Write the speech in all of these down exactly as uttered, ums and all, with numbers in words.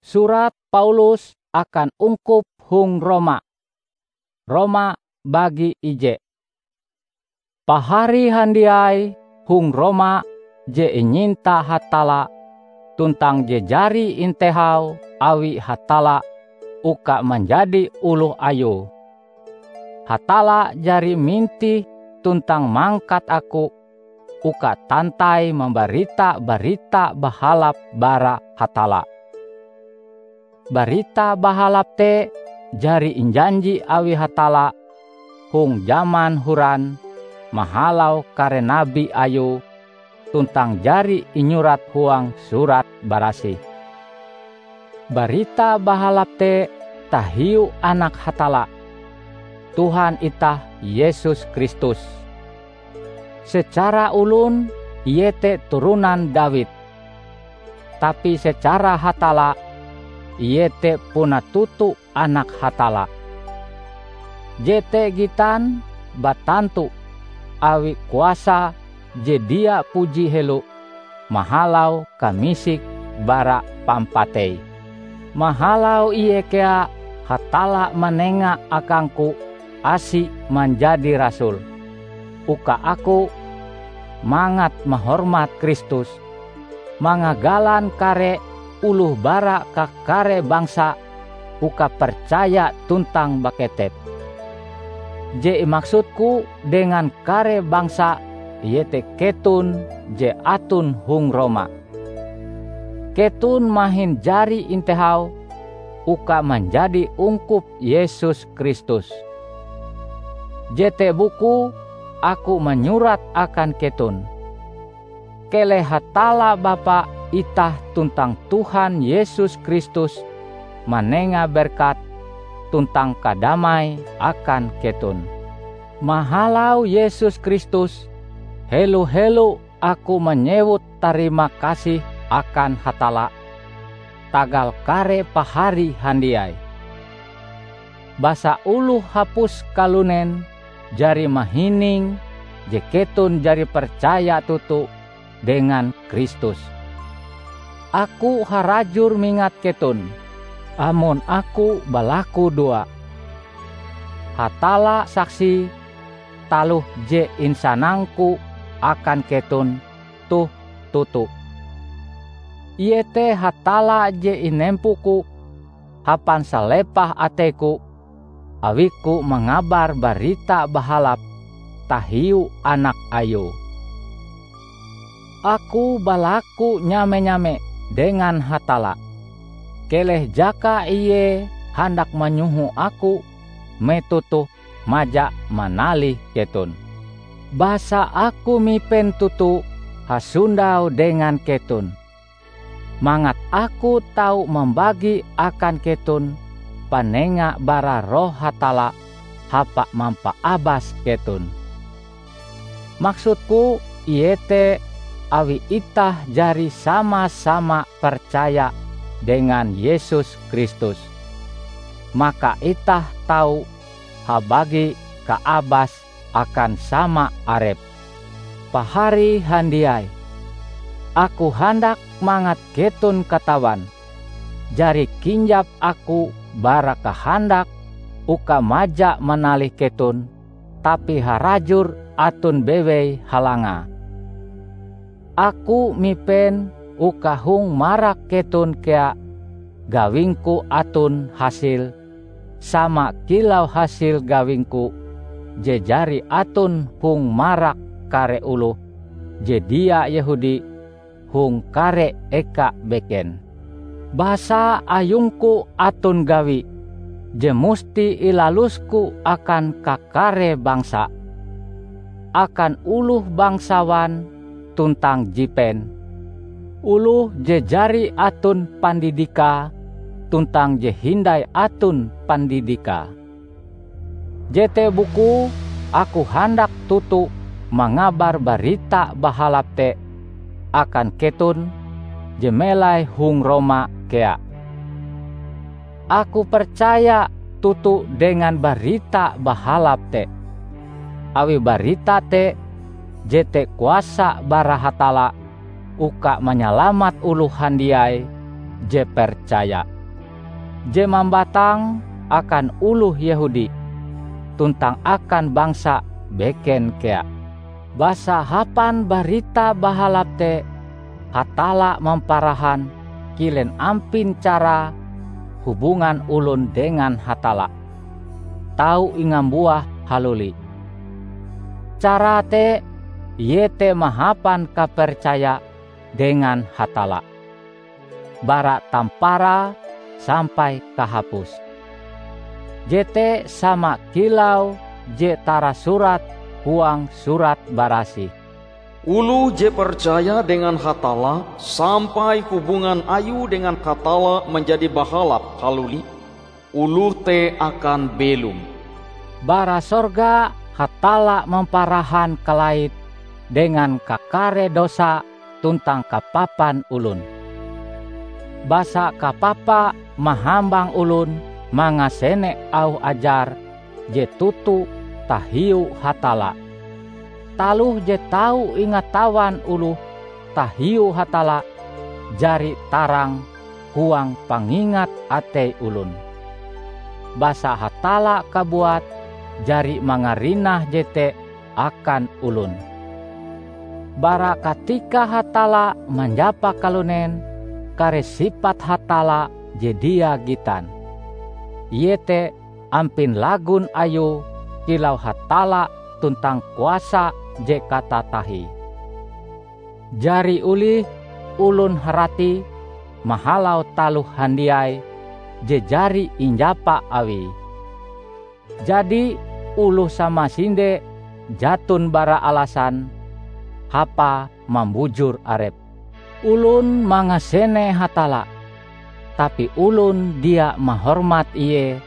Surat Paulus akan ungkup hong Roma. Roma bagi ije. Pahari handiai hong Roma je inyinta Hatalla tuntang je jari intehau awi Hatalla uka manjadi oloh Ayue. Hatalla jari mintih tuntang mangkat aku uka tantai mambarita Barita Bahalap bara Hatalla. Barita Bahalap te jari injanji awi Hatalla hong jaman horan mahalau kare nabi Ayue tuntang jari inyurat huang Surat Barasih. Barita Bahalap te tahiu Anak Hatalla, Tuhan itah Yesus Kristus. Secara olon Ie te turonan Dawid, tapi secara Hatalla Ie te puna toto Anak Hatalla. Jete gitan batantu awi kuasa je dia puji helo mahalau kamisik bara pampatei. Mahalau ie kea Hatalla manenga akangku asi manjadi rasul, uka aku, mangat mahormat Kristus, mangagalan kare oloh bara kakare bangsa uka percaya tuntang baketep. Je imaksudku dengan kare bangsa iete keton je aton hong Roma. Keton mahin jari intehau uka manjadi ungkup Yesus Kristus. Jete bukue aku manyurat akan keton. Keleh Hatalla Bapa itah tuntang Tuhan Yesus Kristus manenga berkat tuntang kadamai akan keton. Mahalau Yesus Kristus, helo-helo aku manyewut tarima kasih akan Hatalla tagal kare pahari handiai. Basa oloh hapus kalunen jari mahining je keton jari percaya toto dengan Kristus. Aku harajur mingat keton, amon aku balakudoa. Hatalla saksi taloh je insanangku akan keton toh toto. Iete Hatalla je inempoku hapan salepah ateiku awiku mangabar Barita Bahalap tahiu Anak Ayue. Aku balaku nyame-nyame dengan Hatalla, keleh jaka Ie handak manyoho aku metoh toh maja manalih keton. Basa aku mipen toto hasondau dengan keton, mangat aku tau mambagi akan keton panenga bara Roh Hatalla hapa mampaabas keton. Maksudku iete awi itah jari sama-sama percaya dengan Yesus Kristus, maka itah tau habagi kaabas akan sama arep. Pahari handiai, aku handak mangat keton katawan, jari kinjap aku bara kahandak uka maja manalih keton, tapi harajur aton bewei halangae. Aku mipen uka hong marak keton kea gawingku aton hasile sama kilau hasil gawingku je jari aton hong marak kare oloh je dia Yehudi hong kare eka beken. Basa ayungku aton gawi je musti ilalusku akan kakare bangsa, akan oloh bangsawan tuntang jipen, oloh je jari aton pandidikae tuntang je hindai aton pandidikae. Jete bukue aku handak toto mangabar Barita Bahalap te akan keton je melai hong Roma kea. Aku percaya toto dengan Barita Bahalap te, awi barita te jete kuasa bara Hatalla uka manyalamat oloh handiai je percaya. je mambatang akan oloh Yehudi, tuntang akan bangsa beken kea. Basa hapan Barita Bahalap te, Hatalla mamparahan kilen ampin cara hubungan olon dengan Hatalla, tau ingambuah haluli. Carae te iete mahapan kapercaya dengan Hatalla, bara tamparae sampai kahapuse. Jete sama kilau je tarasurat huang Surat Barasih, "Oloh je percaya dengan Hatalla sampai hubungan ayue dengan Hatalla manjadi bahalap haluli, oloh te akan belom." Bara sorga Hatalla mamparahan kalait dengan kakare dosa tuntang kapapan olon. Basa kapapa mahambang olon mangasene auh ajar je toto tahiu Hatalla. Taloh je tau ingatawan oloh tahiu Hatalla jari tarang huang pangingat atei olon. Basa Hatalla kabuat jari mangarinah jete akan olon. Bara katika Hatalla manjapa kalunen, kare sipat Hatalla je dia gitan, iete ampin lagon Ayue kilau Hatalla tuntang kuasa je katatahie. Jari olih olon haratie mahalau taloh handiai je jari injapa Awie. Jadi, oloh samasinde jaton bara alasan hapae mambujur arepe. Olon mangasene Hatalla, tapi olon dia mahormat Ie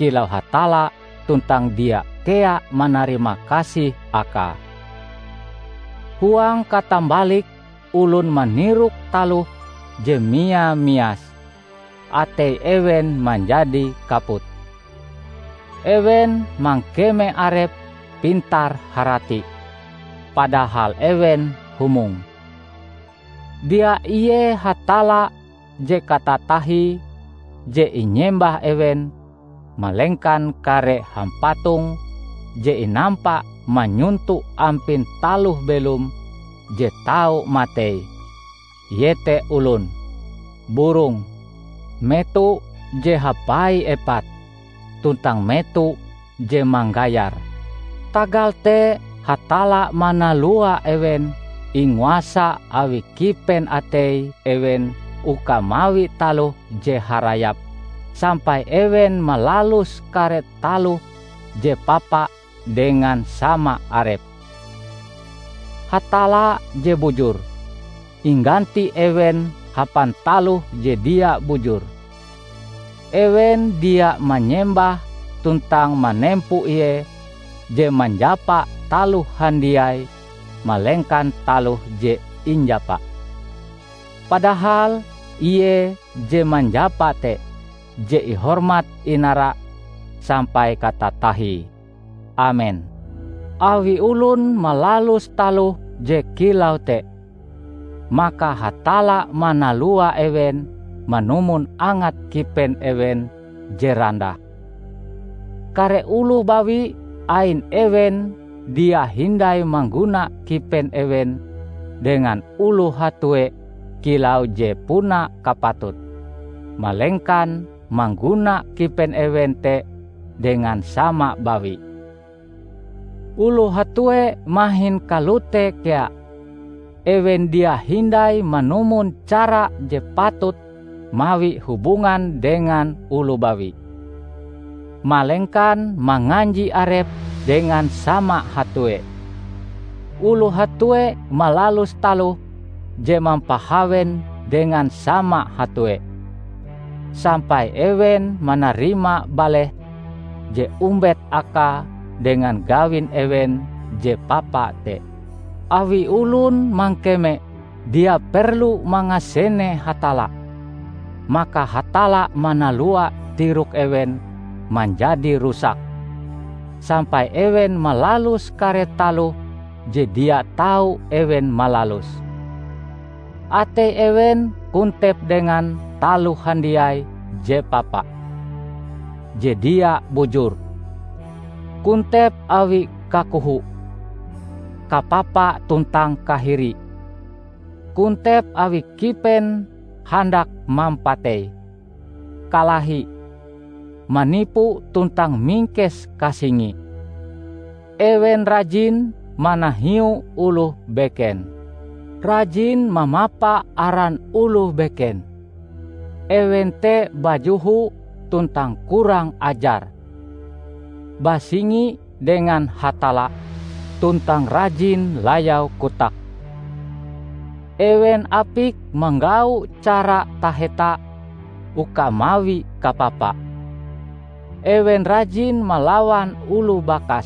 kilau Hatalla tuntang dia kea manarima kasih Akae. Huang katambalike, olon manirok taloh je mia-mias, atei ewen manjadi kaput. Ewen mangkeme arepe pintar-harati, padahal ewen humong. Dia ie Hatalla je katatahie je inyembah ewen, malengkan kare hampatong je inampa manyonto ampin taloh belom je tau matei, iete olon, burong, meto je hapai epate, tuntang meto je manggayar. Tagal te Hatalla manalua ewen inguasa awi kipen atei ewen uka mawi taloh je harayap, sampai ewen malalus kare taloh je papa dengan sama arepe. Hatalla je bujur, ingganti ewen hapan taloh je dia bujur. Ewen dia manyembah tuntang manempo Ie je manjapa taloh handiai, malengkan taloh je injapa. Padahal Ie je manjapa te je ihormat inara sampai katatahie. Amen. Awi olon malalus taloh je kilau te, maka Hatalla manalua ewen manumon angat kipen ewen je randah. Kare oloh bawi ain ewen dia hindai mangguna kipen ewen dengan oloh hatue kilau je puna kapatute, malengkan mangguna kipen ewen te dengan sama bawi. Oloh hatue mahin kalote kea. Ewen dia hindai manumon cara je patut mawi hubungan dengan oloh bawi, malengkan manganji arepe dengan sama hatue. Oloh hatue malalus taloh je mampahawen dengan sama hatue, sampai ewen manarima baleh je ombet akae dengan gawin ewen je papa te. Awi olon mangkeme dia perlu mangasene Hatalla, maka Hatalla manalua tirok ewen manjadi rusak, sampai ewen malalus kare taloh je dia tau ewen malalus. Atei ewen kontep dengan taloh handiai je papa. je dia bujur, kontep awi kakoho, kapapa tuntang kahiri, kontep awi kipen handak mampatei, kalahi, manipu tuntang mingkes kasingi. Ewen rajin manahiu oloh beken, rajin mamapa aran oloh beken. Ewen te bajoho tuntang kurang ajar, basingi dengan Hatalla tuntang rajin layau kotak. Ewen apik manggau cara taheta uka mawi kapapa. Ewen rajin malawan oloh bakas.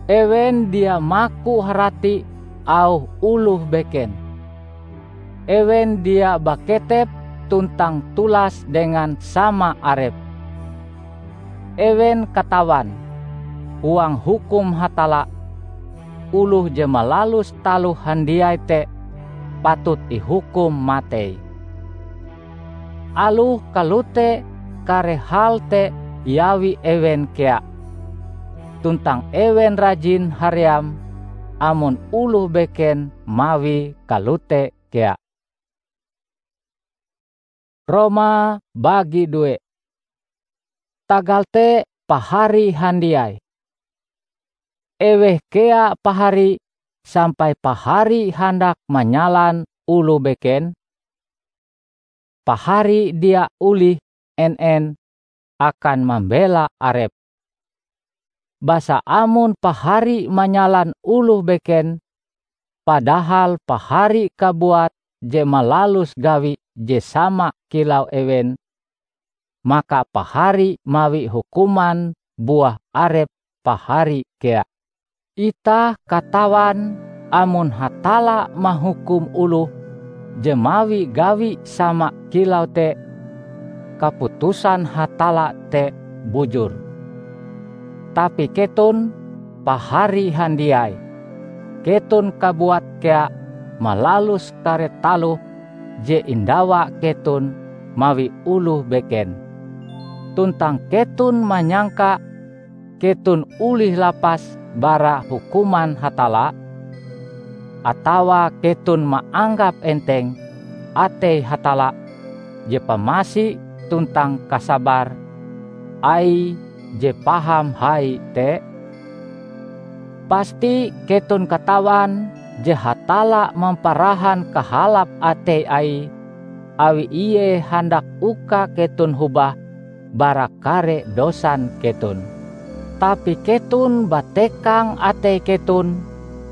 Ewen dia maku harati auh oloh beken. Ewen dia baketep tuntang tulas dengan sama arep. Ewen katawan, huang hukum Hatalla, oloh je malalus taloh handiai te patut ihukum matei. Aloh kalote, kare hal te iawi ewen kea, tuntang ewen rajin haream amon oloh beken mawie kalote kea. Roma bagi due. Tagal te, pahari handiai, eweh kea pahari sampai pahari handak manyalan oloh beken? Pahari dia olih en-en akan mambela arepe. Basa amon pahari manyalan oloh beken, padahal pahari kabuat je malalus gawi je sama kilau ewen, maka pahari mawi hukuman buah arep pahari kea. Itah katawan amon Hatalla mahukum oloh je mawi gawi sama kilau te, kaputusan Hatalla te bujur. Tapi keton, pahari handiai, keton kabuat kea malalus kare taloh je indawa keton mawi oloh beken. Tuntang keton manyangka keton olih lapas bara hukuman Hatalla? Atawa keton maanggap enteng atei Hatalla je pamasi tuntang kasabar Aie je paham hai te? Pasti keton katawan je Hatalla mamparahan kahalap atei Aie, awi Ie handak uka keton hobah bara kare dosan keton. Tapi keton batekang atei keton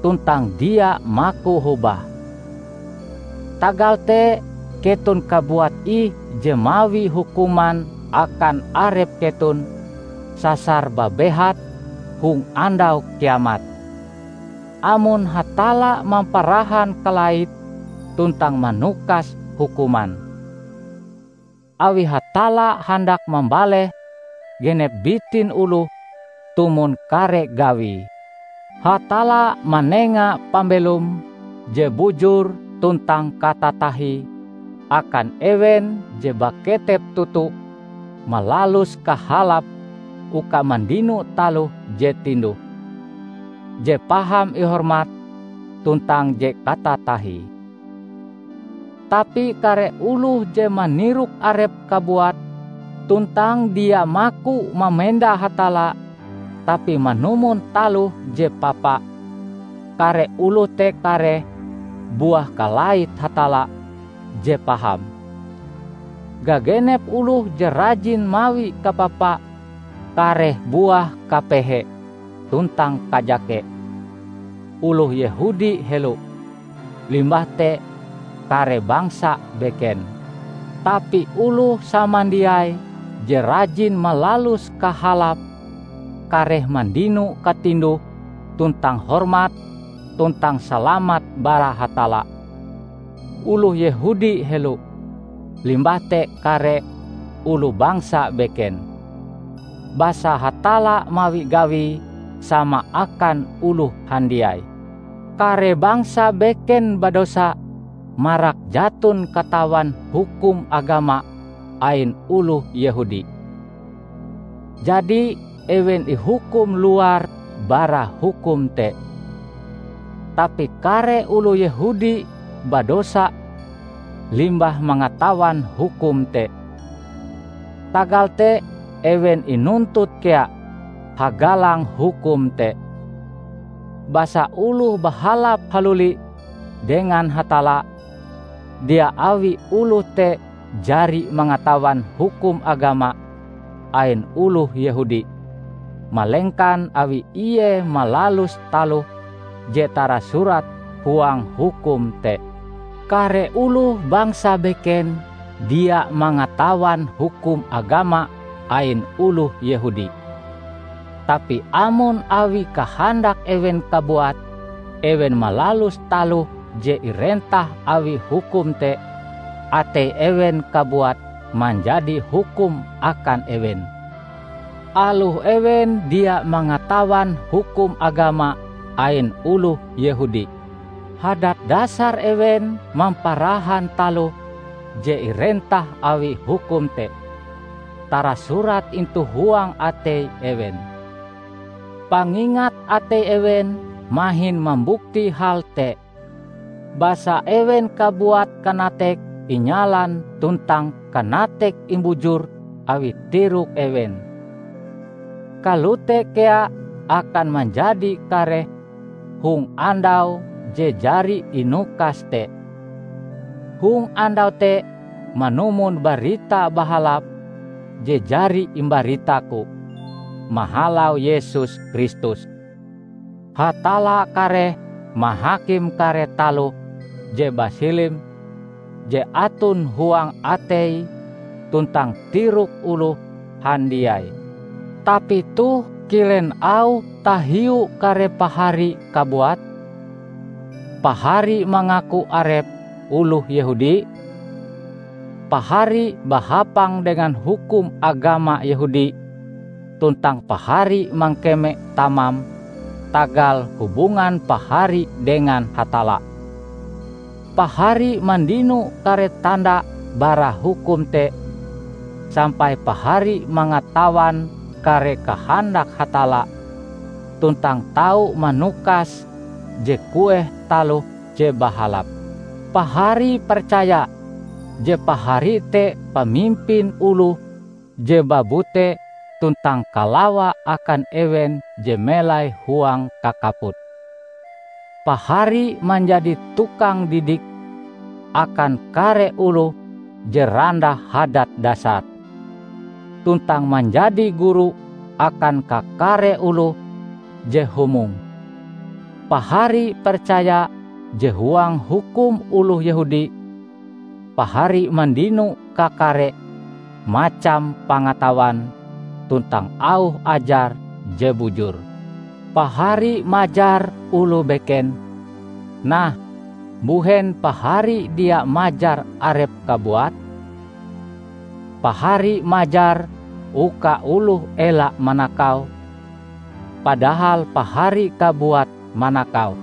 tuntang dia maku hobah. Tagal te, keton kabuat ih je mawi hukuman akan arep keton sasar babehat hong Andau Kiamat, amon Hatalla mamparahan kalait tuntang manukas hukuman. Awi Hatalla handak mambaleh genep bitin oloh tumon kare gawie. Hatalla manenga pambelom je bujur tuntang katatahie akan ewen je baketep toto malalus kahalap uka mandino taloh je tinduh, je paham ihormat, tuntang je katatahie. Tapi kare oloh je manirok arep kabuat tuntang dia maku mamenda Hatalla, tapi manumon taloh je papa, kare oloh te kareh buah kalait Hatalla je paham. Gagenep oloh je rajin mawi kapapa kareh buah kapehe tuntang kajake. Oloh Yehudi helo, limbah te kare bangsa beken. Tapi oloh samandiai je rajin malalus kahalap kareh mandino katinduh tuntang hormat tuntang salamat bara Hatalla. Oloh Yehudi helo, limbah te kare oloh bangsa beken. Basa Hatalla mawi gawie sama akan oloh handiai. Kare bangsa beken badosa marak jaton katawan hukum agama ain oloh Yehudi. Jadi, ewen ihukum luar bara hukum te. Tapi kare oloh Yehudi badosa limbah mangatawan hukum te. Tagal te, ewen inuntut kea hagalang hukum te. Basa oloh bahalap haluli dengan Hatalla, dia awi oloh te jari mangatawan hukum agama ain oloh Yehudi, malengkan awi ie malalus taloh je tarasurat huang hukum te. Kare oloh bangsa beken dia mangatawan hukum agama ain oloh Yehudi. Tapi amon awi kahandak ewen kabuat, ewen malalus taloh je irentah awi hukum te, atei ewen kabuat manjadi hukum akan ewen. Aloh ewen dia mangatawan hukum agama ain oloh Yehudi, hadat dasar ewen mamparahan taloh je irentah awi hukum te tarasurat intu huang atei ewen. Pangingat atei ewen mahin mambukti hal te, basa ewen kabuat kanatek inyalan tuntang kanatek imbujur awi tirok ewen. Kalote kea akan manjadi kareh hong andau je jari inukas te. Hong andau te manumon Barita Bahalap je jari imbaritaku mahalau Yesus Kristus. Hatalla kareh mahakim kare taloh je basilim je aton huang atei tuntang tirok oloh handiai. Tapi toh kilen auh tahiu kare pahari kabuat? Pahari mangaku arepe oloh Yehudi? Pahari bahapang dengan hukum agama Yehudi, tuntang pahari mangkeme tamam tagal hubungan pahari dengan Hatalla. Pahari mandino kare tanda bara hukum te, sampai pahari mangatawan kare kahandak Hatalla, tuntang tau manukas je kueh taloh je bahalap. Pahari percaya je pahari te pamimpin oloh je babute tuntang kalawa akan ewen je melai huang kakaput. Pahari manjadi tukang didik akan kare oloh je randah hadat dasar, tuntang manjadi guru akan kakare oloh je humong. Pahari percaya je huang hukum oloh Yehudi, pahari mandino kakare macam pangatawan tuntang auh ajar je bujur. Pahari majar oloh beken, nah, mbuhen pahari dia majar arepe kabuat? Pahari majar uka oloh ela manakau, padahal pahari kabuat manakau.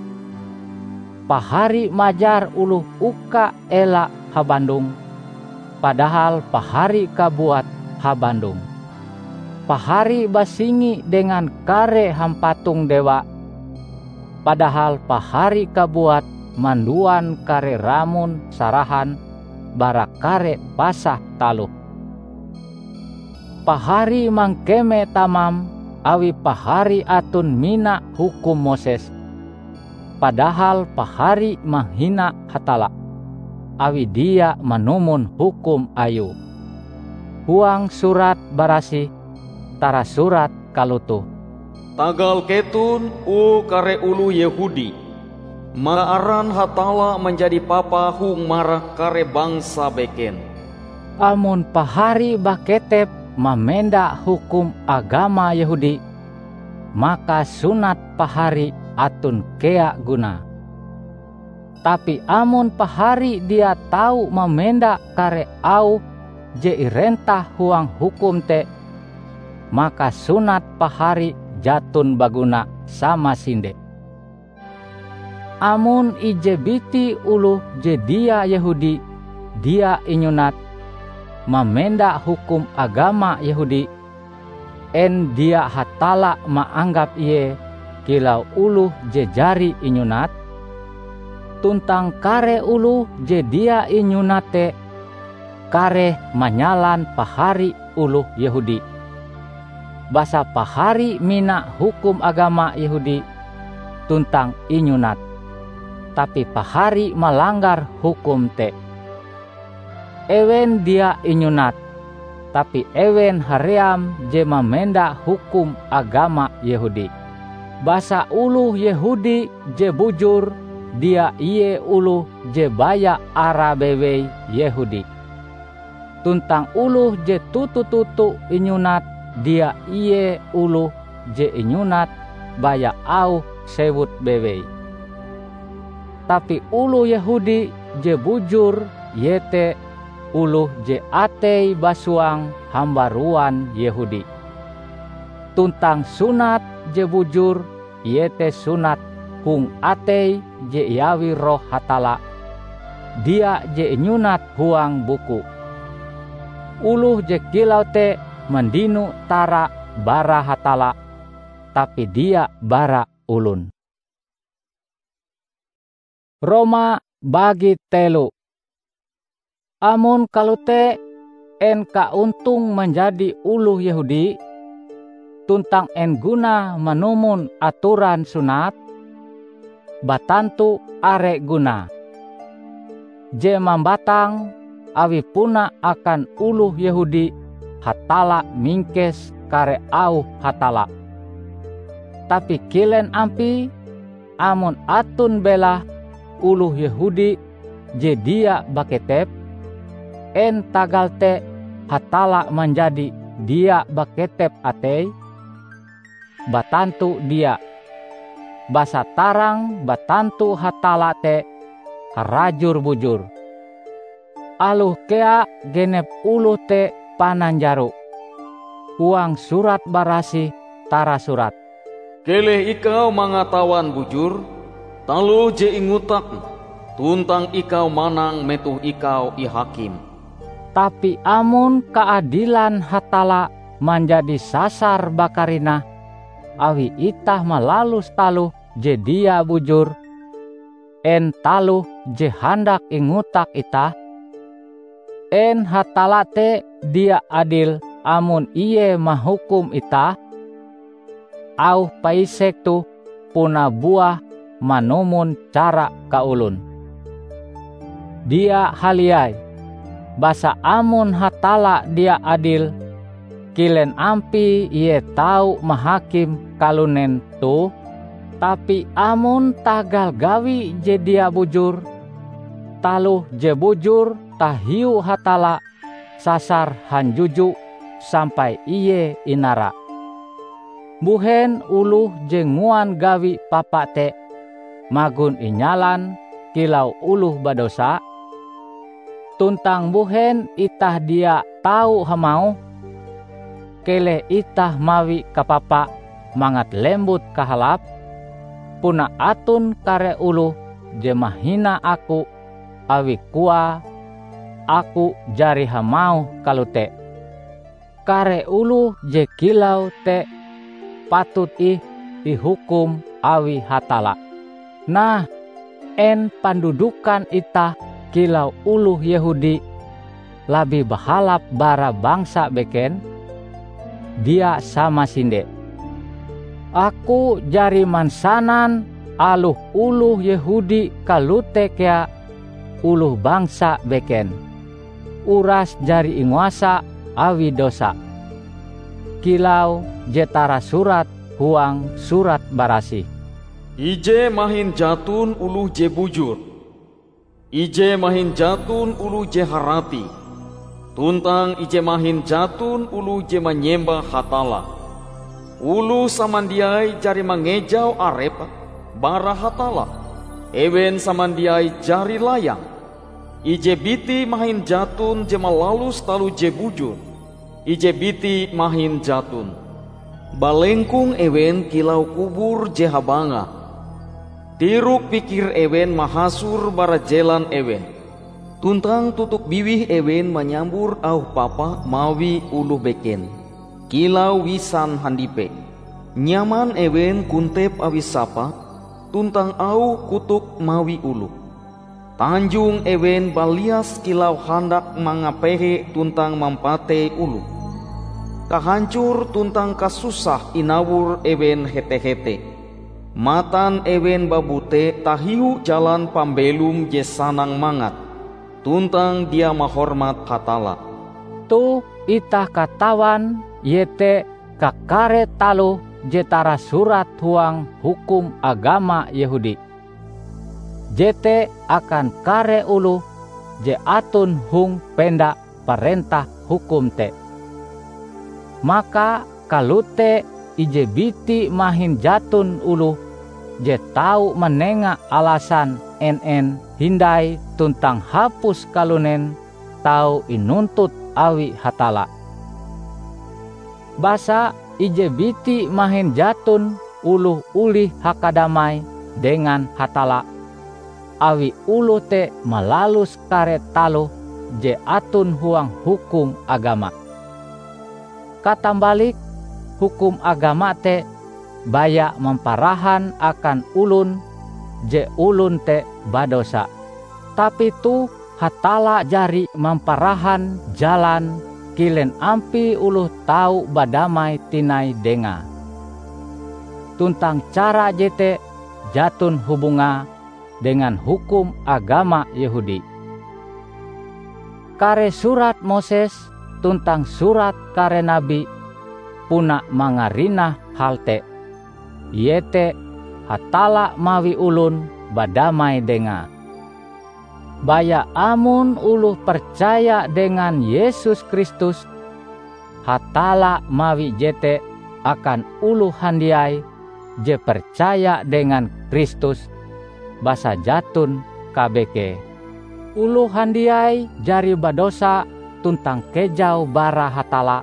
Pahari majar oloh uka ela habandong, padahal pahari kabuat habandong. Pahari basingi dengan kare hampatong dewa, padahal pahari kabuat manduan kare ramon sarahan bara kare pasah taloh. Pahari mangkeme tamam awi pahari aton mina hukum Moses, padahal pahari mahina Hatalla awi dia manumon hukum Ayue. Huang Surat Barasih tarasurat kalotoh, "Tagal keton, o kare oloh Yehudi, maka aran Hatalla manjadi papa hong marak kare bangsa beken." Amon pahari baketep mamenda hukum agama Yehudi, maka sunat pahari aton kea gunae. Tapi amon pahari dia tau mamenda kare auh je irentah huang hukum te, maka sunat pahari jaton baguna samasinde. Amon ije biti oloh je dia Yehudi dia inyunat mamenda hukum agama Yehudi, En dia Hatalla maanggap ie kilau oloh je jari inyunat? Tuntang kare oloh je dia inyunat te kareh manyalan pahari oloh Yehudi. Basa pahari mina hukum agama Yehudi tuntang inyunat, tapi pahari malanggar hukum te. Ewen dia inyunat, tapi ewen haream je mamenda hukum agama Yehudi. Basa oloh Yehudi je bujur dia ie oloh je baya ara bewei Yehudi. Tuntang oloh je toto-toto inyunat dia ie oloh je inyunat baya auh sewut bewei. Tapi oloh Yehudi je bujur iete oloh je ateie basuang hambaruan Yehudi. Tuntang sunat je bujur iete sunat hong atei je iawi Roh Hatalla, dia je inyunat huang buku. Oloh je kilau te mandino tara bara Hatalla, tapi dia bara olon. Roma bagi telo. Amon kalote, en kaontong manjadi oloh Yehudi, tuntang en gunae manumon atoran sunat? Batantu are gunae! Je mambatang awi puna akan oloh Yehudi Hatalla mingkes kare auh Hatalla. Tapi kilen ampie amon aton belahe oloh Yehudi je dia baketep? En tagal te Hatalla manjadi dia baketep ateie? Batantu dia! Basa tarang batantu Hatalla te harajur bujur. Aloh kea genep oloh te pananjaro. Huang Surat Barasih tarasurat, "Keleh ikau mangatawan bujur, taloh je ingotakm, tuntang ikau manang metoh ikau ihakim." Tapi amon kaadilan Hatalla manjadi sasar bakarinah awi itah malalus taloh je dia bujur, en taloh je handak ingotak itah? En Hatalla te dia adil amon Ie mahukum itah? Auh paisek toh puna buah manumon cara kaolon? Dia haliai! Basa amon Hatalla dia adil, kilen ampie Ie tau mahakim kalunen toh? Tapi amon tagal gawi je dia bujur, taloh je bujur tahiu Hatalla sasar hanjuju sampai Ie inara, mbuhen oloh je nguan gawi papa te magon inyalan kilau oloh badosa? Tuntang mbuhen itah dia tau hamauh, "Keleh itah mawi kapapa mangat lembut kahalape"? Puna aton kare oloh je mahina aku awi koae aku jari hamauh kalote. Kare oloh je kilau te patut ih ihukum awi Hatalla. Nah, en pandudukan itah kilau oloh Yehudi labih bahalap bara bangsa beken? Dia samasinde! Aku jari mansanan aloh oloh Yehudi kalote kea oloh bangsa beken, uras jari inguasa awi dosa. Kilau je tarasurat huang Surat Barasih, "Ije mahin jaton oloh je bujur, ije mahin jaton oloh je harati, tuntang ije mahin jaton oloh je manyembah Hatalla. Oloh samandiai jari mangejau arepe bara Hatalla. Ewen samandiai jari layang. Ije biti mahin jaton je malalus taloh je bujur, ije biti mahin jaton. Balengkong ewen kilau kubur je habanga. Tirok-pikir ewen mahasor bara jelan ewen, tuntang tutuk biwih ewen manyambor auh papa mawi oloh beken. Kilau wisan handipe, nyaman ewen kontep awi sapa, tuntang auh kotok mawi oloh. Tanjong ewen balias kilau handak mangapehe tuntang mampatei oloh. Kahancor tuntang kasusah inawor ewen hete-hete. Matan ewen babute tahiu jalan pambelom je sanang mangat, tuntang dia mahormat Hatalla. Toh itah katawan, iete kakare taloh je tarasurat huang hukum agama Yehudi, jete akan kare oloh je aton hong penda parentah hukum te. Maka kalote ije biti mahin jaton oloh je tau manenga alasan en-en hindai tuntang hapus kalunen tau inuntut awi Hatalla. Basa ije biti mahin jaton oloh olih hakadamai dengan Hatalla, awi oloh te malalus kare taloh je aton huang hukum agama. Katambalike, hukum agama te baya mamparahan akan olon je olon te badosa. Tapi toh Hatalla jari mamparahan jalan kilen ampie oloh tau badamai tinai Dengae. Tuntang cara jete jaton hubungae dengan hukum agama Yehudi. Kare Surat Moses tuntang surat kare nabi puna mangarinah hal te, iete Hatalla mawi olon badamai Dengae. Baya amon oloh percaya dengan Yesus Kristus, Hatalla mawi jete akan oloh handiai je percaya dengan Kristus, basa jaton kabekee. Oloh handiai jari badosa tuntang kejau bara Hatalla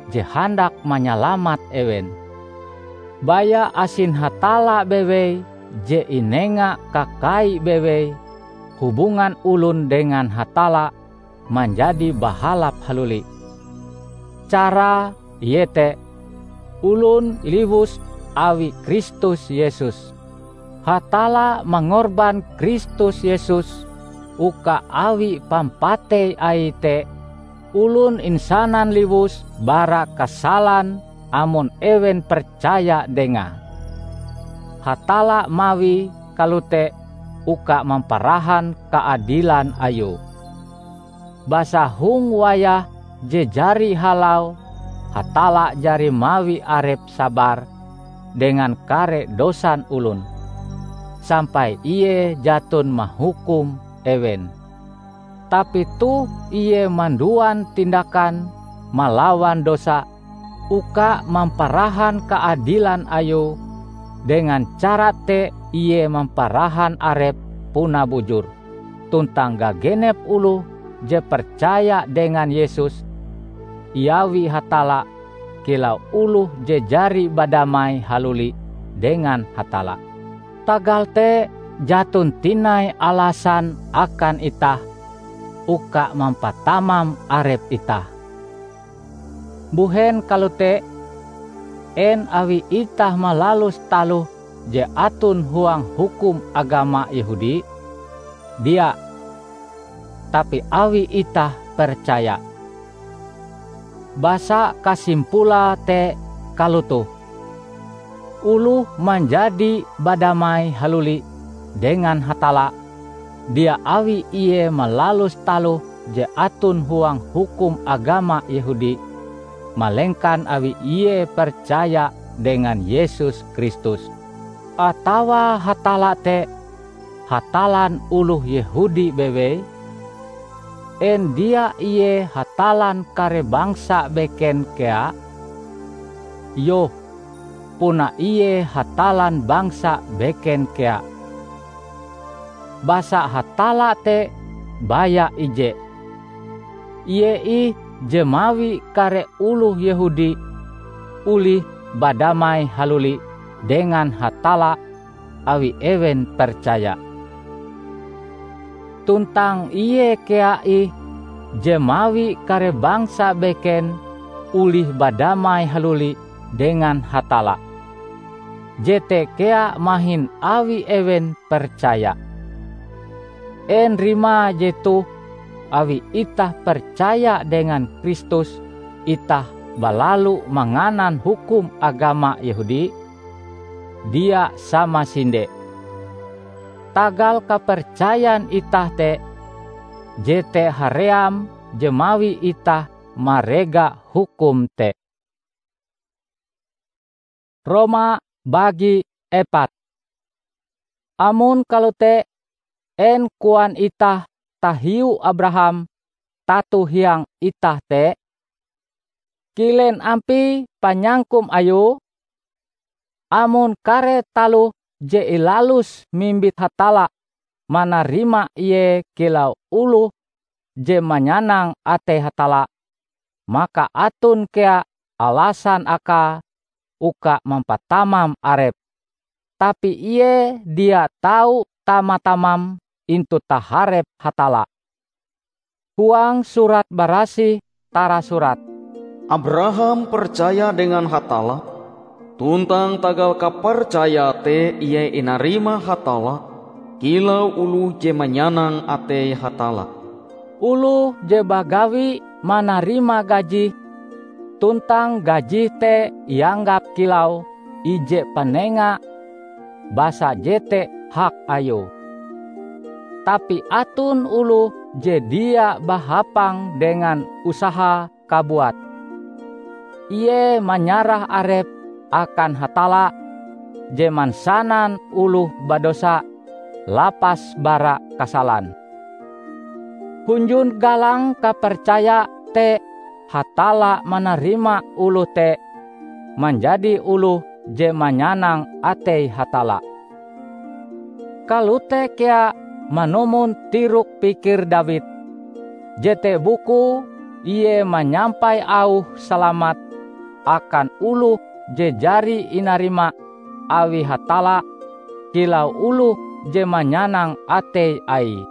je handak manyalamat ewen. Baya asin Hatalla bewei je inenga kakai bewei, hubungan olon dengan Hatalla manjadi bahalap haluli. Carae iete olon liwus awi Kristus Yesus. Hatalla mangorban Kristus Yesus uka awi pampatei Aie te, olon insanan liwus bara kasalan amon ewen percaya Dengae. Hatalla mawie kalote uka mamparahan kaadilan Ayue. Basa hong wayah je jari halau, Hatalla jari mawi arepe sabar dengan kare dosan olon, sampai Ie jaton mahukum ewen. Tapi toh Ie manduan tindakan malawan dosa uka mamparahan kaadilan Ayue, dengan cara te Ie mamparahan Arepe puna bujur, tuntang gagenep oloh je percaya dengan Yesus iawi Hatalla kilau oloh je jari badamai haluli dengan Hatalla. Tagal te, jaton tinai alasan akan itah uka mampatamam arep itah. Mbuhen kalote? En awi itah malalus taloh je aton huang hukum agama Yehudi? Dia, tapi awi itah percaya. Basa kasimpulae te kalotoh: Oloh manjadi badamai haluli dengan Hatalla, dia awi ie malalus taloh je aton huang hukum agama Yehudi, malengkan awi ie percaya dengan Yesus Kristus. Atawa Hatalla te Hatallan oloh Yehudi bewei? En dia Ie Hatallan kare bangsa beken kea? Iyoh, puna Ie Hatallan bangsa beken kea. Basa Hatalla te baya ije. Ie ih je mawi kare oloh Yehudi olih badamai haluli dengan Hatalla awi ewen percaya. Tuntang Ie kea ih je mawi kare bangsa beken olih badamai haluli dengan Hatalla. Jete kea mahin awi ewen percaya. En rimae jetoh awi itah percaya dengan Kristus, itah balalu manganan hukum agama Yehudi? Dia samasinde! Tagal kapercayan itah te, jete haream je mawi itah marega hukum te. Roma bagi epat. Amon kalote, en koan itah tahiu Abraham tato hiang itah te? Kilen ampie panyangkum ayue? Amon kare taloh je ilaluse mimbit Hatalla manarima ie kilau oloh je manyanang atei Hatalla, maka aton kea alasan akae uka mampatamam arepe. Tapi ie dia tau tama-tamam intu taharep Hatalla. Huang Surat Barasih tarasurat, "Abraham percaya dengan Hatalla, tuntang tagal kapercayae te ie inarima Hatalla kilau oloh je manyanang atei Hatalla." Oloh je bagawi manarima gajih, tuntang gajih te ianggap kilau ije panenga, basa jete hak ayue. Tapi aton oloh je dia bahapang dengan usahae kabuat. Ie manyarah arepe akan Hatalla je mansanan oloh badosa lapas bara kasalan. Hunjun galang kapercaya te Hatalla manarima oloh te manjadi oloh je manyanang atei Hatalla. Kalote kea manumon tirok-pikir Dawid, jete bukue ie manyampai auh salamat akan oloh je jari inarima awi Hatalla kilau oloh je manyanang atei Aie.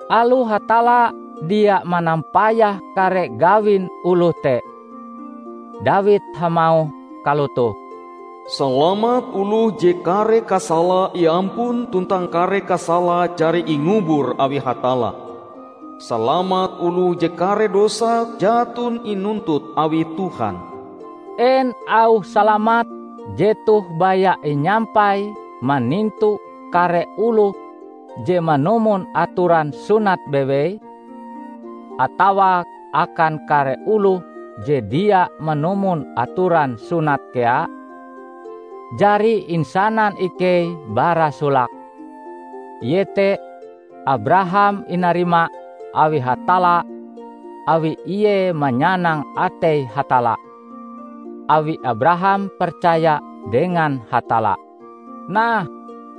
Aloh Hatalla dia manampayah kare gawin oloh te, Dawid hamauh kalotoh, "Salamat oloh je kare kasalae iampun tuntang kare kasalae jari ingubur awi Hatalla. Salamat oloh je kare dosae jaton inuntut awi Tuhan." En auh salamat jetoh baya inyampai manintu kare oloh je manumon atoran sunat bewei, atawa akan kare oloh je dia manumon atoran sunat kea? Jari insanan ikei bara solake, iete Abraham inarima awi Hatalla awi ie manyanang atei Hatalla, awi Abraham percaya dengan Hatalla. Nah,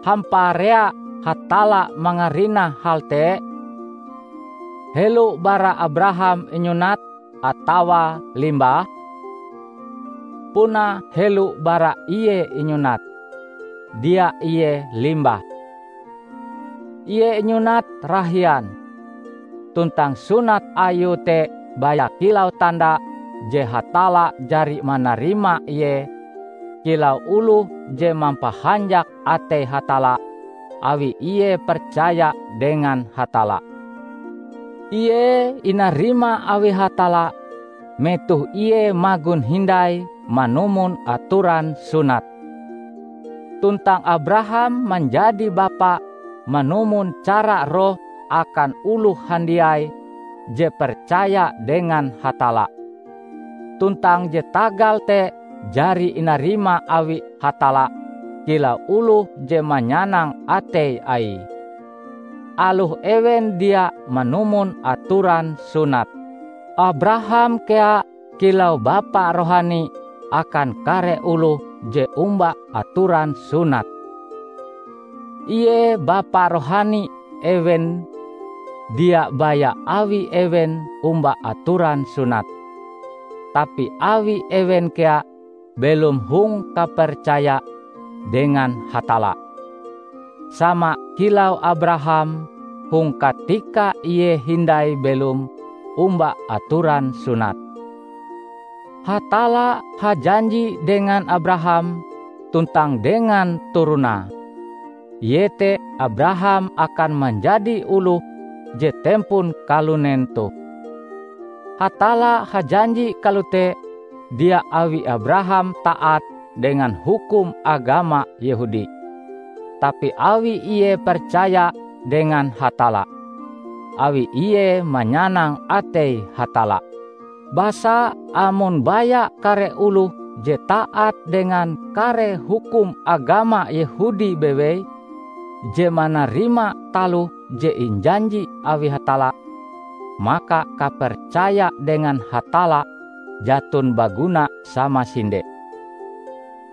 hamparea Hatalla mangarinah hal te? Helo bara Abraham inyunat atawa limbah? Puna helo bara ie inyunat, dia ie limbah. Ie inyunat rahian, tuntang sunat ayue te baya kilau tanda je Hatalla jari manarima ie kilau oloh je mampahanjak atei Hatalla awi ie percaya dengan Hatalla. Ie inarima awi Hatalla metoh ie magon hindai manumon atoran sunat. Tuntang Abraham manjadi bapa manumon cara roh akan oloh handiai je percaya dengan Hatalla. Tuntang je tagal te jari inarima awi Hatalla kilau oloh je manyanang atei Aie, aloh ewen dia manumon atoran sunat. Abraham kea kilau bapa rohani akan kare oloh je omba atoran sunat. Ie bapa rohani ewen dia baya awi ewen omba atoran sunat, tapi awi ewen kea belom hong kapercaya dengan Hatalla, sama kilau Abraham hong katika ie hindai belom omba atoran sunat. Hatalla hajanji dengan Abraham tuntang dengan turonae, iete Abraham akan manjadi oloh je tempon kalunen toh. Hatalla hajanji kalote dia awi Abraham taat dengan hukum agama Yehudi, tapi awi ie percaya dengan Hatalla, awi ie manyanang atei Hatalla. Basa amon baya kare oloh je taat dengan kare hukum agama Yehudi bewei, je manarima taloh je injanji awi Hatalla, maka kapercaya dengan Hatalla jaton baguna samasinde.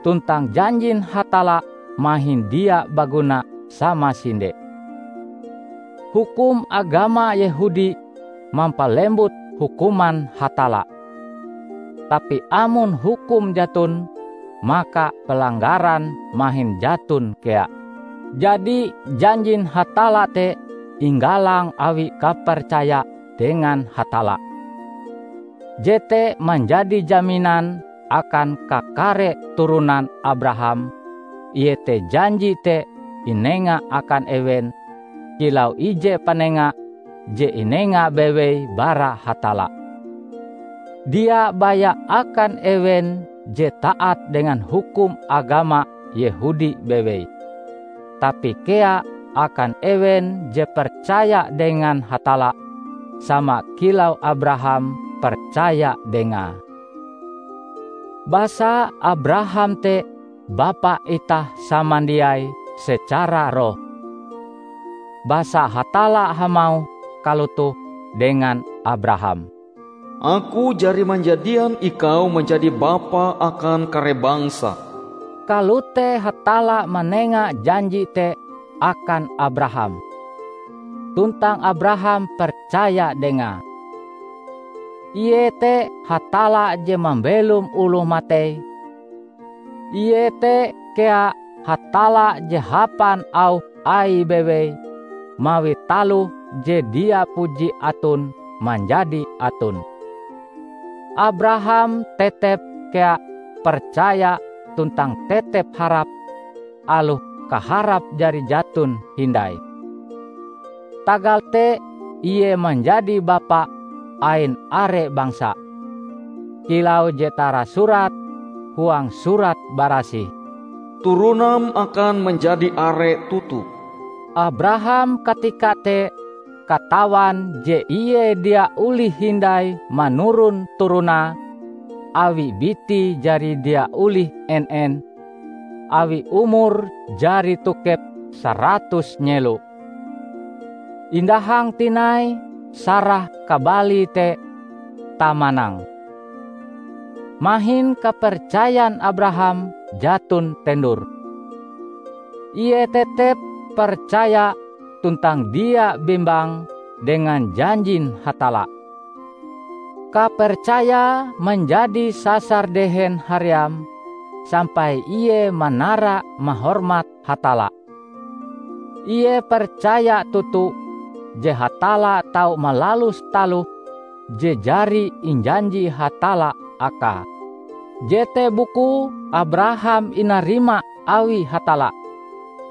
Tuntang janjin Hatalla mahin dia baguna samasinde. Hukum agama Yehudi mampalembut hukuman Hatalla. Tapi amon hukum jaton, maka pelanggaran mahin jaton kea. Jadi, janjin Hatalla te inggalang awi kapercaya dengan Hatalla. Jete manjadi jaminan akan kakare turonan Abraham, iete janji te inenga akan ewen kilau ije panenga je inenga bewei bara Hatalla. Dia baya akan ewen je taat dengan hukum agama Yehudi bewei, tapi kea akan ewen je percaya dengan Hatalla, sama kilau Abraham percaya Dengae. Basa Abraham te bapa itah samandiai secara roh. Basa Hatalla hamauh kalotoh dengan Abraham, "Aku jari manjadian ikau manjadi bapa akan kare bangsa." Kalote Hatalla manenga janji te akan Abraham. Tuntang Abraham percaya Dengae. Ie te Hatalla je mambelom oloh matei. Ie te kea Hatalla je hapan auh Aie bewei mawi taloh je dia puji aton manjadi aton. Abraham tetep kea percaya tuntang tetep harap, aloh kaharap jari jaton hindai. Tagal te ie manjadi bapa ain are bangsa, kilau je tarasurat huang Surat Barasih, "Turonam akan manjadi are toto." Abraham katika te katawan je ie dia olih hindai manuron turonae, awi bitie jari dia olih en-en, awi umure jari tokep saratus nyelo. Indahang tinai Sarah kabalie te tamanang. Mahin kapercayan Abraham jaton tendur. Ie tetep percaya tuntang dia bimbang dengan janjin Hatalla. Kapercayae manjadi sasar dehen haream sampai ie manara mahormat Hatalla. Ie percaya toto je Hatalla tau malalus taloh je jari injanji Hatalla akae. Jete bukue Abraham inarima awi Hatalla,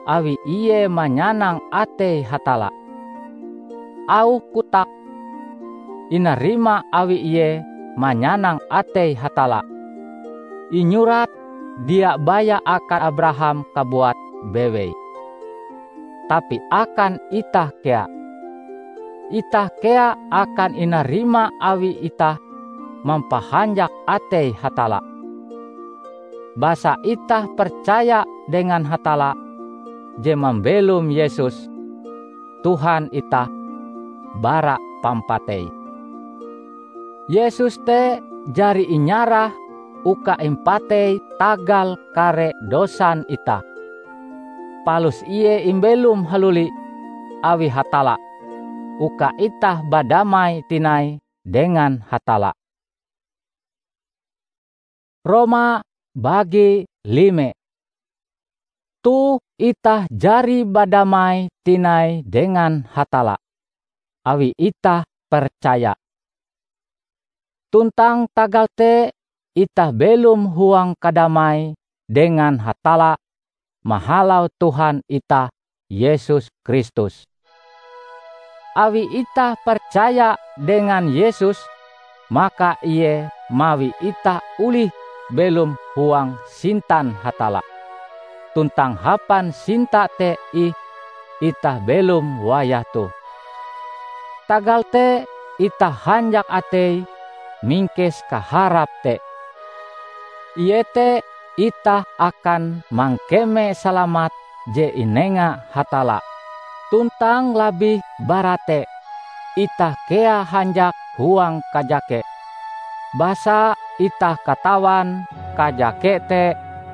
awi ie manyanang atei Hatalla. Auh kotak inarima awi ie manyanang atei Hatalla. Inyurat dia baya akan Abraham kabuat bewei, tapi akan itah kea. Itah kea akan inarima awi itah mampahanjak atei Hatalla. Basa itah percaya dengan Hatalla je mambelom Yesus, Tuhan itah, bara pampatei. Yesus te jari inyarah uka impatei tagal kare dosan itah. Palus ie imbelom haluli awi Hatalla, uka itah badamai tinai dengan Hatalla. Roma bagi lime. Toh itah jari badamai tinai dengan Hatalla, awi itah percaya. Tuntang tagal te, itah belom huang kadamai dengan Hatalla mahalau Tuhan itah Yesus Kristus. Awi itah percaya dengan Yesus, maka Ie mawi itah olih belom huang sintan Hatalla. Tuntang hapan sinta te ih itah belom wayah toh. Tagal te itah hanjak atei mingkes kaharap te, iete itah akan mangkeme salamat je inenga Hatalla. Tuntang labih bara te, itah kea hanjak huang kajake, basa itah katawan kajake te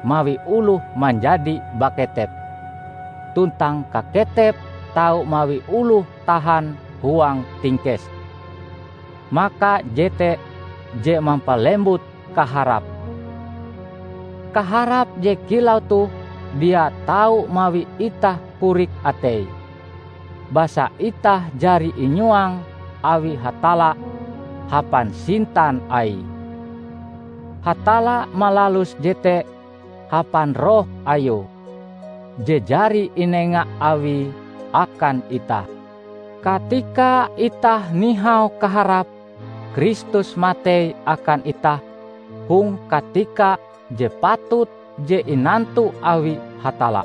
mawi oloh manjadi baketep, tuntang kaketep tau mawi oloh tahan huang tingkes. Maka jete je mampalembut kaharap. Kaharap je kilau toh dia tau mawi itah korik atei, basa itah jari inyuang awi Hatalla hapan sintan Aie. Hatalla malalus jete hapan Roh Ayue, je jari inenga Awie akan itah. Katika itah nihau kaharap, Kristus matei akan itah hong katika je patut je inantu awi Hatalla.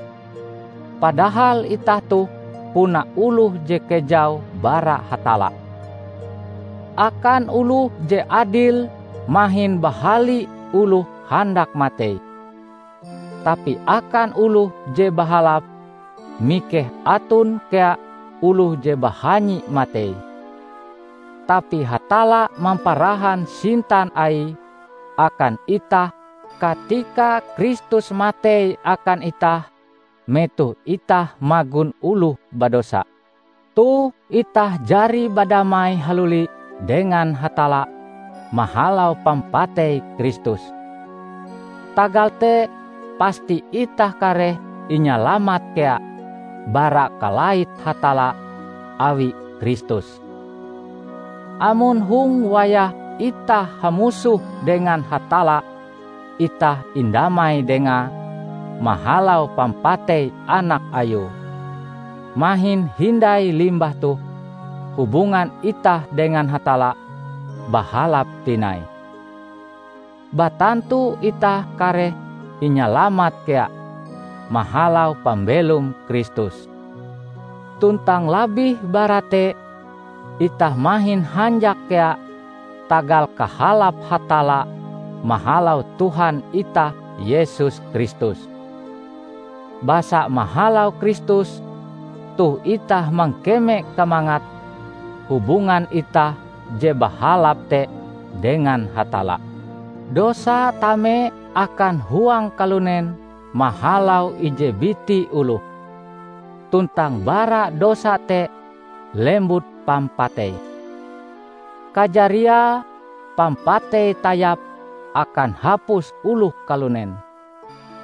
Padahal itah toh puna oloh je kejau bara Hatalla. Akan oloh je adil mahin bahali oloh handak matei, tapi akan oloh je bahalap, mikeh aton kea oloh je bahanyi matei. Tapi Hatalla mamparahan sintan Aie akan itah katika Kristus matei akan itah metoh itah magon oloh badosa. Toh itah jari badamai haluli dengan Hatalla mahalau pampatei Kristus. Tagal te, pasti itah kareh inyalamat kea bara kalait Hatalla awi Kristus. Amon hong wayah itah hamusoh dengan Hatalla, itah indamai Dengae mahalau pampatei Anak Ayue, mahin hindai limbah toh hubungan itah dengan Hatalla bahalap tinai. Batantu itah kareh inyalamat kea mahalau pambelom Kristus. Tuntang labih bara te, itah mahin hanjak kea tagal kahalap Hatalla mahalau Tuhan itah Yesus Kristus. Basa mahalau Kristus, toh itah mangkeme kamangat hubungan itah je bahalap te dengan Hatalla. Dosa tame akan huang kalunen mahalau ije biti oloh, tuntang bara dosa te lembut pampatei. Kajariae pampatei tayap akan hapus oloh kalunen,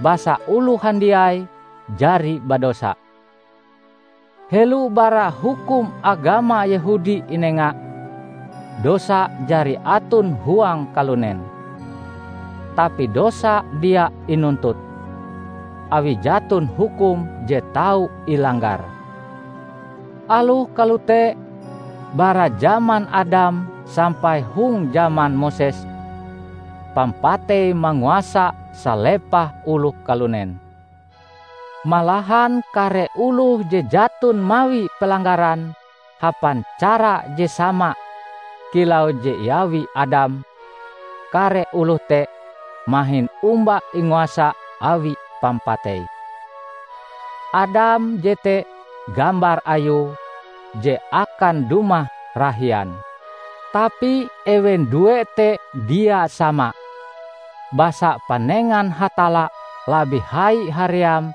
basa oloh handiai jari badosa. Helo bara hukum agama Yehudi inenga, dosa jari aton huang kalunen. Tapi dosa dia inuntut, awi jaton hukum je tau ilanggar. Aloh kalote, bara jaman Adam sampai hong jaman Moses, pampatei manguasa salepah oloh kalunen. Malahan kare oloh je jaton mawi pelanggaran hapan cara je sama kilau je iawi Adam, kare oloh te mahin omba inguasa awi pampatei. Adam jete gambar Ayue je akan dumah rahian. Tapi ewen due te dia sama, basa panengan Hatalla labih hai haream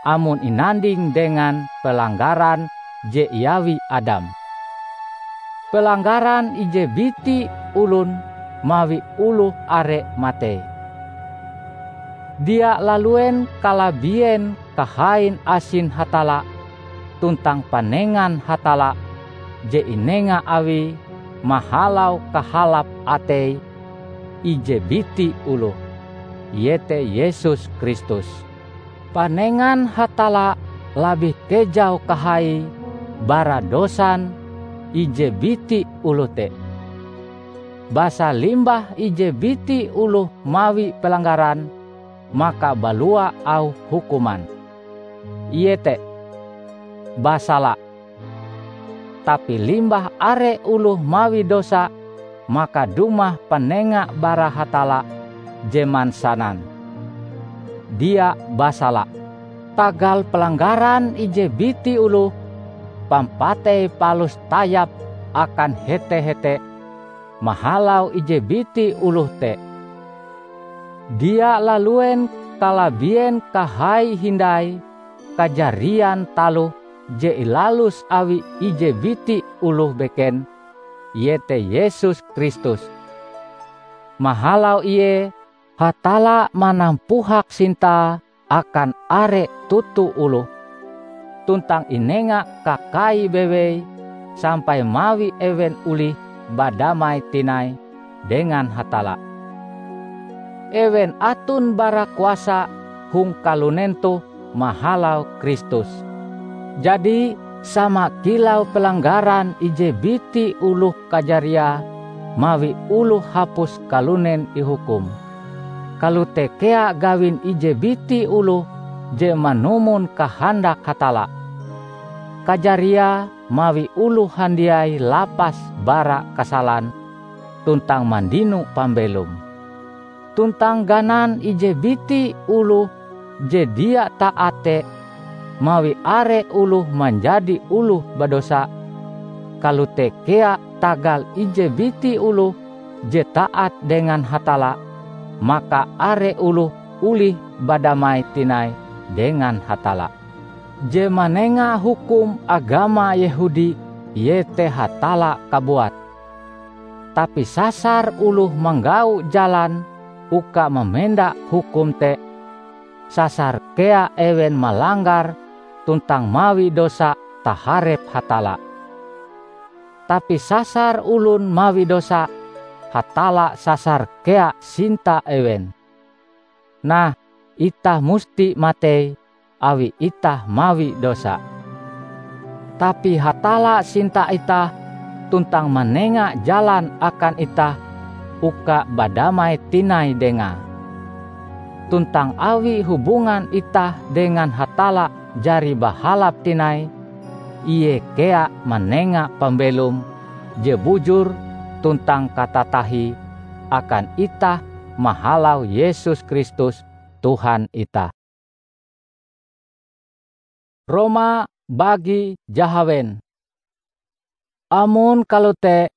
amon inanding dengan pelanggaran je iawi Adam. Pelanggaran ije biti olon mawi oloh are matei. Dia laluen kalabien kahain asin Hatalla, tuntang panengan Hatalla je inenga Awie mahalau kahalap atei ije biti oloh, iete Yesus Kristus. Panengan Hatalla labih kejau kahaie bara dosan ije biti oloh te. Basa limbah ije biti oloh mawi pelanggaran, maka balua auh hukuman, iete basala. Tapi limbah are oloh mawi dosa, maka dumah panenga bara Hatalla je mansanan, dia basala. Tagal pelanggaran ije biti oloh, pampatei palus tayap akan hete-hete mahalau ije biti oloh te. Dia laluen kalabien kahai hindai kajarian taloh je ilalus awi ije biti oloh beken, iete Yesus Kristus. Mahalau Ie, Hatalla manampuhak sintae akan are toto oloh, tuntang inenga kakai bewei sampai mawi ewen olih badamai tinai dengan Hatalla. Ewen aton bara kuasa hong kalunen toh mahalau Kristus. Jadi, sama kilau pelanggaran ije biti oloh kajariae mawi oloh hapus kalunen ihukum, kalote kea gawin ije biti oloh je manumon kahandak Hatalla, kajariae mawi oloh handiai lapas bara kasalan tuntang mandino pambelom. Tuntang ganan ije biti oloh je dia taat te mawi are oloh manjadi oloh badosa, kalote kea tagal ije biti oloh je taat dengan Hatalla, maka are oloh olih badamai tinai dengan Hatalla. Je manenga hukum agama Yehudi iete Hatalla kabuat. Tapi sasar oloh manggau jalan uka mamenda hukum te, sasar kea ewen malanggar tuntang mawi dosa taharep Hatalla. Tapi sasar olon mawi dosa, Hatalla sasar kea sinta ewen. Nah, itah musti matei awi itah mawi dosa. Tapi Hatalla sinta itah tuntang manenga jalan akan itah uka badamai tinai Dengae. Tuntang awi hubungan itah dengan Hatalla jari bahalap tinai, Ie kea manenga pambelom je bujur tuntang katatahie akan itah mahalau Yesus Kristus, Tuhan itah. Roma bagi jahawen. Amon kalote,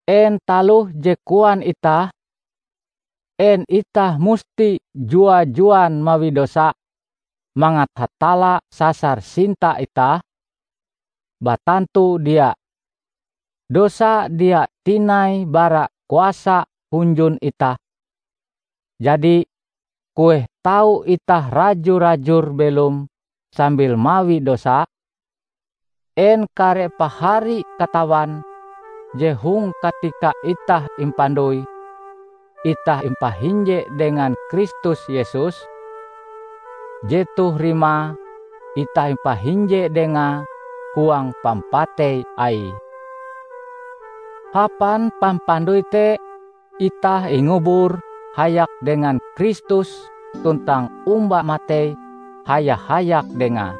en taloh je koan itah? En itah musti jua-juan mawi dosa mangat Hatalla sasar sinta itah? Batantu dia! Dosa dia tinai bara kuasa hunjun itah. Jadi, kueh tau itah raju-rajur belom sambil mawi dosa? En kare pahari katawan je hong katika itah impandoi, itah impahinje dengan Kristus Yesus? Jetoh rimae itah impahinje Dengae huang pampatei Aie. Hapan pampandoi te, itah ingubur hayak dengan Kristus tuntang omba matei haya-hayak Dengae,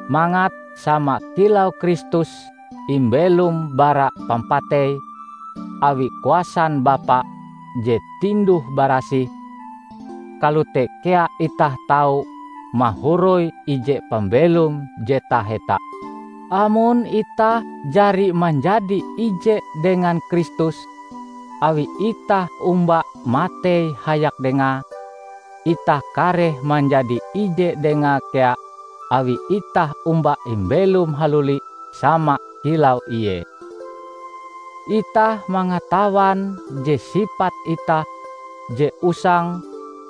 mangat sama kilau Kristus imbelom bara pampatei awi kuasan Bapa je tinduh-barasih, kalote kea itah tau mahoroi ije pambelom je taheta. Amon itah jari manjadi ije dengan Kristus awi itah omba matei hayak Dengae, itah kareh manjadi ije Dengae kea awi itah omba imbelom haluli sama kilau Ie. Itah mangatawan je sipat itah je usang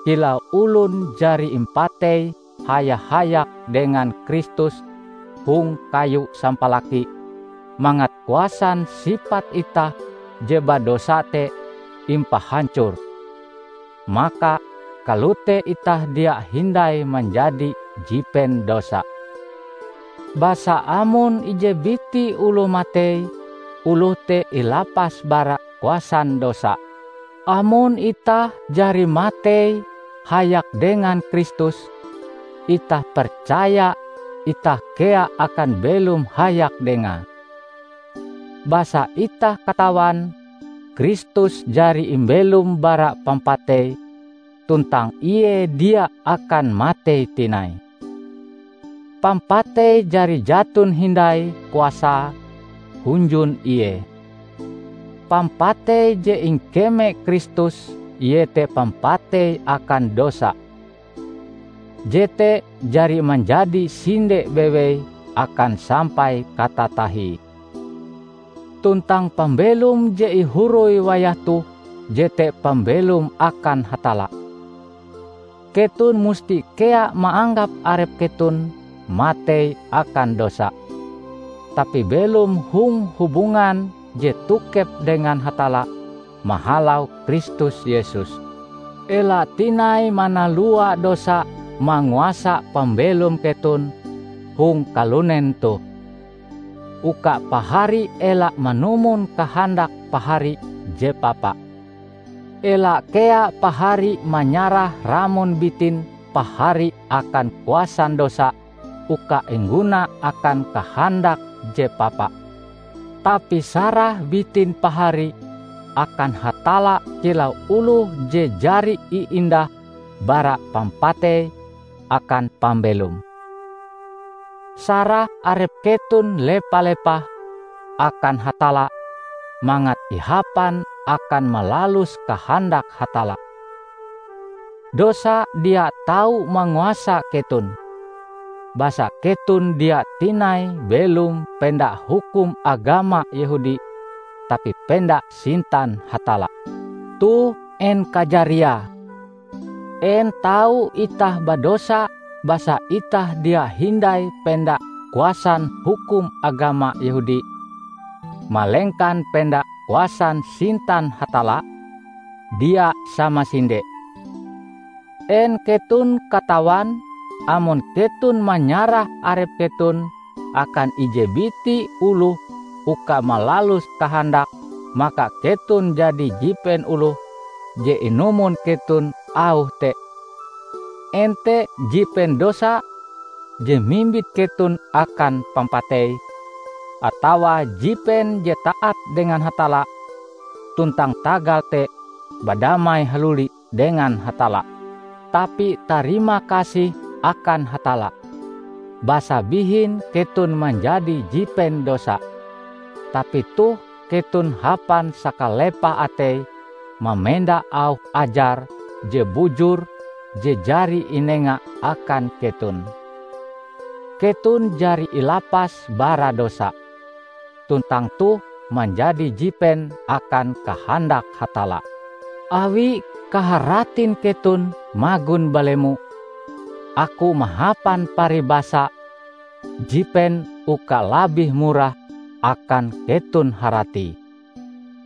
kilau olon jari impatei haya-hayak dengan Kristus hong kayu sampalaki, mangat kuasan sipat itah je badosa te impahancor, maka kalote itah dia hindai manjadi jipen dosa. Basa amon ije biti oloh matei, oloh te ilapas bara kuasan dosa. Amon itah jari matei hayak dengan Kristus, itah percaya itah kea akan belom hayak Dengae. Basa itah katawan Kristus jari imbelom bara pampatei, tuntang Ie dia akan matei tinai. Pampatei jari jaton hindai kuasae hunjun Ie. Pampatei je ingkeme Kristus iete pampatei akan dosa. Jete jari manjadi sinde bewei akan sampai katatahie. Tuntang pambelom je ihoroi wayah toh jete pambelom akan Hatalla. Keton musti kea maanggap arep keton matei akan dosa, tapi belom hong hubungan je tokep dengan Hatalla mahalau Kristus Yesus. Ela tinai manalua dosa manguasa pambelom keton hong kalunen toh, uka pahari ela manumon kahandak pahari je papa. Ela kea pahari manyarah ramon bitin pahari akan kuasan dosa uka ingguna akan kahandak je papa. Tapi sarah bitin pahari akan Hatalla kilau oloh je jari iindah bara pampatei akan pambelom. Sarah arep keton lepa-lepah akan Hatalla mangat ihapan akan malalus kahandak Hatalla. Dosa dia tau manguasa keton, basa keton dia tinai belom penda hukum agama Yehudi, tapi penda sintan Hatalla. Toh en kajariae? En tau itah badosa basa itah dia hindai penda kuasan hukum agama Yehudi, malengkan penda kuasan sintan Hatalla? Dia samasinde! En keton katawan amon keton manyarah arep keton akan ije biti oloh uka malalus kahandak, maka keton jadi jipen oloh je inumon keton auh te? En te jipen dosa je mimbit keton akan pampatei, atawa jipen je taat dengan Hatalla, tuntang tagal te badamai haluli dengan Hatalla? Tapi tarima kasih akan Hatalla, basa bihin keton manjadi jipen dosa, tapi toh keton hapan sakalepah atei mamenda auh ajar je bujur je jari inenga akan keton. Keton jari ilapas bara dosa, tuntang toh manjadi jipen akan kahandak Hatalla. Awi kaharatin keton magon balemo, aku mahapan paribasa jipen uka labih murah akan keton haratie.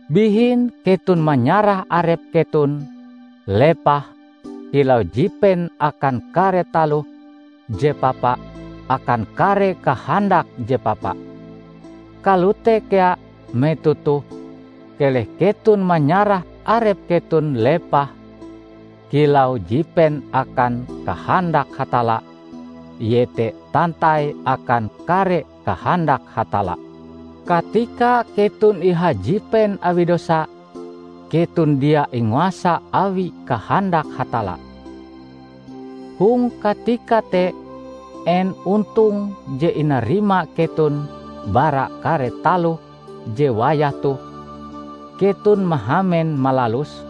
Bihin keton manyarah arep keton lepah kilau jipen akan kare taloh je papa akan kare kahandak je papa. Kalote kea metoh toh, keleh keton manyarah arep keton lepah kilau jipen akan kahandak Hatalla, iete tantai akan kare kahandak Hatalla. Katika keton ihajipen awi dosa, keton dia inguasa awi kahandak Hatalla. Hong katika te, en ontong je inarima keton bara kare taloh je wayah toh keton mahamen malaluse?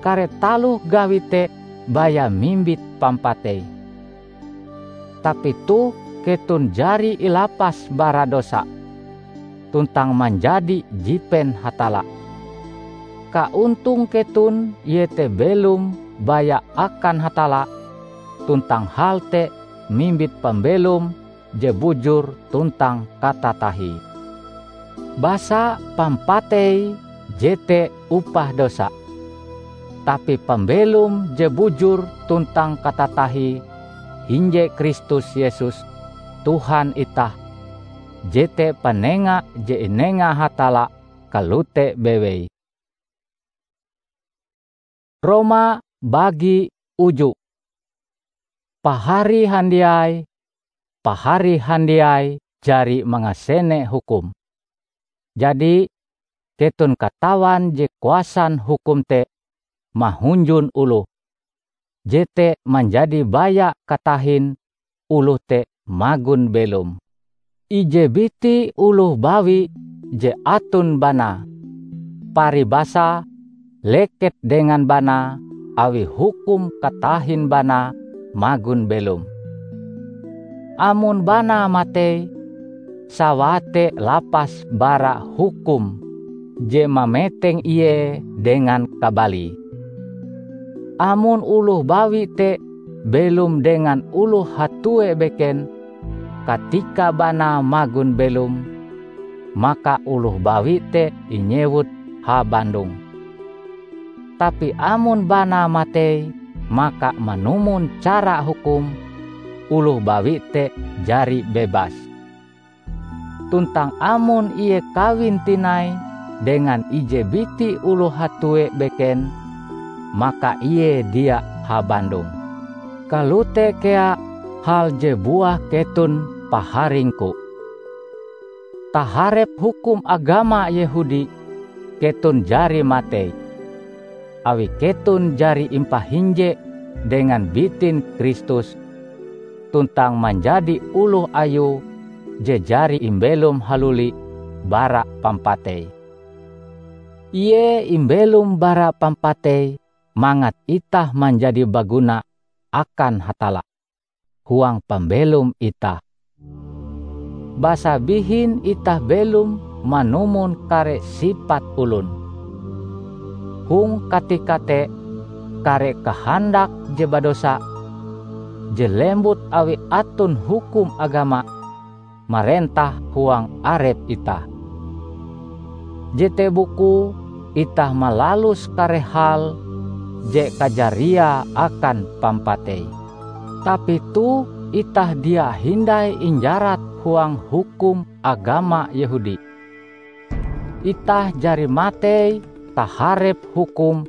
Kare taloh gawi te baya mimbit pampatei. Tapi toh keton jari ilapas bara dosa, tuntang manjadi jipen Hatalla. Kaontong keton iete belom baya akan Hatalla, tuntang hal te mimbit pambelom je bujur tuntang katatahie. Basa pampatei jete upah dosa. Tapi pambelom je bujur tuntang katatahie hinje Kristus Yesus, Tuhan itah, jete panenga je inenga Hatalla kalote bewei. Roma bagi uju. Pahari handiai, pahari handiai jari mangasene hukum. Jadi, keton katawan je kuasan hukum te mahunjun oloh, jete manjadi baya katahin oloh te magon belom. Ije biti oloh bawi je aton banae, paribasa leket dengan banae awi hukum katahin banae magon belom. Amon banae matei, sawae te lapas bara hukum je mameteng ie dengan kabalie. Amon oloh bawi te belom dengan oloh hatue beken katika banae magon belom, maka oloh bawi te inyewut habandong. Tapi amon banae matei, maka manumon cara hukum, oloh bawi te jari bebas. Tuntang amon ie kawin tinai dengan ije biti oloh hatue beken, maka ie dia habandong. Kalote kea hal je buah keton paharingku. Taharep hukum agama Yehudi, keton jari matei, awi keton jari impahinje dengan bitin Kristus, tuntang manjadi oloh Ayue je jari imbelom haluli bara pampatei. Ie imbelom bara pampatei mangat itah manjadi baguna akan Hatalla huang pambelom itah. Basa bihin itah belom manumon kare sipat olon. Hong katika te, kare kahandak je badosa, je lembut awi aton hukum agama, marentah huang arep itah. Jete bukue itah malalus kare hal je kajariae akan pampatei. Tapi toh itah dia hindai injarat huang hukum agama Yehudi. Itah jari matei taharep hukum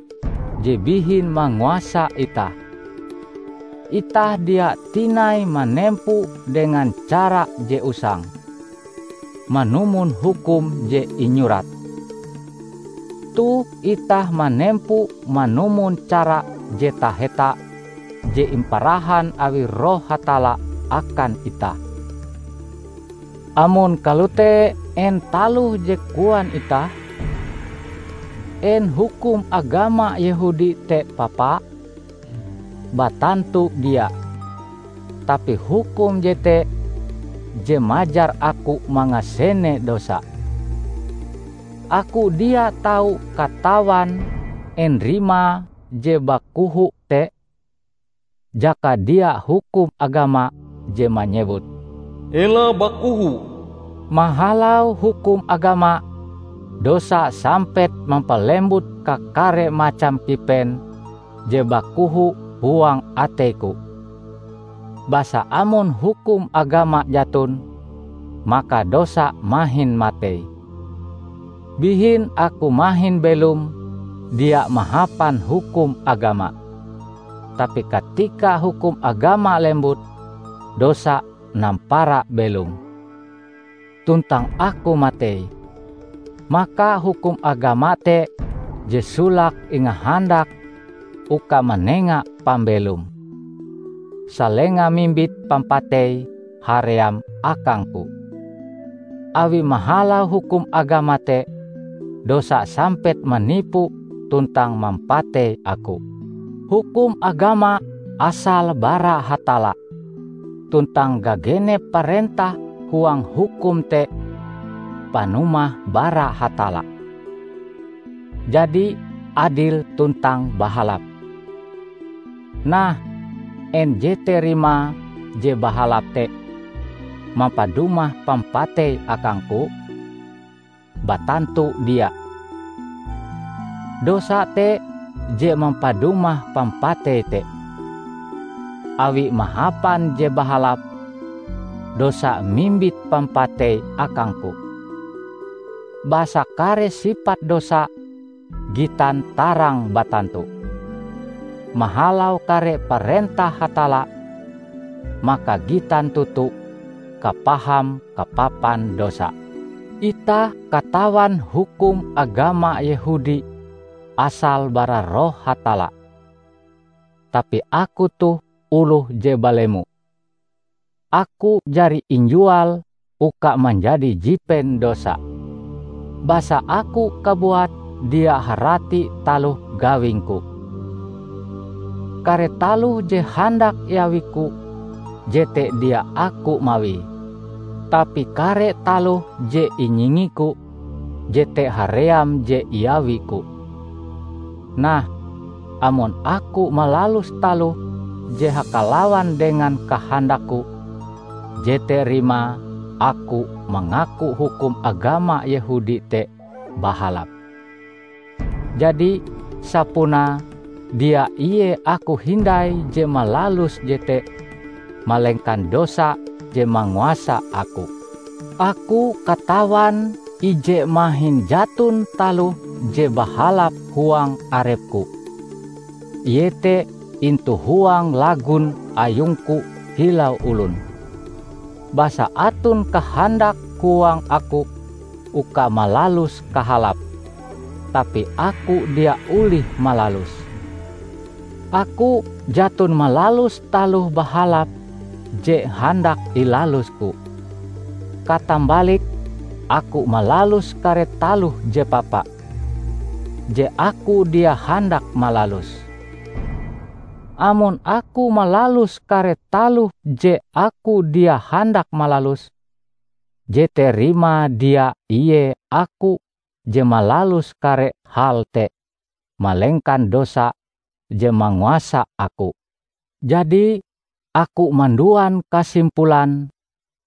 je bihin manguasa itah. Itah dia tinai manempo dengan cara je usang, manumon hukum je inyurat. Toh itah manempo manumon cara je taheta je imparahan awi Roh Hatalla akan itah. Amon kalote, en taloh je koan itah? En hukum agama Yehudi te papa? Batantu dia! Tapi hukum jete je majar aku mangasene dosa. Aku dia tau katawan en rimae je bakoho te? Jaka dia hukum agama je manyewut, "Ela bakoho." Mahalau hukum agama, dosa sampet mampalembut kakare macam kipen je bakoho huang ateiku. Basa amon hukum agama jaton, maka dosa mahin matei. Bihin aku mahin belom dia mahapan hukum agama. Tapi katika hukum agama lembut, dosa nampara belom. Tuntang aku matei, maka hukum agama te je solake ingahandak uka manenga pambelom, salenga mimbit pampatei haream akangku. Awi mahalau hukum agama te, dosa sampet manipu tuntang mampatei aku. Hukum agama asale bara Hatalla, tuntang gagenep parentah huang hukum te panumah bara Hatalla, jadi adil tuntang bahalap. Nah, en jete rimae je bahalap te mampadumah pampatei akangku? Batantu dia! dosa te je mampadumah pampatei te. Awi mahapan je bahalap, dosa mimbit pampatei akangku. Basa kare sipat dosa gitan tarang batantu. Mahalau kare parentah Hatalla, maka gitan toto kapaham kapapan dosa. Itah katawan hukum agama Yehudi asal bara Roh Hatalla. Tapi aku toh oloh je balemo. Aku jari injual uka manjadi jipen dosa. Basa aku kabuat dia harati taloh gawingku. Kare taloh je handak iawiku, jete dia aku mawie. Tapi kare taloh je inyingiku, jete haream je iawiku. Nah, amon aku malalus taloh je hakalawan dengan kahandakku, jete rimae aku mangaku hukum agama Yehudi te bahalap. Jadi, sapunae dia ie aku hindai je malalus jete, malengkan dosa je manguasa aku. Aku katawan ije mahin jaton taloh je bahalap huang arepku, iete intu huang lagun ayungku kilau olon. Basa aton kahandak huang aku uka malalus kahalap, tapi aku dia olih malalus. Aku jaton malalus taloh bahalap je handak ilalusku. Katambalike, aku malalus kare taloh je papa, je aku dia handak malalus. Amon aku malalus kare taloh je aku dia handak malalus, jete rimae dia ie aku je malalus kare hal te, malengkan dosa je manguasa aku. Jadi, aku manduan kasimpulan,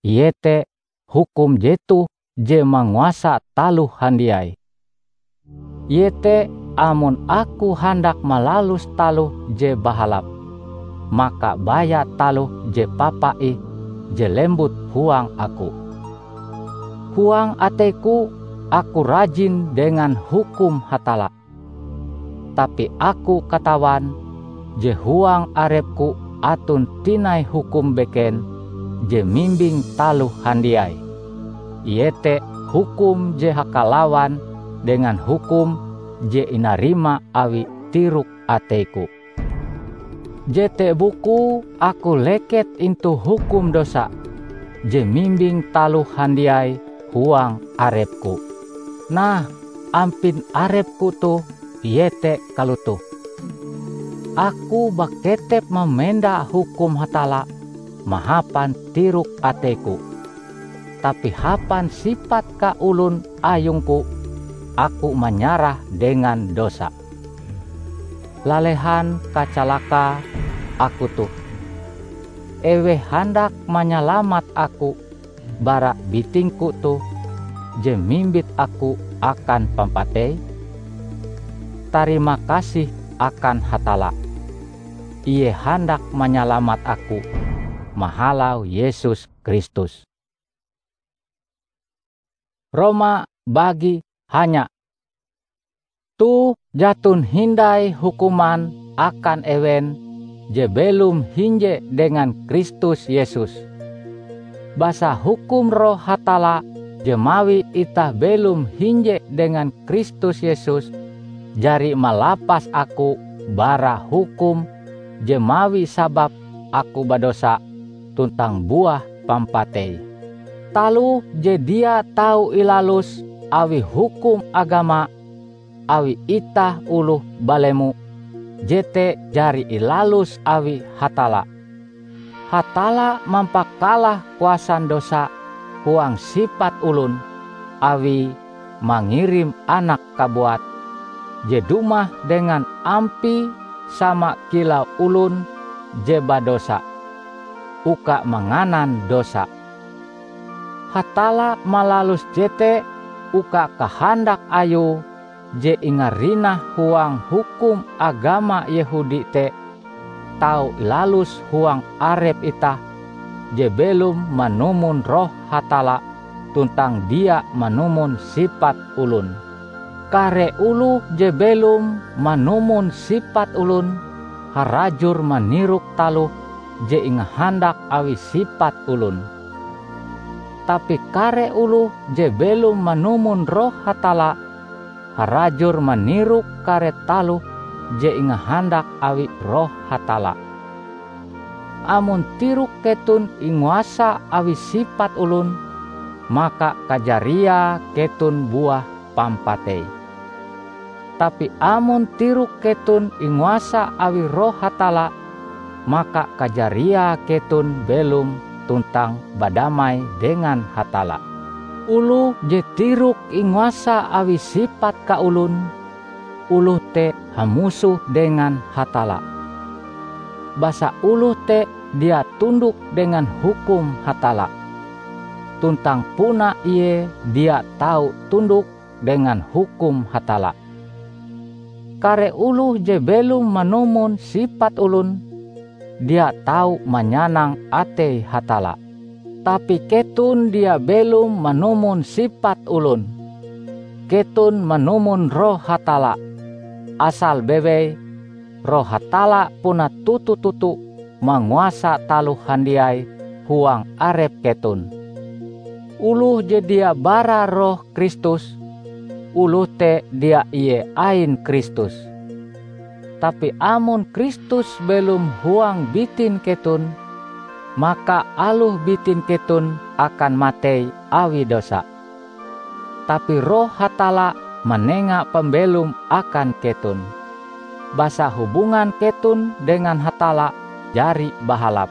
iete hukum jetoh je manguasa taloh handiai. Iete amon aku handak malalus taloh je bahalap, maka baya taloh je papa ih je lembut huang aku. Huang ateiku aku rajin dengan hukum Hatalla. Tapi aku katawan je huang arepku aton tinai hukum beken je mimbing taloh handiai, iete hukum je hakalawan dengan hukum je inarima awi tirok ateiku. Jete bukue aku leket intu hukum dosa je mimbing taloh handiai huang arepku. Nah, ampin arepku toh iete kalotoh: Aku baketep mamenda hukum Hatalla mahapan tirok ateiku, tapi hapan sipat kaolon ayungku, aku manyarah dengan dosa. Lalehan kacalaka aku toh! Eweh handak manyalamat aku bara bitingku toh je mimbit aku akan pampatei? Tarima kasih akan Hatalla, Ie handak manyalamat aku mahalau Yesus Kristus. Roma bagi hanya. Toh jaton hindai hukuman akan ewen je belom hinje dengan Kristus Yesus. Basa hukum Roh Hatalla je mawi itah belom hinje dengan Kristus Yesus jari malapas aku bara hukum je mawi sabab aku badosa tuntang buah pampatei. Taloh je dia tau ilalus awi hukum agama, awi itah oloh balemo, jete jari ilalus awi Hatalla. Hatalla mampakalah kuasan dosa huang sipat olon, awie mangirim Anake kabuat, je dumah dengan ampie sama kilau olon je badosa, uka manganan dosa. Hatalla malalus jete uka kahandak Ayue je ingarinah huang hukum agama Yehudi te tau ilalus huang arep itah je belom manumon Roh Hatalla tuntang dia manumon sipat olon. Kare oloh je belom manumon sipat olon harajur manirok taloh je ingahandak awi sipat olon. Tapi kare oloh je belom manumon Roh Hatalla harajur manirok kare taloh je ingahandak awi Roh Hatalla. Amon tirok keton inguasa awi sipat olon, maka kajariae keton buah pampatei. Tapi amon tirok keton inguasa awi Roh Hatalla, maka kajariae keton belom tuntang badamai dengan Hatalla. Oloh je tirok inguasa awi sipat kaolon, oloh te hamusoh dengan Hatalla. Basa oloh te dia tundok dengan hukum Hatalla, tuntang puna ie dia tau tundok dengan hukum Hatalla. Kare oloh je belom manumon sipat olon, dia tau manyanang atei Hatalla. Tapi keton dia belom manumon sipat olon. Keton manumon Roh Hatalla. Asal bewei, Roh Hatalla puna toto-toto manguasa taloh handiai huang arep keton. Oloh je dia bara Roh Kristus, oloh te dia ie ain Kristus. Tapi amon Kristus belom huang bitin keton, maka aloh bitin keton akan matei awi dosa. Tapi Roh Hatalla manenga pambelom akan keton. Basa hubungan keton dengan Hatalla jari bahalap.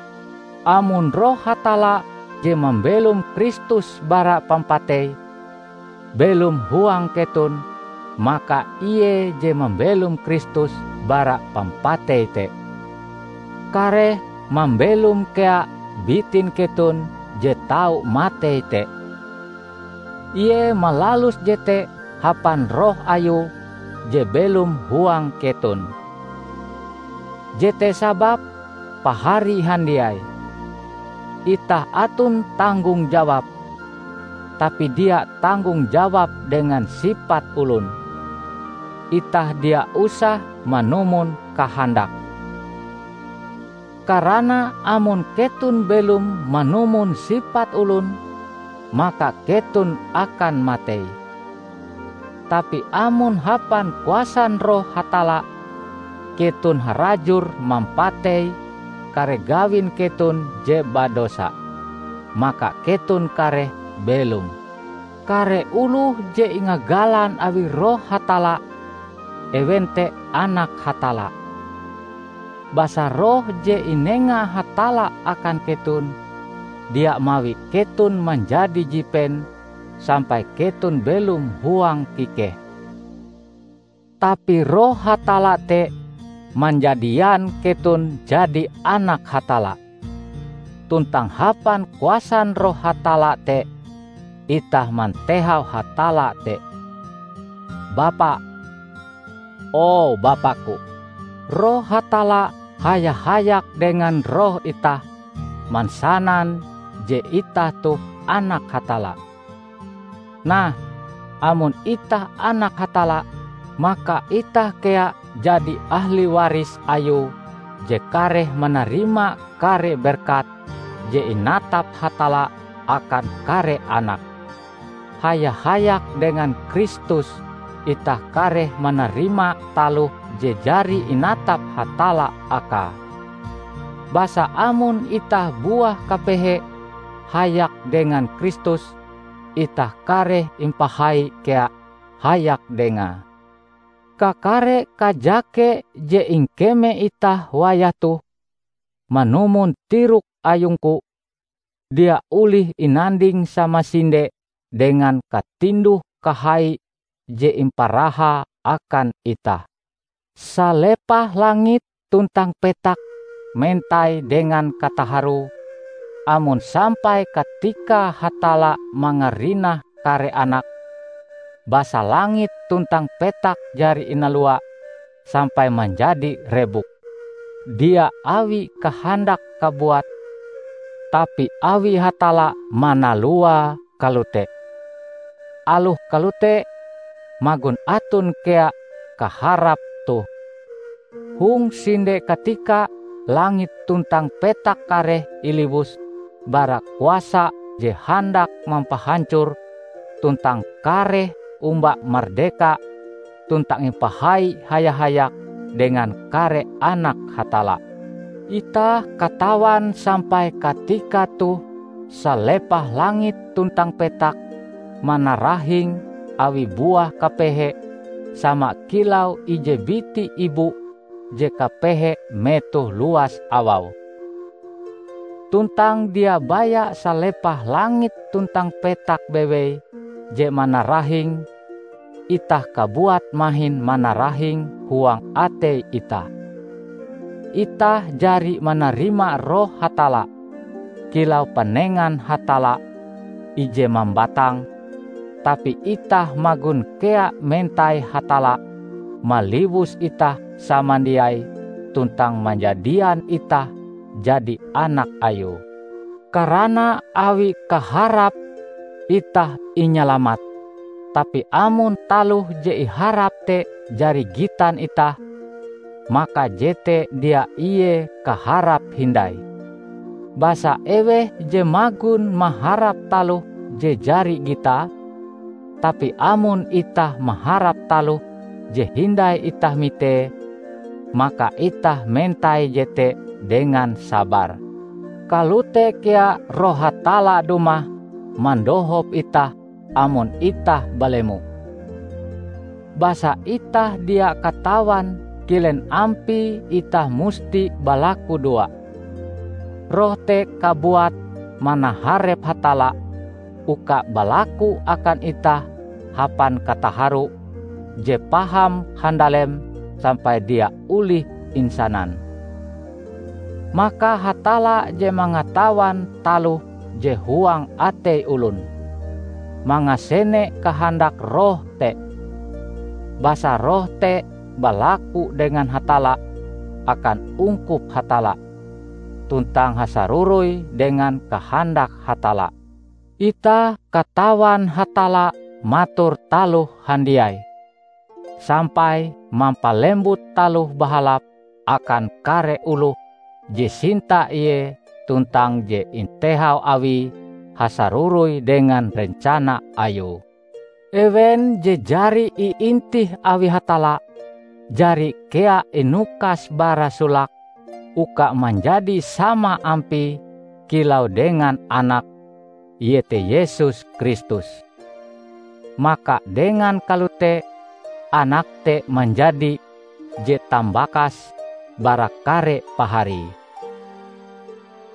Amon Roh Hatalla je mambelom Kristus bara pampatei, belom huang keton, maka ie je mambelom Kristus bara pampatei te, kareh mambelom kea bitin keton je tau matei te. Ie malalus jete hapan Roh Ayue je belom huang keton. Jete sababe, pahari handiai, itah aton tanggong jawab, tapi dia tanggong jawab dengan sipat olon. Itah dia usah manumon kahandak. Karana amon keton belom manumon sipat olon, maka keton akan matei. Tapi amon hapan kuasan Roh Hatalla, keton harajur mampatei kare gawin keton je badosa, maka keton kareh belom. Kare oloh je ingagalan awi Roh Hatalla, ewen te anak Hatalla. Basa Roh je inenga Hatalla akan keton, dia mawi keton manjadi jipen sampai keton belom huang kikeh. Tapi Roh Hatalla te manjadian keton jadi anak Hatalla. Tuntang hapan kuasan Roh Hatalla te, itah mantehau Hatalla te, "Bapa, o Bapa-Ku!" Roh Hatalla haya-hayak dengan roh itah, mansanan je itah toh anak Hatalla. Nah, amon itah anak Hatalla, maka itah kea jadi ahli waris Ayue je kareh manarima kare berkat je inatap Hatalla akan kare anake. Haya-hayak dengan Kristus itah kareh manarima taloh je jari inatap Hatalla akae. Basa amon itah buah kapehe hayak dengan Kristus, itah kareh impahai kea hayak Dengae. Kakare kajake je ingkeme itah wayah toh manumon tirok ayungku, dia olih inanding samasinde dengan katinduh-kahai je imparahae akan itah. Salepah langit tuntang petak mentai dengan kataharoe, amon sampai katika Hatalla mangarinah kare anake, Basa langit tuntang petak jari inalua sampai manjadi rebuk, dia awi kahandak kabuat, tapi awi Hatalla manaluae kalote. Aloh kalote, magon aton kea kaharap toh. Hong sinde katika langit tuntang petak kareh iliwus bara kuasa je handak mampahancor, tuntang kareh omba mardeka tuntang impahai haya-hayak dengan kare anak Hatalla. Itah katawan sampai katika toh salepah langit tuntang petak manarahing awi buah kapehe sama kilau ije biti ibu je kapehe metoh luas awau. Tuntang dia baya salepah langit tuntang petak bewei je manarahing, itah kabuat mahin manarahing huang atei itah. Itah jari manarima Roh Hatalla kilau panengan Hatalla ije mambatang, tapi itah magon kea mentai Hatalla maliwus itah samandiai tuntang manjadian itah jadi anak Ayue. Karana awi kaharap itah inyalamat, tapi amon taloh je iharap te jari gitan itah, maka jete dia ie kaharap hindai. Basa eweh je magon maharap taloh je jari gitae, tapi amon itah maharap taloh je hindai itah mitee, maka itah mentai jete dengan sabar. Kalote kea Roh Hatalla dumah mandohop itah amon itah balemo. Basa itah dia katawan kilen ampie itah musti balakudoa. Roh te kabuat manaharep Hatalla uka balaku akan itah hapan kataharu je paham handalem sampai dia olih insanan. Maka Hatalla je mangatawan taloh je huang atei olon, mangasene kahandak Roh te. Basa Roh te balaku dengan Hatalla akan ungkup Hatalla, tuntang hasaroroi dengan kahandak Hatalla. Itah katawan Hatalla mator taloh handiai, sampai mampalembut taloh bahalap akan kare oloh je sinta Ie tuntang je intehau Awie hasaroroi dengan rencana Ayue. Ewen je jari iintih awi Hatalla, jari kea inukas bara solake uka manjadi sama ampie kilau dengan Anake, iete Yesus Kristus. Maka dengan kalote, Anake te manjadi je tambakas bara kare paharie.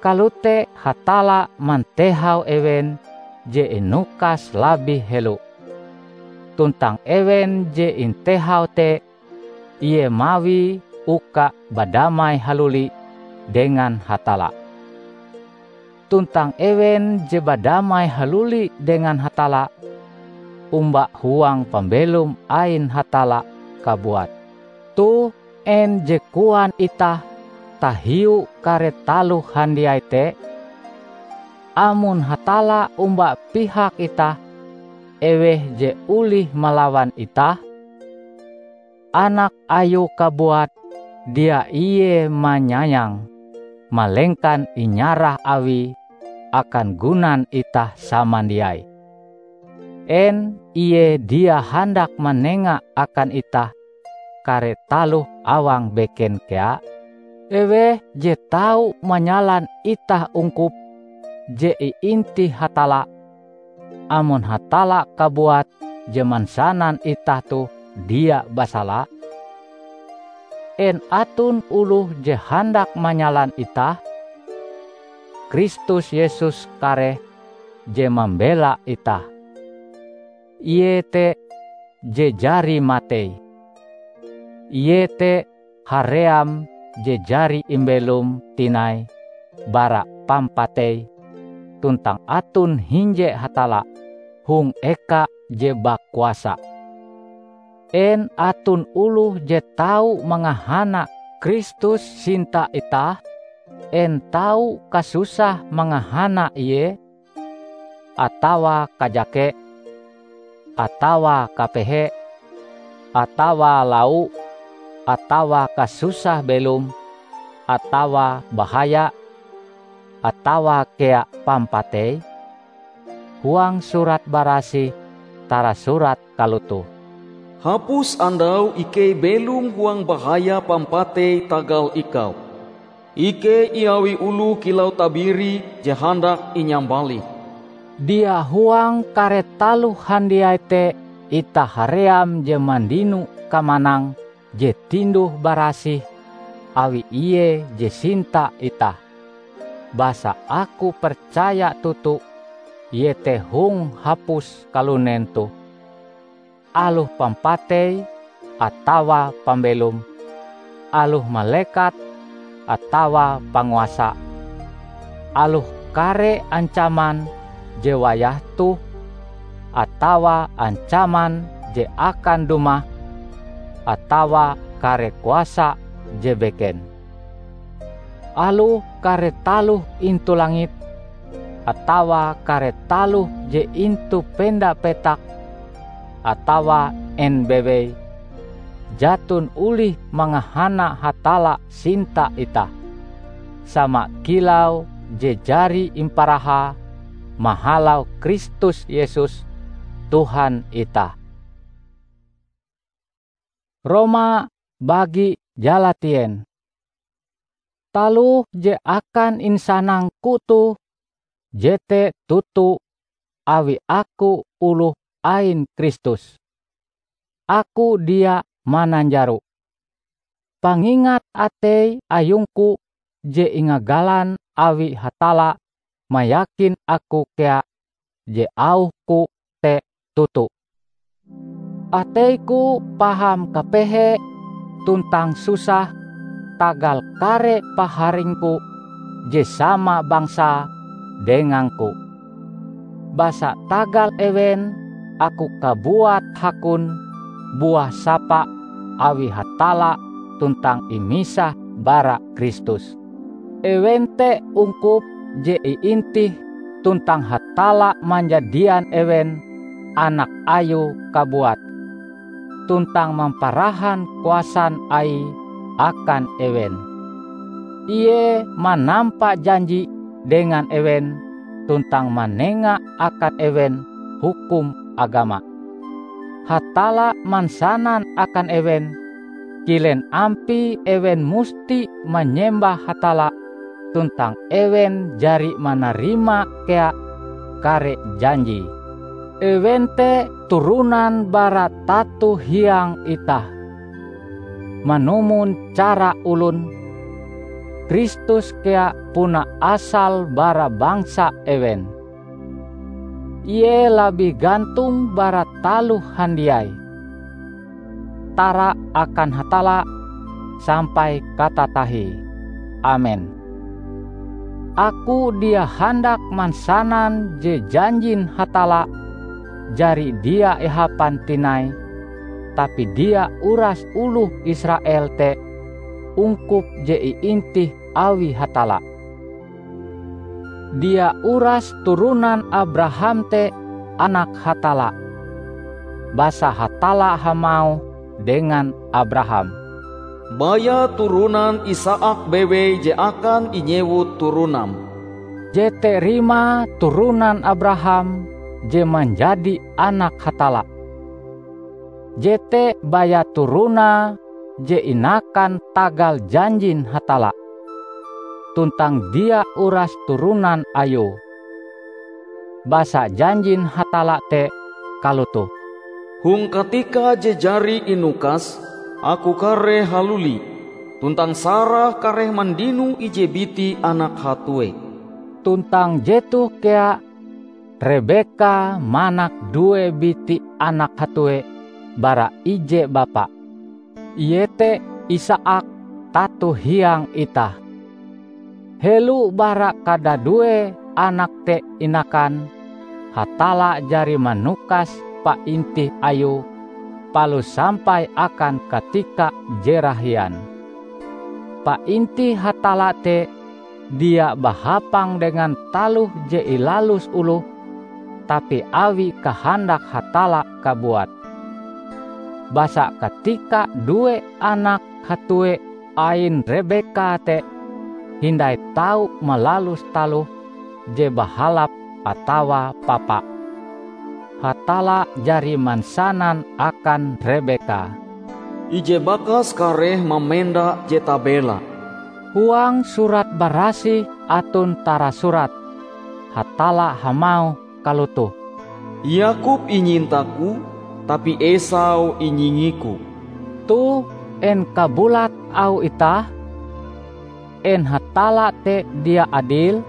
Kalote Hatalla mantehau ewen je inukas labih helo. Tuntang ewen je intehau te, Ie mawie uka badamai haluli dengan Hatalla. Tuntang ewen je badamai haluli dengan Hatalla, omba huang pambelom ain Hatalla kabuat. Toh en je koan itah tahiu kare taloh handiai te? Amon Hatalla omba pihak itah, eweh je olih malawan itah? Anak Ayue kabuat dia Ie manyayang, malengkan inyarah Awie akan gunan itah samandiai. En Ie dia handak manenga akan itah kare taloh awang beken kea? Eweh je tau manyalan itah ungkup je iintih Hatalla, amon Hatalla kabuat je mansanan itah toh dia basala? En aton oloh je handak manyalan itah? Kristus Yesus kareh je mambela itah. Ie te je jari matei. Ie te haream je jari imbelom tinai bara pampatei, tuntang aton hinje Hatalla hong eka je bakuasa. En aton oloh je tau mangahana Kristus sinta itah? En tau kasusah mangahana Ie? Atawa kajake, atawa kapehe, atawa lau, atawa kasusah belom, atawa bahaya, atawa kea pampatei? Huang Surat Barasih tarasurat kalotoh, "Hapus andau ikei belom huang bahaya pampatei tagal ikau. Ikei iawi oloh kilau tabiri je handak inyambalih." Dia huang kare taloh handiai te itah haream je mandino kamanang je tinduh-barasih awi Ie je sinta itah. Basa aku percaya toto, iete hong hapus kalunen toh, aloh pampatei atawa pambelom, aloh malekat atawa panguasa, aloh kare ancaman je wayah toh, atawa ancaman je akan dumah, atawa kare kuasa je beken. Aloh kare taloh intu langit, atawa kare taloh je intu penda petak, atawa en bewei, jaton olih mangahana Hatalla sinta itah, sama kilau je jari imparahae mahalau Kristus Yesus, Tuhan itah. Roma bagi jalatien. Taloh je akan insanangku toh jete toto awi aku oloh ain Kristus. Aku dia mananjaro. Pangingat atei ayungku je ingagalan awi Hatalla mayakin aku kea je auhku te toto. Ateiku paham kapehe tuntang susah tagal kare paharingku je sama bangsa dengangku. Basa tagal ewen aku kabuat hakon buah sapa awi Hatalla tuntang imisah bara Kristus. Ewen te ungkup je iintih tuntang Hatalla manjadian ewen anak Ayue kabuat, tuntang mamparahan kuasan Aie akan ewen. Ie manampa janji dengan ewen tuntang manenga akan ewen hukum agama. Hatalla mansanan akan ewen kilen ampie ewen musti manyembah Hatalla, tuntang ewen jari manarima kea kare janjie. Ewen te turonan bara tato hiang itah, manumon cara olon. Kristus kea puna asal bara bangsa ewen. Ie labih gantong bara taloh handiai. Tara akan Hatalla sampai katatahie. Amen. Aku dia handak mansanan je janjin Hatalla jari dia ihapan tinai, tapi dia uras oloh Israel te ungkup je iintih awi Hatalla. Dia uras turonan Abraham te anak Hatalla. Basa Hatalla hamauh dengan Abraham, "Baya turonan Isaak bewei je akan inyewut turonam." Jete rimae turonan Abraham je manjadi anak Hatalla. Jete baya turonae je inakan tagal janjin Hatalla, tuntang dia uras turonan ayue. Basa janjin Hatalla te kalotoh, "Hong katika je jari inukas, Aku kareh haluli, tuntang Sarah kareh mandino ije biti anak hatue." Tuntang jetoh kea Rebeka manak due biti anak hatue bara ije bapa, iete Isaak tato hiang itah. Helo bara kadadue anak te inakan, Hatalla jari manukas paintih Ayue palus sampai akan katika je rahian. Paintih Hatalla te dia bahapang dengan taloh je ilalus oloh, tapi awi kahandak Hatalla kabuat. Basa katika due anak hatue ain Rebeka te hindai tau malalus taloh je bahalap atawa papa, Hatalla jari mansanan akan Rebeka, "Ije bakas kareh mamenda je tabela." Huang Surat Barasih aton tarasurat, Hatalla hamauh kalotoh, "Yakub inyinta-Ku, tapi Esau inyingi-Ku." Toh, en kabulat auh itah? En Hatalla te dia adil?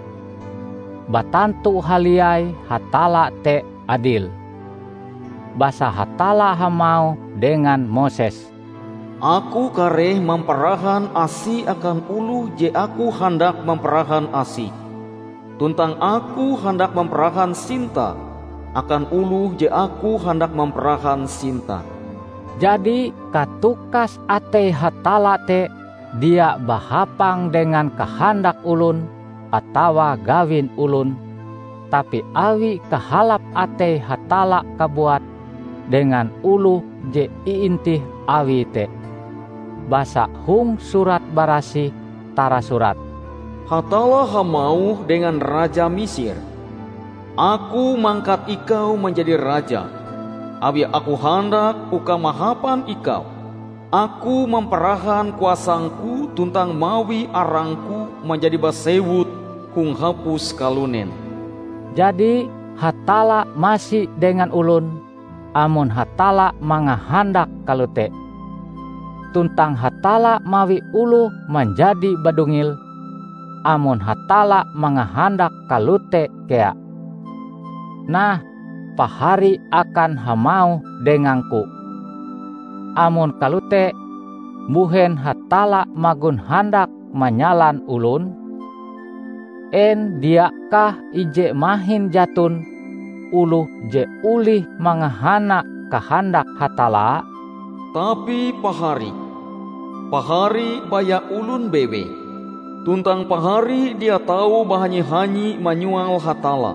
Batantu haliai Hatalla te adil! Basa Hatalla hamauh dengan Moses, "Aku kareh mamparahan asi akan oloh je Aku handak mamparahan asi, tuntang Aku handak mamparahan sinta akan oloh je Aku handak mamparahan sinta." Jadi, katukas atei Hatalla te dia bahapang dengan kahandak olon atawa gawin olon, tapi awi kahalap atei Hatalla kabuat dengan oloh je iintih Awie te. Basa hong Surat Barasih tarasurat, "Hatalla hamauh dengan raja Misir, 'Aku mangkat ikau manjadi raja, awi Aku handak uka mahapan ikau. Aku mamparahan kuasang-Ku tuntang mawi arang-Ku manjadi basewut hong hapus kalunen.'" Jadi, Hatalla masi dengan olon, amon Hatalla mangahandak kalote. Tuntang Hatalla mawi oloh manjadi badungil, amon Hatalla mangahandak kalote kea. Nah, pahari akan hamauh dengang-Ku, "Amon kalote, mbuhen Hatalla magon handak manyalan olon? En diakah ije mahin jaton oloh je olih mangahana kahandak Hatalla?" Tapi pahari, pahari baya olon bewei, tuntang pahari dia tau bahanyi-hanyi manyual Hatalla.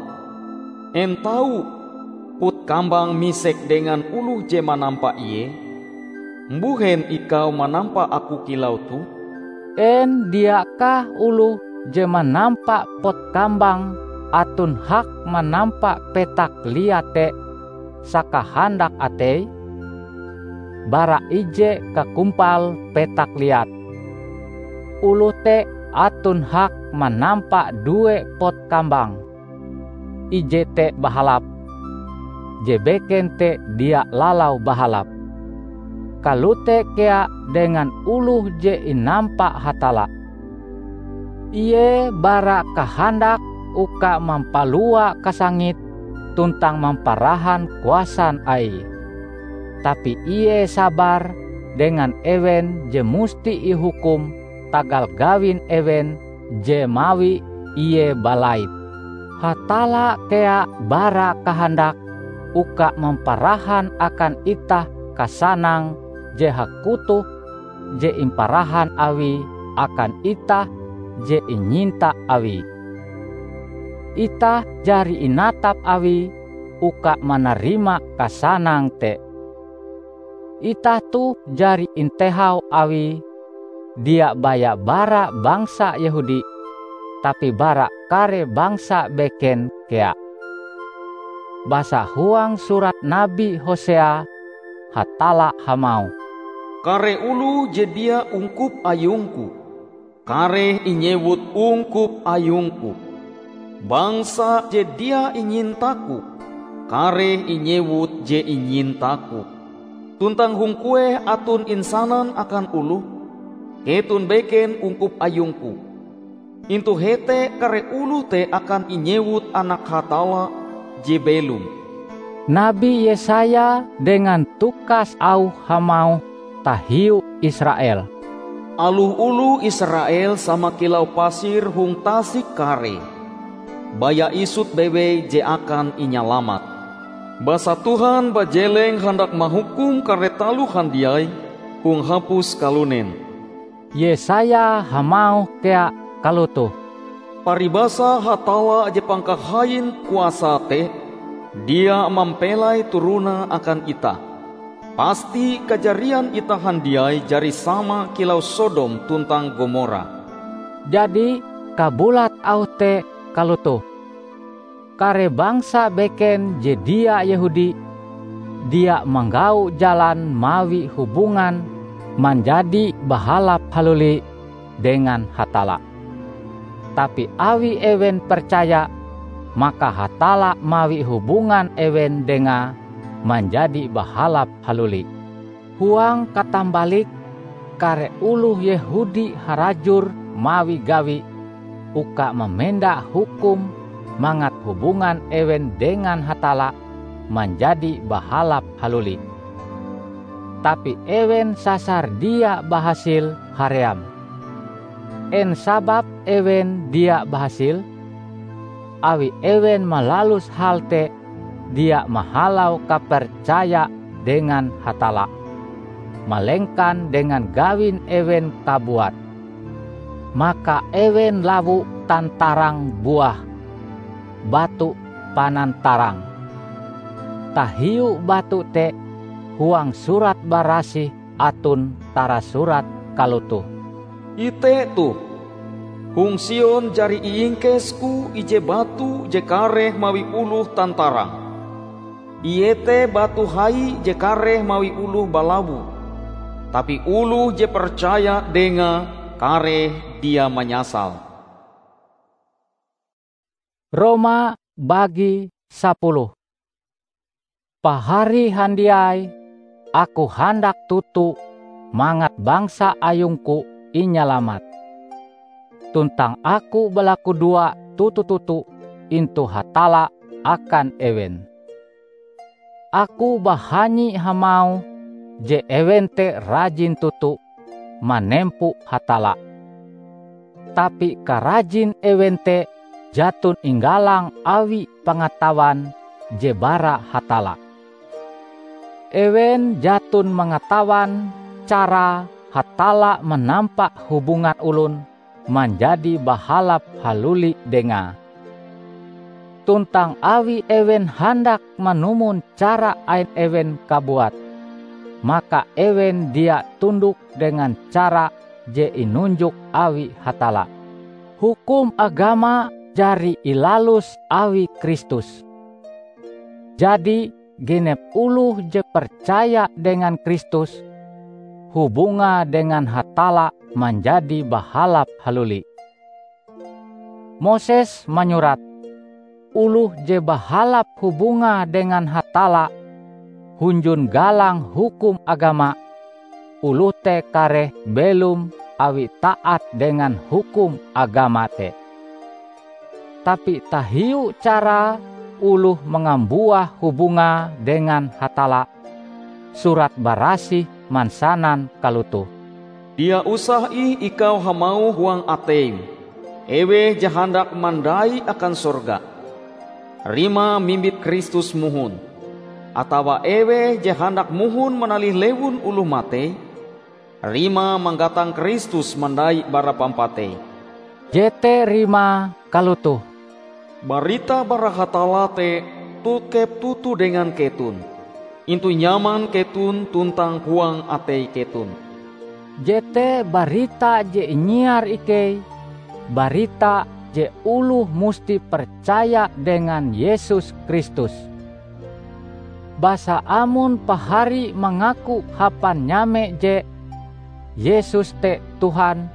En tau pot kambang misek dengan oloh je manampa ie? Mbuhen ikau manampa aku kilau toh? En diakah oloh je manampa pot kambang aton hak manampa petak liat te sakahandak ateie? Bara ije kakumpal petak liat, oloh te aton hak manampa due pot kambang. Ije te bahalap, je beken te dia lalau bahalap. Kalote kea dengan oloh je inampa Hatalla. Ie bara kahandak uka mampalua kasangit tuntang mamparahan kuasan Aie. Tapi ie sabar dengan ewen je musti ihukum tagal gawin ewen je mawi ie balait. Hatalla kea bara kahandak uka mamparahan akan itah kasanang je hakutoh je imparahan Awie akan itah je inyinta Awie. Itah jari inatap Awie uka manarima kasanang te. Itah toh jari intehau Awie, dia baya bara bangsa Yehudi, tapi bara kare bangsa beken kea. Basa huang surat Nabi Hosea, Hatalla hamauh, "Kare oloh je dia ungkup ayung-Ku, kareh inyewut ungkup ayung-Ku. Bangsa je dia inyinta-Ku, kareh inyewut je inyinta-Ku. Tuntang hong kueh aton insanan akan oloh, 'Keton beken ungkup ayung-Ku.' Intu hete kare oloh te akan inyewut anak Hatalla je belom." Nabi Yesaya dengan tukas auh hamauh tahiu Israel, "Aloh oloh Israel sama kilau pasir hong tasik karee, baya isut bewei je akan inyalamat." Basa Tuhan bajeleng handak mahukum kare taloh handiai hong hapus kalunen. Yesaya hamauh kea kalotoh, "Paribasa Hatalla je pangkahain kuasae te dia mampelai turonae akan itah. Pasti kajarian itah handiai jari sama kilau Sodom tuntang Gomora." Jadi, kabulat auh te kalotoh, kare bangsa beken je dia Yehudi dia manggau jalan mawi hubungan manjadi bahalap haluli dengan Hatalla. Tapi awi ewen percaya, maka Hatalla mawi hubungan ewen dengae manjadi bahalap haluli. Huang katambalike, kare oloh Yehudi harajur mawi gawi uka mamenda hukum mangat hubungan ewen dengan Hatalla manjadi bahalap haluli. Tapi ewen sasar dia bahasil haream. En sababe ewen dia bahasil? Awi ewen malalus hal te dia mahalau kapercaya dengan Hatalla, malengkan dengan gawin ewen kabuat. Maka ewen lawo tantarang buah batu panantarang. Tahiu batu te, huang Surat Barasih aton tarasurat kalotoh, "Ite toh! Hong Sion jari iingkes-Ku ije batu je kareh mawi oloh tantarang. Ie te batu hai je kareh mawi oloh balawo, tapi oloh je percaya Dengae kareh dia manyasal." Roma bagi sapuluh. Pahari handiai, aku handak toto mangat bangsa ayungku inyalamat. Tuntang aku balakudoa toto-toto intu Hatalla akan ewen. Aku bahanyi hamauh je ewen te rajin toto manempo Hatalla. Tapi karajin ewen te jaton inggalang awi pangatawan je bara Hatalla. Ewen jaton mangatawan cara Hatalla manampa hubungan olon manjadi bahalap haluli Dengae. Tuntang awi ewen handak manumon cara ain ewen kabuat, maka ewen dia tundok dengan cara je inunjok awi Hatalla. Hukum agama jari ilalus awi Kristus. Jadi, genep oloh je percaya dengan Kristus, hubungae dengan Hatalla manjadi bahalap haluli. Moses manyurat, oloh je bahalap hubungae dengan Hatalla hunjun galang hukum agama, oloh te kareh belom awi taat dengan hukum agama te. Tapi tahiu cara oloh mangambuah hubungae dengan Hatalla, Surat Barasih mansanan kalotoh, "Dia usah ih ikau hamauh huang ateim, 'Eweh je handak mandai akan sorga,' rimae mimbit Kristus mohon, atawa 'Eweh je handak mohon manalih lewun oloh matei,' rimae manggatang Kristus mandai bara pampatei." Jete rimae kalotoh, "Barita bara Hatalla te tokep toto dengan keton, intu nyaman keton tuntang huang atei keton." Jete barita je inyiar ikei, barita je oloh musti percaya dengan Yesus Kristus. Basa amon pahari mangaku hapan nyame je Yesus te Tuhan,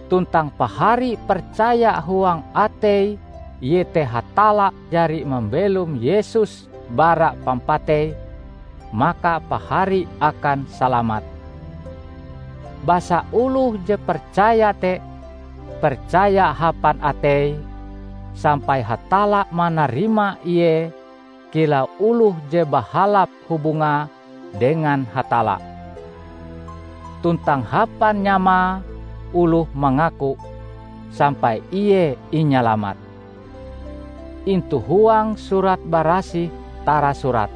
tuntang pahari percaya huang ateie iete Hatalla jari mambelom Yesus bara pampatei, maka pahari akan salamat. Basa oloh je percaya te percaya hapan ateie, sampai Hatalla manarima ie kilau oloh je bahalap hubungae dengan Hatalla. Tuntang hapan nyamae oloh mangaku, sampai ie inyalamat. Intu huang Surat Barasih tarasurat,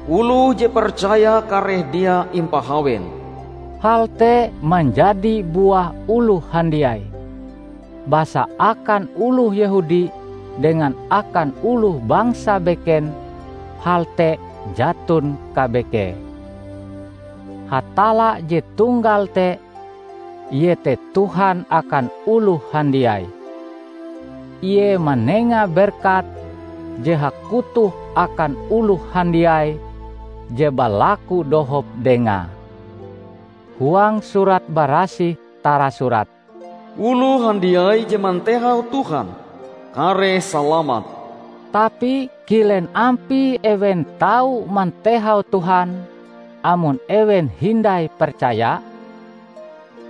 "Oloh je percaya kareh dia impahawen." Hal te manjadi buah oloh handiai. Basa akan oloh Yehudi dengan akan oloh bangsa beken, hal te jaton kabekee. Hatalla je tunggal te, iete Tuhan akan oloh handiai. Ie manenga berkat je hakutoh akan oloh handiai je balaku dohop Dengae. Huang Surat Barasih tarasurat, "Oloh handiai je mantehau Tuhan, kareh salamat." Tapi kilen ampie ewen tau mantehau Tuhan, amon ewen hindai percaya?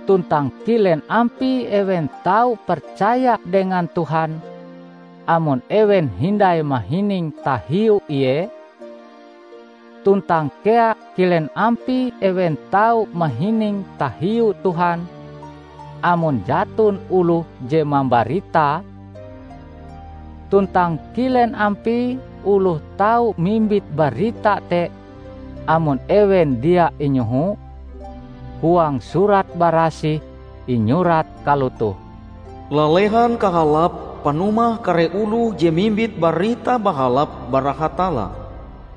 Tuntang kilen ampie ewen tau percaya dengan Tuhan, amon ewen hindai mahining tahiu Ie? Tuntang kea kilen ampie ewen tau mahining tahiu Tuhan, amon jaton oloh je mambaritae? Tuntang kilen ampie oloh tau mimbit barita te, amon ewen dia inyoho? Huang Surat Barasih inyurat kalotoh, "Lalehan kahalap panumah kare oloh je mimbit Barita Bahalap bara Hatalla."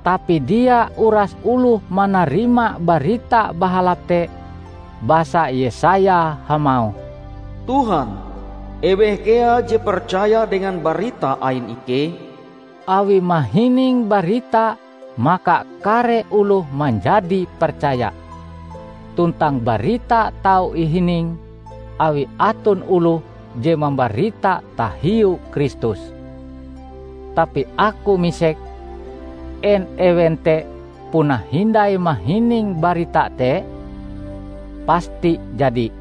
Tapi dia uras oloh manarima Barita Bahalap te, basa Yesaya hamauh, "Tuhan, eweh kea je percaya dengan barita ain ikei?" Awi mahining barita, maka kare oloh manjadi percaya. Tuntang barita tau ihining awi aton oloh je mambarita tahiu Kristus. Tapi aku misek, en ewen te puna hindai mahining barita te? Pasti jadi!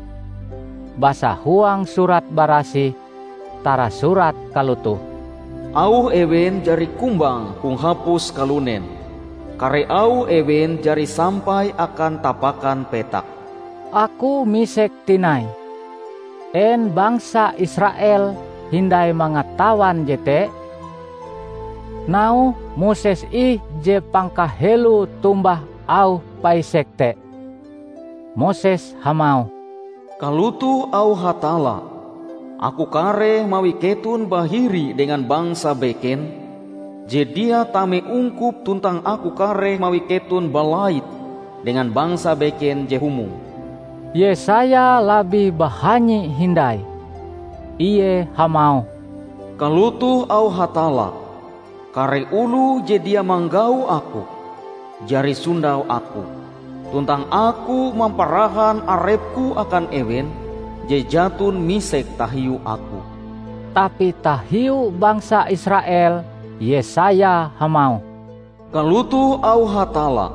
Basa huang Surat Barasih tarasurat kalotoh, "Auh ewen jari kumbang hong hapus kalunen, kare auh ewen jari sampai akan tapakan petak." Aku misek tinai, en bangsa Israel hindai mangatawan jete? Nauhe Moses ih je pangkaheloe tombah auh paisek te. Moses hamauh, "Kalotoh auh Hatalla, 'Aku kareh mawi keton bahiri dengan bangsa beken je dia tame ungkup tuntang Aku kareh mawi keton balait dengan bangsa beken je humong.'" Yesaya labih bahanyi hindai. Ie hamauh, "Kalotoh auh Hatalla, 'Kare oloh je dia manggau Aku, jari sondau Aku, tuntang Aku mamparahan arep-Ku akan ewen je jaton misek tahiu Aku.'" Tapi tahiu bangsa Israel, Yesaya hamauh, "Kalotoh auh Hatalla,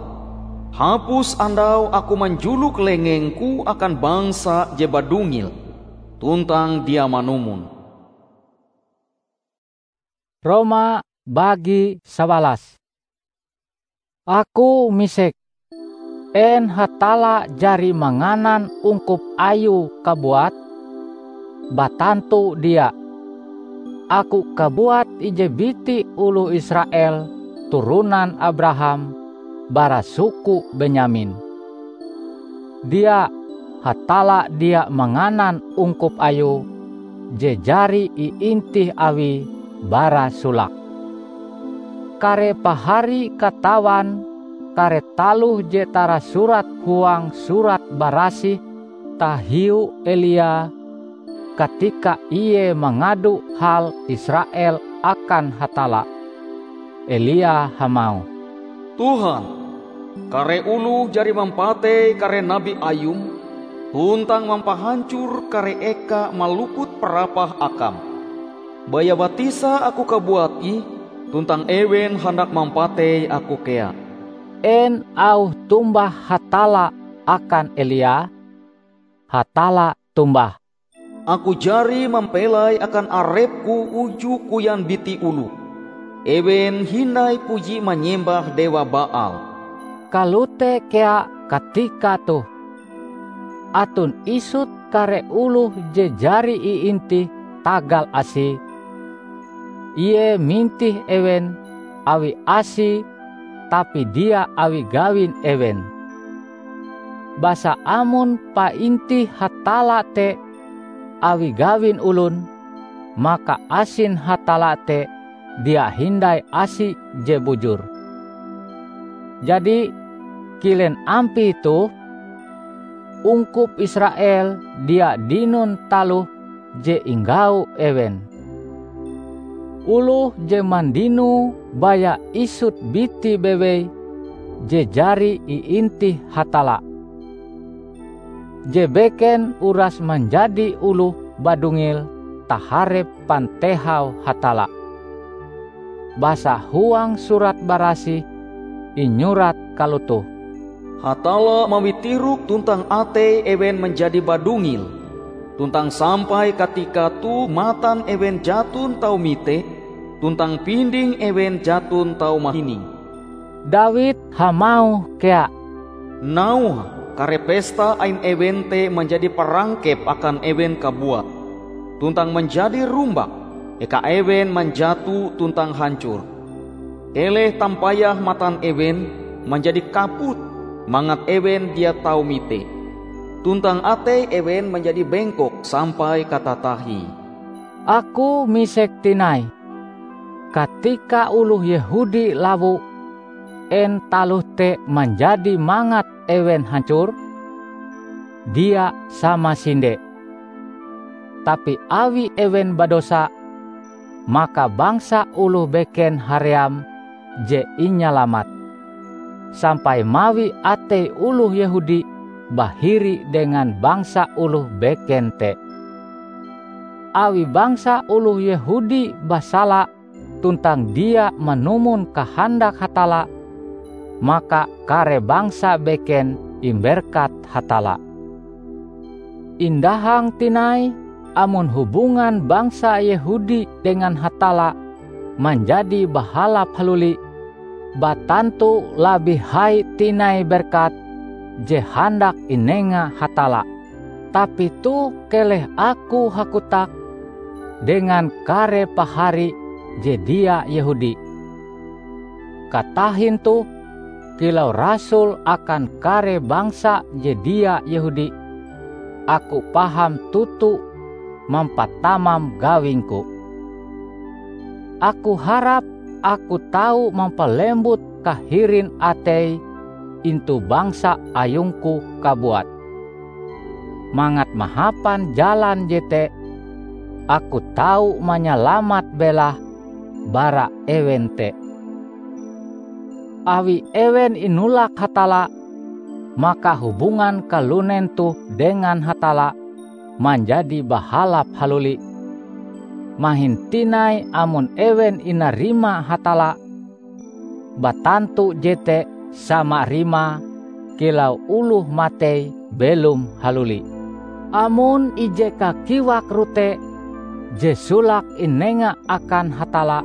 'Hapus andau Aku manjulok lengeng-Ku akan bangsa je badungil tuntang dia manumon.'" Roma bagi sawalas. Aku misek, en Hatalla jari manganan ungkup Ayue kabuat? Batantu dia! Aku kabuat ije biti oloh Israel turonan Abraham bara suku Benyamin. Dia, Hatalla dia manganan ungkup Ayue je jari iintih Awie bara solake. Kare pahari katawan kare taloh je tarasurat huang Surat Barasih tahiu Elia katika ie mangado hal Israel akan Hatalla. Elia hamauh, "Tuhan, kare oloh jari mampatei kare nabi Ayum tuntang mampahancor kare eka maluput parapah Akam. Baya batisa aku kabuat ih, tuntang ewen handak mampatei aku kea." En auh tombah Hatalla akan Elia? Hatalla tombah, "Aku jari mampelai akan arep-Ku uju koyan biti oloh. Ewen hindai puji manyembah dewa Baal." Kalote kea katika toh. Aton isut kare oloh je jari iintih tagal asie. Ie mintih ewen awi asie tapi dia awi gawin ewen. Basa amon paintih Hatalla te awi gawin olon, maka asin Hatalla te dia hindai asi je bujur. Jadi, kilen ampie toh? Ungkup Israel dia dinon taloh je inggau ewen. Oloh je mandinoe baya isut biti bewei je jari iintih Hatalla. Je beken uras manjadi oloh badungil taharep pantehau Hatalla. Basa huang Surat Barasih inyurat kalotoh, "Hatalla mawi tirok tuntang atei ewen manjadi badungil, tuntang sampai katika toh matan ewen jaton tau mite, tuntang pinding ewen jaton tau mahining." Dawid hamauh kea, "Nauhe kare pesta ain ewen te manjadi parangkep akan ewen kabuat, tuntang manjadi rumbak, eka ewen manjato tuntang hancor. Keleh tampayah matan ewen manjadi kaput, mangat ewen dia tau mite, tuntang atei ewen manjadi bengkok sampai katatahie." Aku misek tinai, katika oloh Yehudi lawo, en taloh te manjadi mangat ewen hancor? Dia samasinde! Tapi awi ewen badosa, maka bangsa oloh beken haream je inyalamat, sampai mawi atei oloh Yehudi bahiri dengan bangsa oloh beken te. Awi bangsa oloh Yehudi basala tuntang dia manumon kahandak Hatalla, maka kare bangsa beken imberkat Hatalla. Indahang tinai amon hubungan bangsa Yehudi dengan Hatalla manjadi bahalap haluli, batantu labih hai tinai berkat je handak inenga Hatalla. Tapi toh keleh aku hakotak dengan kare pahari je dia Yehudi. Katahin toh, kilau rasul akan kare bangsa je dia Yehudi, aku paham toto mampatamam gawingku. Aku harap aku tau mampalembut kahirin atei intu bangsa ayungku kabuat. Mangat mahapan jalan jete, aku tau manyalamat belahe bara ewen te. Awi ewen inolak Hatalla, maka hubungan kalunen toh dengan Hatalla manjadi bahalap haluli. Mahin tinai amon ewen inarima Hatalla, batantu jete sama rimae kilau oloh matei belom haluli. Amon ije kakiwak rote je solake inenga akan Hatalla,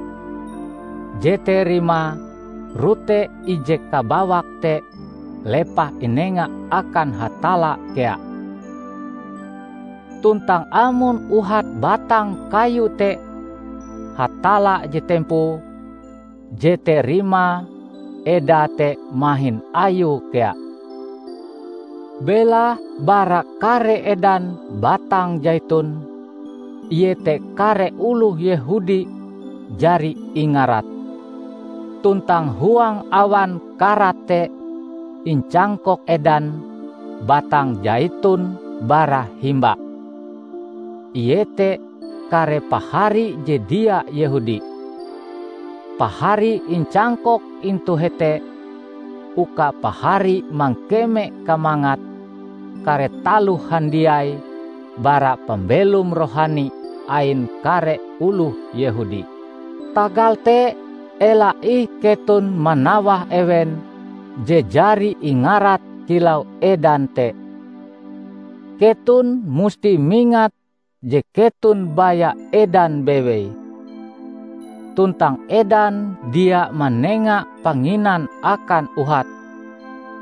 jete rimae rote ije kabawak te lepah inenga akan Hatalla kea. Tuntang amon uhat batang kayu te Hatalla je tempoe, jete rimae edae te mahin ayue kea. Belahe bara kare edan batang jaitun, iete kare oloh Yehudi jari ingarat. Tuntang huang awan karat te incangkok edan batang jaitun bara himba, iete kare pahari je dia Yehudi. Pahari incangkok intu hete uka pahari mangkeme kamangat kare taloh handiai bara pambelom rohani ain kare oloh Yehudi. Tagal te, ela ih keton manawah ewen je jari ingarat kilau edan te. Keton musti mingat je keton baya edan bewei. Tuntang edan dia manenga panginan akan uhat,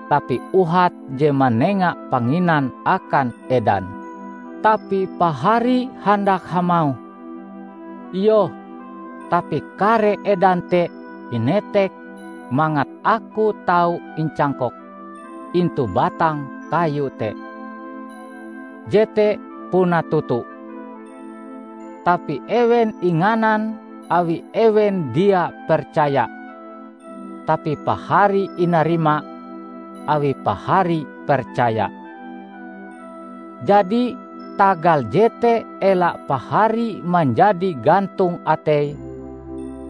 tapi uhat je manenga panginan akan edan. Tapi pahari handak hamauh, "Iyoh, tapi kare edan te inetek mangat aku tau incangkok intu batang kayu te. Jete puna toto. Tapi ewen inganan awi ewen dia percaya. Tapi pahari inarima awi pahari percaya. Jadi, tagal jete ela pahari manjadi gantong atei,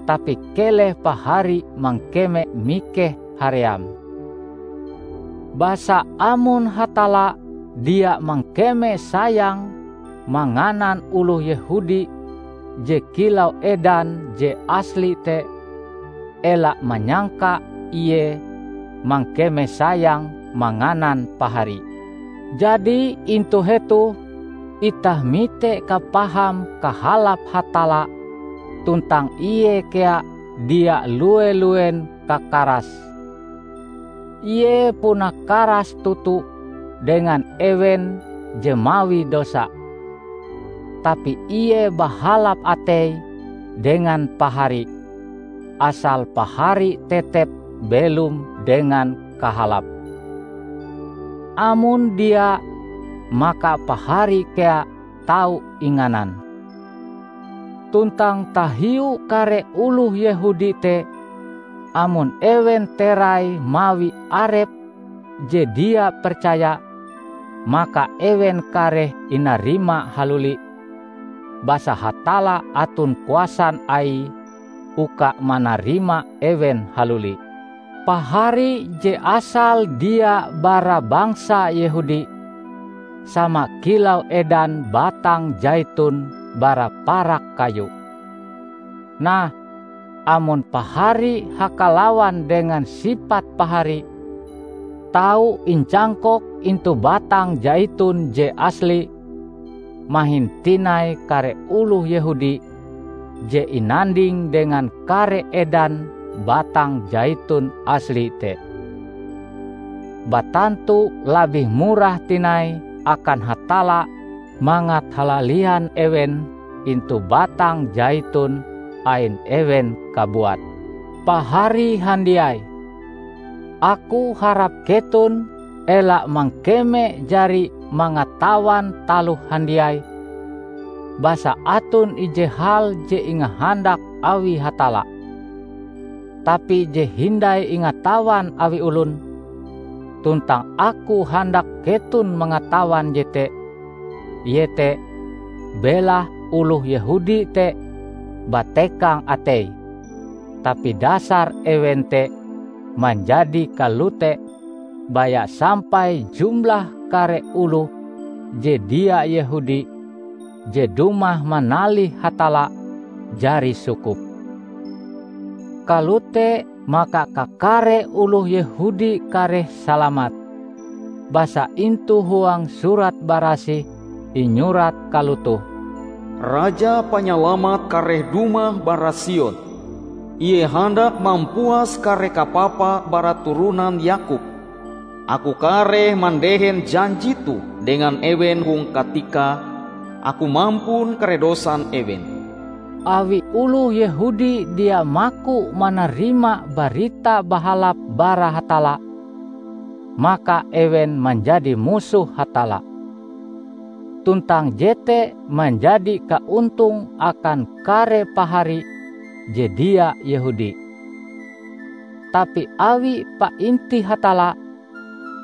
tapi keleh pahari mangkeme mikeh haream. Basa amon Hatalla dia mangkeme sayang manganan oloh Yehudi je kilau edan je asli te, ela manyangka Ie mangkeme sayang manganan pahari. Jadi, intu hetoh itah mite kapaham kahalap Hatalla, tuntang Ie kea dia lue-luen kakaras. Ie puna karas toto dengan ewen je mawi dosa, tapi Ie bahalap atei dengan pahari, asal pahari tetep belom dengan kahalap. Amon dia, maka pahari kea tau inganan. Tuntang tahiu kare oloh Yehudi te, amon ewen terai mawi arep je dia percaya, maka ewen kareh inarima haluli, basa Hatalla aton kuasan Aie uka manarima ewen haluli. Pahari je asal dia bara bangsa Yehudi, sama kilau edan batang jaitun bara parak kayu. Nah, amon pahari hakalawan dengan sipat pahari, tau incangkok intu batang jaitun je asli, mahin tinai kare oloh Yehudi je inanding dengan kare edan batang jaitun asli te. Batantu labih murah tinai akan Hatalla mangat halalian ewen intu batang jaitun ain ewen kabuat. Pahari handiai, aku harap keton ela mangkeme jari mangatawan taloh handiai, basa aton ije hal je ingahandak awi Hatalla, tapi je hindai ingatawan awi olon, tuntang aku handak keton mangatawan jete, iete, belahe oloh Yehudi te batekang atei, tapi dasar ewen te manjadi kalote baya sampai jumlah kare oloh je dia Yehudi je dumah manalih Hatalla jari sukup. Kalote maka kakare oloh Yehudi kareh salamat. Basa intu huang Surat Barasih inyurat kalotoh, "Raja Panyalamat kareh dumah bara Sion. Ie handak mampuas kare kapapa bara turonan Yakub. Aku kareh mandehen janji toh dengan ewen hong katika Aku mampun kare dosan ewen." Awi oloh Yehudi dia maku manarima Barita Bahalap bara Hatalla, maka ewen manjadi musoh Hatalla. Tuntang jete manjadi kaontong akan kare pahari je dia Yehudi. Tapi awi paintih Hatalla,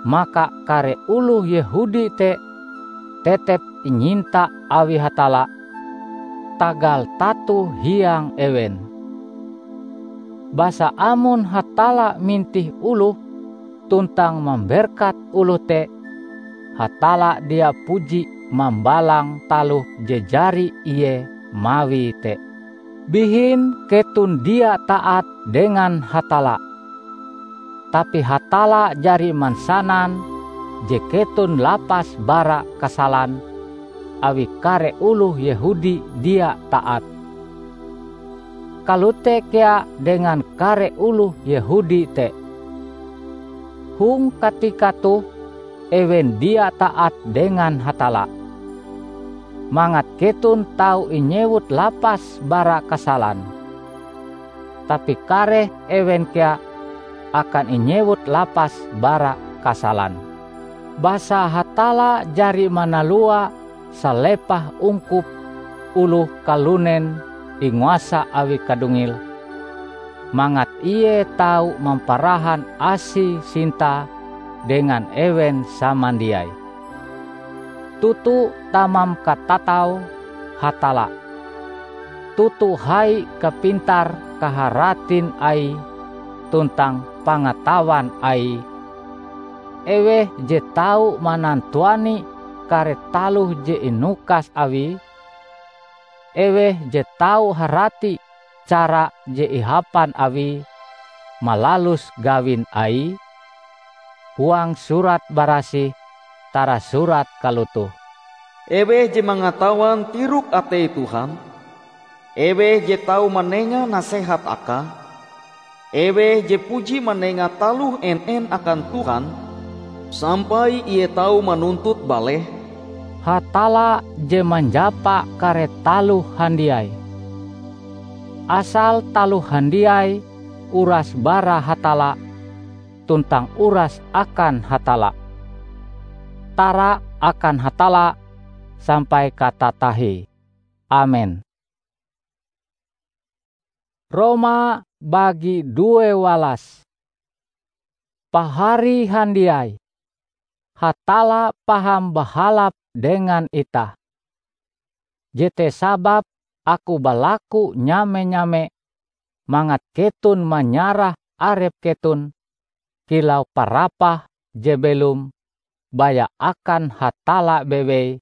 maka kare oloh Yehudi te tetep inyinta awi Hatalla, tagal tato hiang ewen. Basa amon Hatalla mintih oloh tuntang mamberkat oloh te, Hatalla dia puji mambalang taloh je jari Ie mawie te. Bihin keton dia taat dengan Hatalla, tapi Hatalla jari mansanan je keton lapas bara kasalan awi kare oloh Yehudi dia taat. Kalote kea dengan kare oloh Yehudi te. Hong katika toh ewen dia taat dengan Hatalla, mangat keton tau inyewut lapas bara kasalan. Tapi kareh ewen kea akan inyewut lapas bara kasalan. Basa Hatalla jari manalua salepah ungkup oloh kalunen inguasa awi kadungil, mangat ie tau mamparahan asi sintae dengan ewen samandiai. Toto tamam katatau Hatalla, toto hai kapintar-kaharatin Aie tuntang pangatawan Aie. Eweh je tau manantuani kare taloh je inukas Awie? Eweh je tau harati cara je ihapan Awie malalus gawin Aie? Huang Surat Barasih tarasurat kalotoh, "Eweh je mangatawan tirok atei Tuhan? Eweh je tau manenga nasehat Akae? Eweh je puji manenga taloh en-en akan Tuhan, sampai Ie tau manuntut baleh?" Hatalla je manjapa kare taloh handiai. Asal taloh handiai uras bara Hatalla tuntang uras akan Hatalla, tara akan Hatalla sampai katatahie. Amen. Roma bagi due walas. Pahari handiai, Hatalla paham bahalap dengan itah. Jete sababe aku balaku nyame-nyame mangat keton manyarah arep keton kilau parapah je belom baya akan Hatalla bewei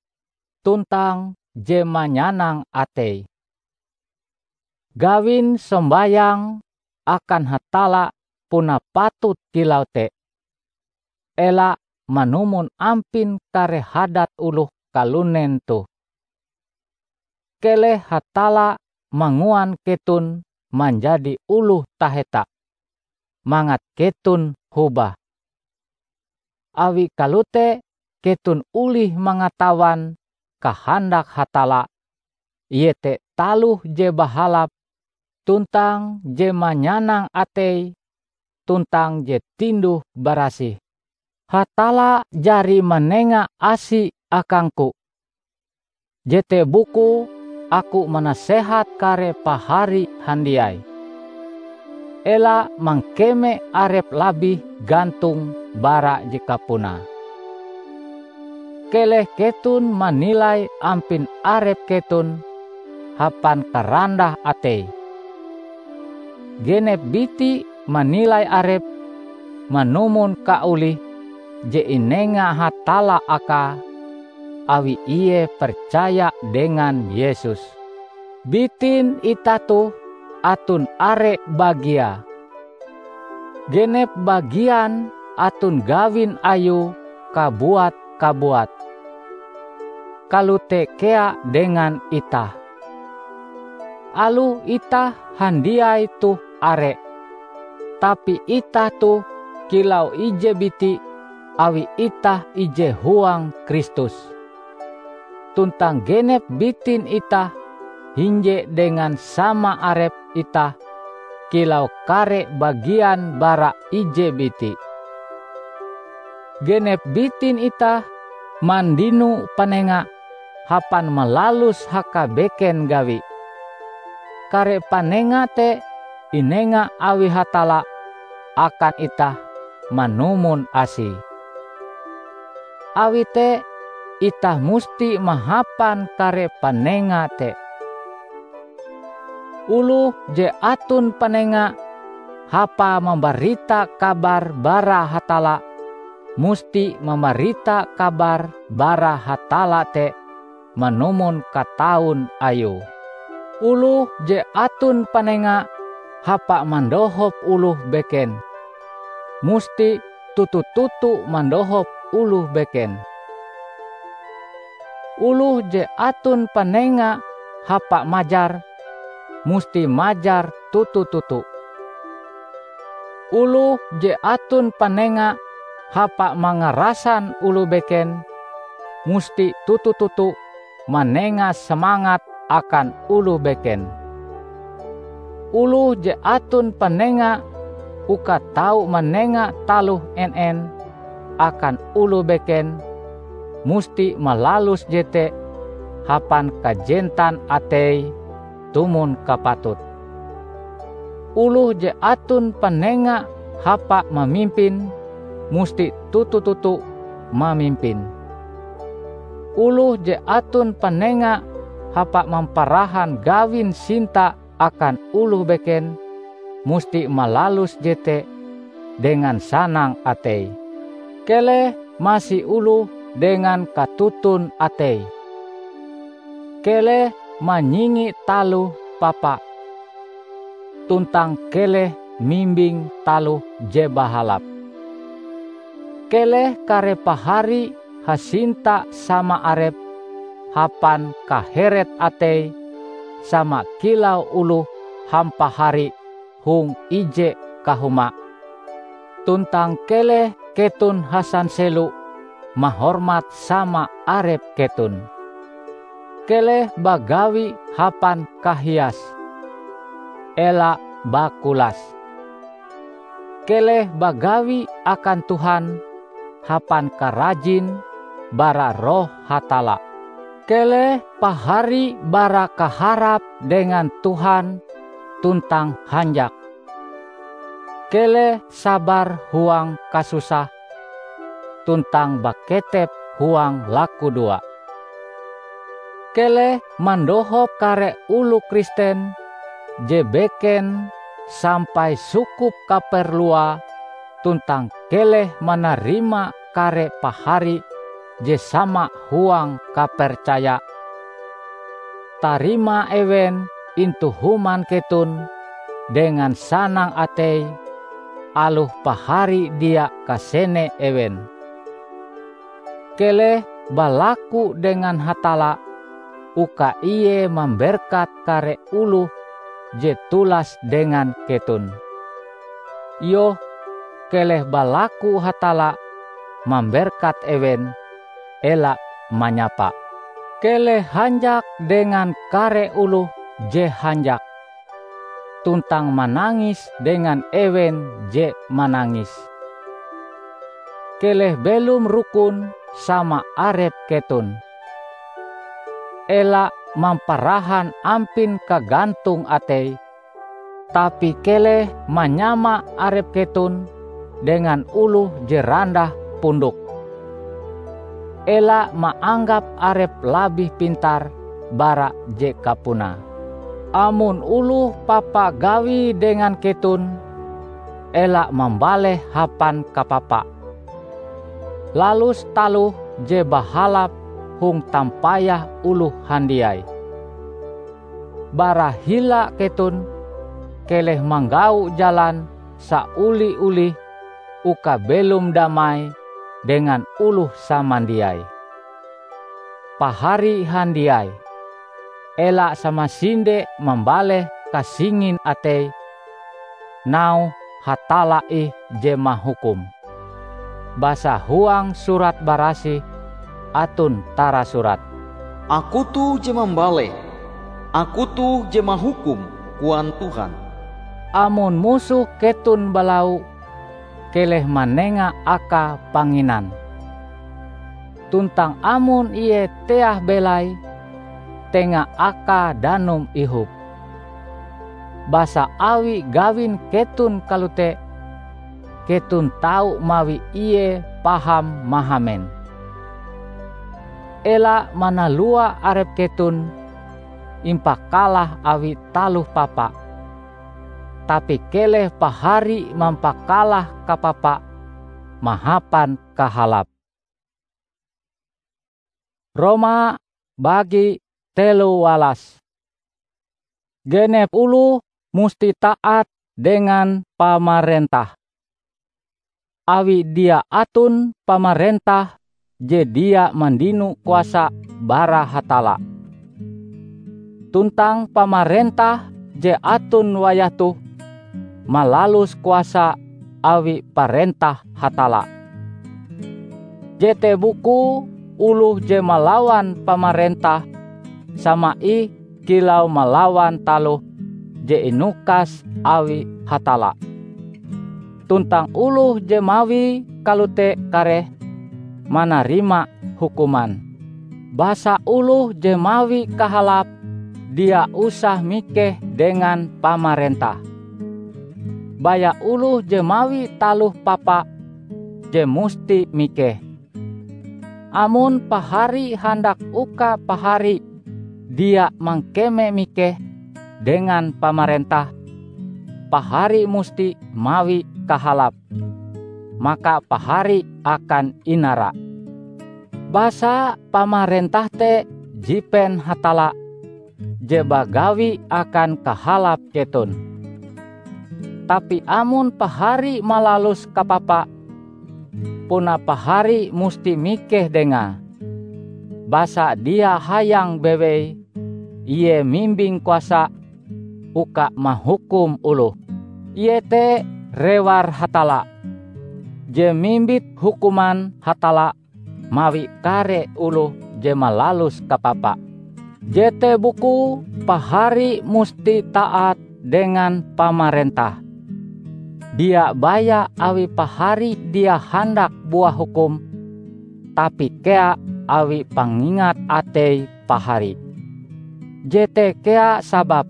tuntang je manyanang atei. Gawin sombayang akan Hatalla puna patut kilau te. Ela manumon ampin kare hadat oloh kalunen toh. Keleh Hatalla manguan keton manjadi oloh taheta, mangat keton hobah. Awi kalote keton olih mangatawan kahandak Hatalla, iete taloh je bahalap, tuntang je manyanang atei, tuntang je tinduh-barasih. Hatalla jari manenga asi akangku. Jete bukue aku manasehat kare pahari handiai. Ela mangkeme arep labih gantong bara je kapunae. Keleh keton manilai ampin arep keton hapan karandah atei. Genep biti manilai arepe manumon kaolih je inenga Hatalla akae awi ie percaya dengan Yesus. Bitin itah toh aton are bagiae. Genep bagian aton gawin ayue kabuat-kabuat. Kalote kea dengan itah. Aloh itah handiai toh are, tapi itah toh kilau ije biti awi itah ije huang Kristus. Tuntang genep bitin itah hinje dengan sama arep itah kilau kare bagian bara ije biti. Genep bitin itah mandino panenga hapan malalus hakabeken gawi. Kare panenga te inenga awi Hatalla akan itah manumon asie. Awi te, itah musti mahapan kare panenga te. Oloh je aton panenga hapae mambarita kabar bara Hatalla, musti mambarita kabar bara Hatalla te manumon katawan ayue. Oloh je aton panenga hapae mandohop oloh beken, musti toto-toto mandohop oloh beken. Oloh je aton panenga hapae majar, musti majar toto-toto. Oloh je aton panenga hapae mangarasan oloh beken, musti toto-toto manenga samangat akan oloh beken. Oloh je aton panenga uka tau manenga taloh en-en akan oloh beken, musti malalus jete hapan kajentan ateie tumon kapatute. Oloh je aton panenga hapa mamimpin, musti toto-toto mamimpin. Oloh je aton panenga hapa mamparahan gawin sinta akan oloh beken, musti malalus jete dengan sanang atei. Keleh masi oloh dengan katoton atei. Keleh manyingi taloh papa, tuntang keleh mimbing taloh je bahalap. Keleh kare pahari hasinta sama arep hapan kaheret atei, sama kilau oloh hampahari hong ije kahuma. Tuntang keleh keton hasanselo mahormat sama arep keton. Keleh bagawi hapan kahias, ela bakulas. Keleh bagawi akan Tuhan hapan karajin bara Roh Hatalla. Keleh pahari bara kaharap dengan Tuhan tuntang hanjak. Keleh sabar huang kasusah tuntang baketep huang lakudoa. Keleh mandohop kare oloh Kristen je beken sampai sukup kaperluae, tuntang keleh manarima kare pahari je sama huang kapercaya. Tarima ewen intu human keton dengan sanang atei, aloh pahari dia kasene ewen. Keleh balaku dengan Hatalla uka Ie mamberkat kare oloh je tulas dengan keton. Iyoh, keleh balaku Hatalla mamberkat ewen, ela manyapa. Keleh hanjak dengan kare oloh je hanjak, tuntang manangis dengan ewen je manangis. Keleh belom rukon sama arep keton. Ela mamparahan ampin kagantong atei, tapi keleh manyama arep keton dengan oloh je randah pundok. Ela maanggap arep labih pintar bara je kapunae. Amon oloh papa gawi dengan keton, ela mambaleh hapan kapapa. Lalus taloh je bahalap hong tampayah oloh handiai. Bara hila keton, keleh manggau jalan saoli-olih uka belom damai dengan oloh samandiai. Pahari handiai, ela samasinde mambaleh kasingin atei, nauhe Hatalla ih je mahukum. Basa huang Surat Barasih aton tarasurat, "Aku toh je mambaleh, Aku toh je mahukum," koan Tuhan. Amon musoh keton balau, keleh manenga akae panginan. Tuntang amon ie teah belai, tenga akae danum ihop. Basa awi gawin keton kalote, keton tau mawi ie paham mahamen. Ela manalua arep keton impakalah awi taloh papa, tapi keleh pahari mampakalah kapapa mahapan kahalap. Roma bagi telu walas. Genep oloh musti taat dengan pamarentah, awi dia aton pamarentah je dia mandino kuasa bara Hatalla. Tuntang pamarentah je aton wayah toh malalus kuasa awi parentah Hatalla. Jete bukue oloh je malawan pamarentah sama ih kilau malawan taloh je inukas awi Hatalla. tuntang oloh je mawie kalote kareh manarima hukuman. Basa oloh je mawi kahalap dia usah mikeh dengan pamarentah. Baya oloh je mawi taloh papa je musti mikeh. Amon pahari handak uka pahari dia mangkeme mikeh dengan pamarentah, pahari musti mawi kahalap, maka pahari akan inara. Basa pamarentah te jipen Hatalla je bagawi akan kahalap keton. Tapi amon pahari malalus kapapa, puna pahari musti mikeh dengae. Basa dia hayang bewei, ie mimbing kuasa uka mahukum oloh. Ie te rewar Hatalla, je mimbit hukuman Hatalla mawi kare oloh je malalus kapapa. Jete bukue pahari musti taat dengan pamarentah. Dia baya awi pahari dia handak buah hukum, tapi kea awi pangingat atei pahari. Jete kea sabab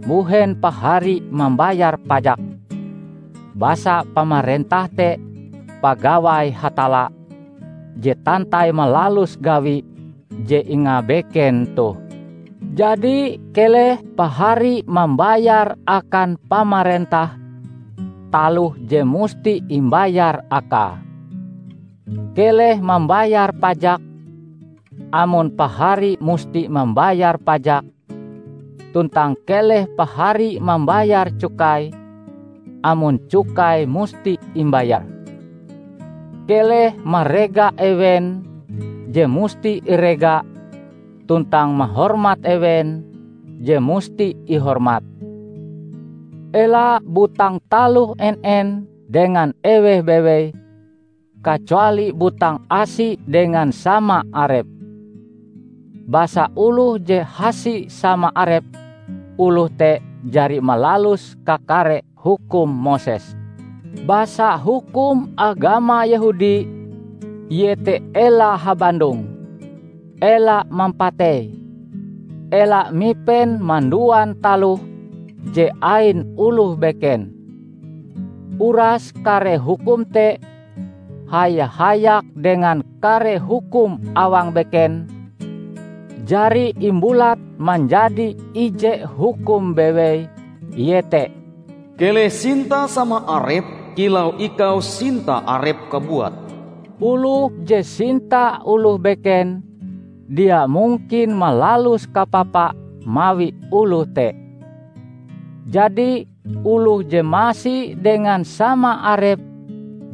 mbuhen pahari mambayar pajak. Basa pamarentah te pagawai Hatalla je tantai malalus gawi je ingabeken toh. Jadi, keleh pahari mambayar akan pamarentah taloh je musti imbayar akae. Keleh mambayar pajak, amon pahari musti mambayar pajak, tuntang keleh pahari mambayar cukai, amon cukai musti imbayar. Keleh marega ewen je musti irega, tuntang mahormat ewen je musti ihormat. Ela butang taloh en-en dengan eweh bewei, kacuali butang asi dengan sama arep. Basa oloh je hasi sama arep, oloh te jari malalus kakare hukum Moses. Basa hukum agama Yehudi, iete ela habandong, ela mampatei, ela mipen manduan taloh je ain oloh beken. Uras kare hukum te haya-hayak dengan kare hukum awang beken, jari imbulat manjadi ije hukum bewei, iete, "Keleh sinta sama arep kilau ikau sinta arep kabuat." Oloh je sinta oloh beken, dia mungkin malalus kapapa mawi oloh te. Jadi, oloh je masi dengan sama arep,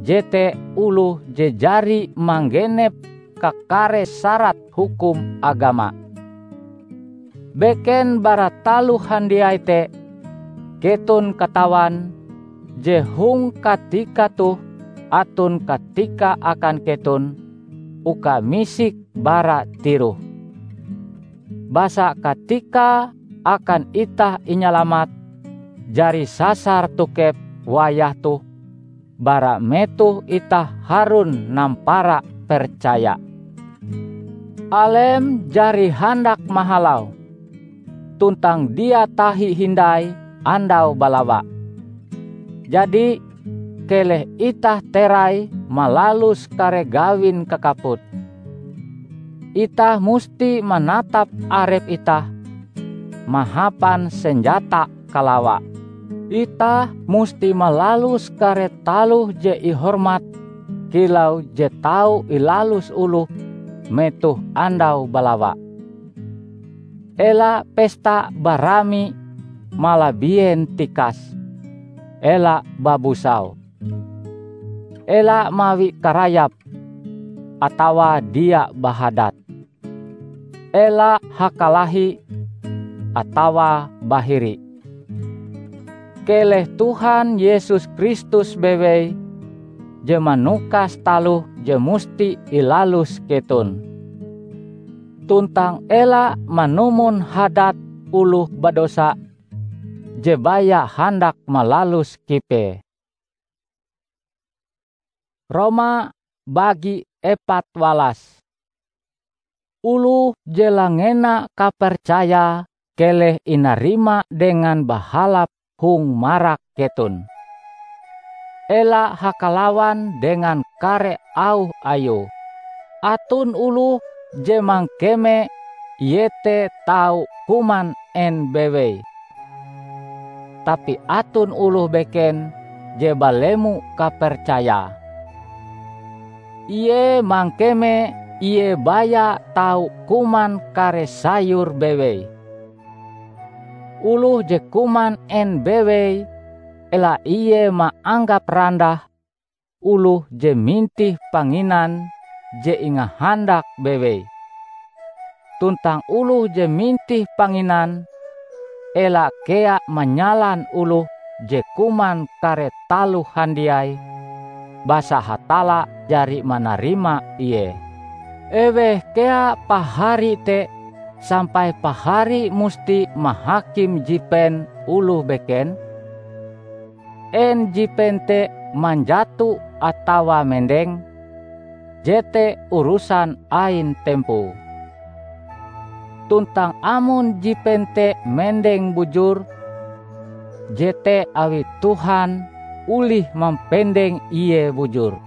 jete oloh je jari manggenep kakare sarat hukum agama. Beken bara taloh handiai te, keton katawan je hong katika toh aton katika akan keton uka misik bara tiroh. Basa katika akan itah inyalamat jari sasar tokep wayah toh, bara metoh itah harun nampara percaya. Alem jari handak mahalau, tuntang dia tahi hindai andau balawa. Jadi, keleh itah terai malalus kare gawin kakaput. Itah musti manatap arep itah mahapan senjata kalawa. Itah musti malalus kare taloh je ihormat kilau je tau ilalus oloh metoh andau balawa. Ela pesta barami malabien tikas. Ela babusau. Ela mawi karayap atawa dia bahadat. Ela hakalahi atawa bahiri. Keleh Tuhan Yesus Kristus bewei je manukas taloh je musti ilalus keton. Tuntang ela manumon hadat oloh badosa je baya handak malalus kipee. Roma bagi epat walas. Oloh je langena kapercayae keleh inarima dengan bahalap hong marak keton. Ela hakalawan dengan kare auh ayue. Aton oloh je mangkeme iete tau kuman en bewei. Tapi aton oloh beken je balemo kapercayae. Ie mangkeme ie baya tau kuman kare sayur bewei. Oloh je kuman en bewei, ela ie maanggap randah oloh je mintih panginan je ingahandak bewei. Tuntang oloh je mintih panginan, ela kea manyalan oloh je kuman kare taloh handiai, basa Hatalla jari manarima ie. Eweh kea pahari te sampai pahari musti mahakim jipen oloh beken? En jipen te manjato atawa mendeng, jete urusan ain tempoe. Tuntang amon jipen te mendeng bujur, jete awi Tuhan olih mampendeng ie bujur.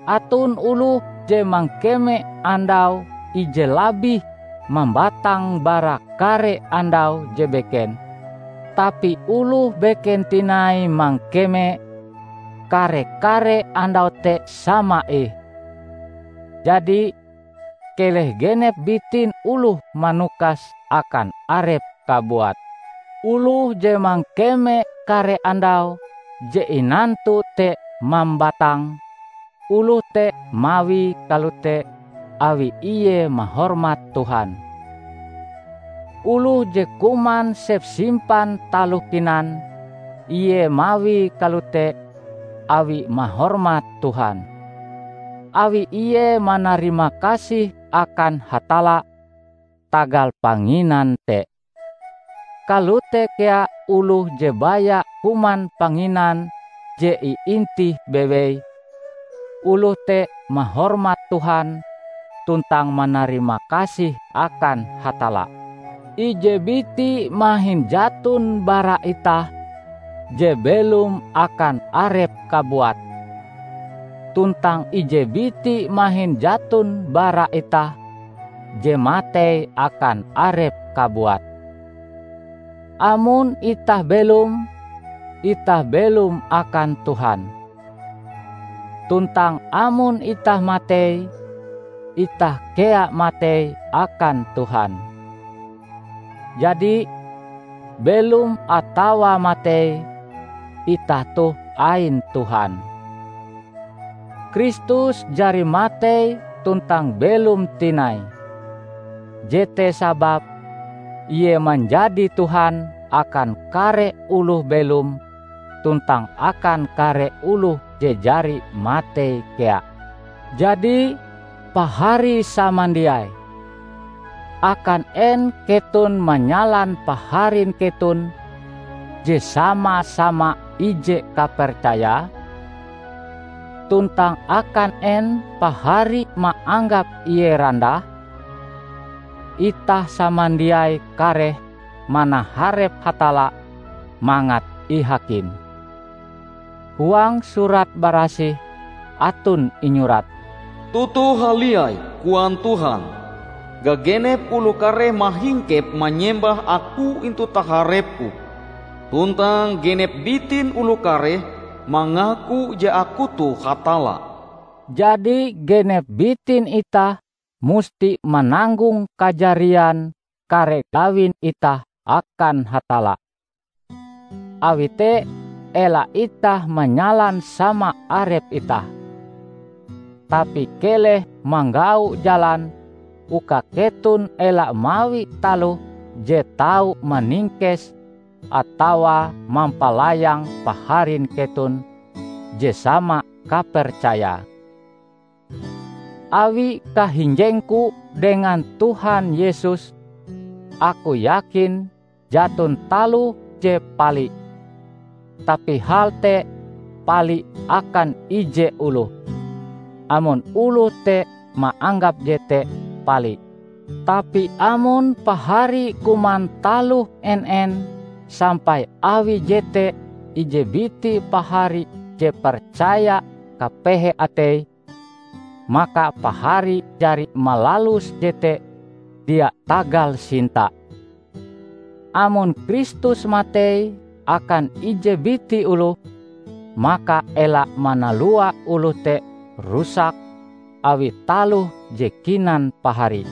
Aton oloh je mangkeme andau ije labih mambatang bara kare andau je beken, tapi oloh beken tinai mangkeme kare-kare andau te sama ih. Jadi, keleh genep bitin oloh manukas akan arepe kabuat. Oloh je mangkeme kare andau je inantu te mambatang, oloh te mawie kalote awi ie mahormat Tuhan. Oloh je kuman sepsimpan taloh kinan, ie mawie kalote awi mahormat Tuhan, awi ie manarimakasih akan Hatalla tagal panginan te. Kalote kea oloh je baya kuman panginan je iintih bewei, oloh te mahormat Tuhan tuntang manarimakasih akan Hatalla. Ije biti mahin jaton bara itah je belom akan arepe kabuat, tuntang ije biti mahin jaton bara itah je matei akan arepe kabuat. Amon itah belom, itah belom akan Tuhan. Tuntang amon itah matei, itah kea matei akan Tuhan. Jadi, belom atawa matei, itah toh ain Tuhan. Kristus jari matei tuntang belom tinai. Jete sababe Ie manjadi Tuhan akan kare oloh belom tuntang akan kare oloh je jari matei kea. Jadi, pahari samandiai, akan en keton manyalan paharin keton je sama-sama ije kapercayae? Tuntang akan en pahari maanggap ie randah? Itah samandiai kareh manaharep Hatalla mangat ihakim. Huang Surat Barasih aton inyurat, "Toto haliai," koan Tuhan, "gagenep oloh kareh mahingkep manyembah Aku intu taharep-Ku, tuntang genep bitin oloh kareh mangaku je Aku toh Hatalla." Jadi, genep bitin itah musti mananggong kajarian kare gawin itah akan Hatalla. Awi te, ela itah manyalan sama arep itah, tapi keleh manggau jalan uka keton ela mawi taloh je tau maningkes atawa mampalayang paharin keton je sama kapercayae. Awi kahinjengku dengan Tuhan Yesus, aku yakin jaton taloh je pali. Tapi hal te pali akan ije oloh, amon oloh te maanggap jete pali. Tapi amon pahari kuman taloh en-en sampai awi jete ije biti pahari je percaya kapehe ateie, maka pahari jari malalus jete dia tagal sinta. Amon Kristus matei akan ije biti oloh, maka ela manalua oloh te rusak awi taloh je kinan pahari.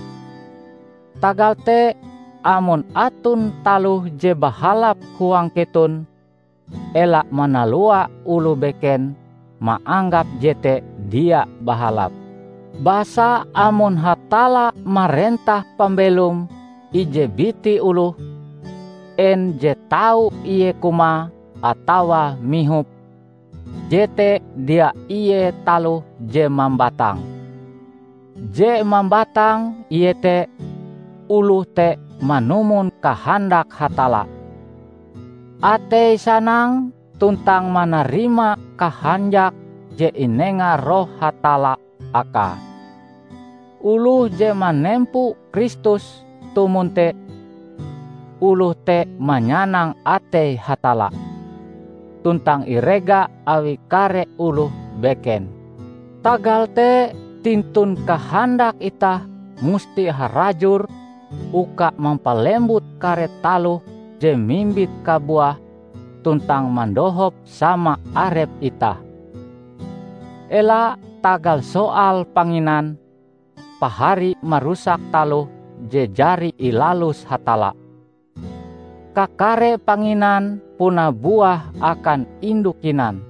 Tagal te, amon aton taloh je bahalap huang keton, ela manalua oloh beken maanggap jete dia bahalap. Basa amon Hatalla marentah pambelom ije biti oloh, en je tau ie kumae atawa mihop, jete dia ie taloh je mambatang. Je mambatang iete oloh te manumon kahandak Hatalla. Ateie sanang tuntang manarima kahanjak je inenga Roh Hatalla akae. Oloh je manempo Kristus tumon te, oloh te manyanang atei Hatalla, tuntang irega awi kare oloh beken. Tagal te, tintun kahandak itah musti harajur uka mampalembut kare taloh je mimbit kabuah tuntang mandohop sama arep itah. Ela tagal soal panginan, pahari marusak taloh je jari ilalus Hatalla. Kakare panginan puna buah akan indu kinan.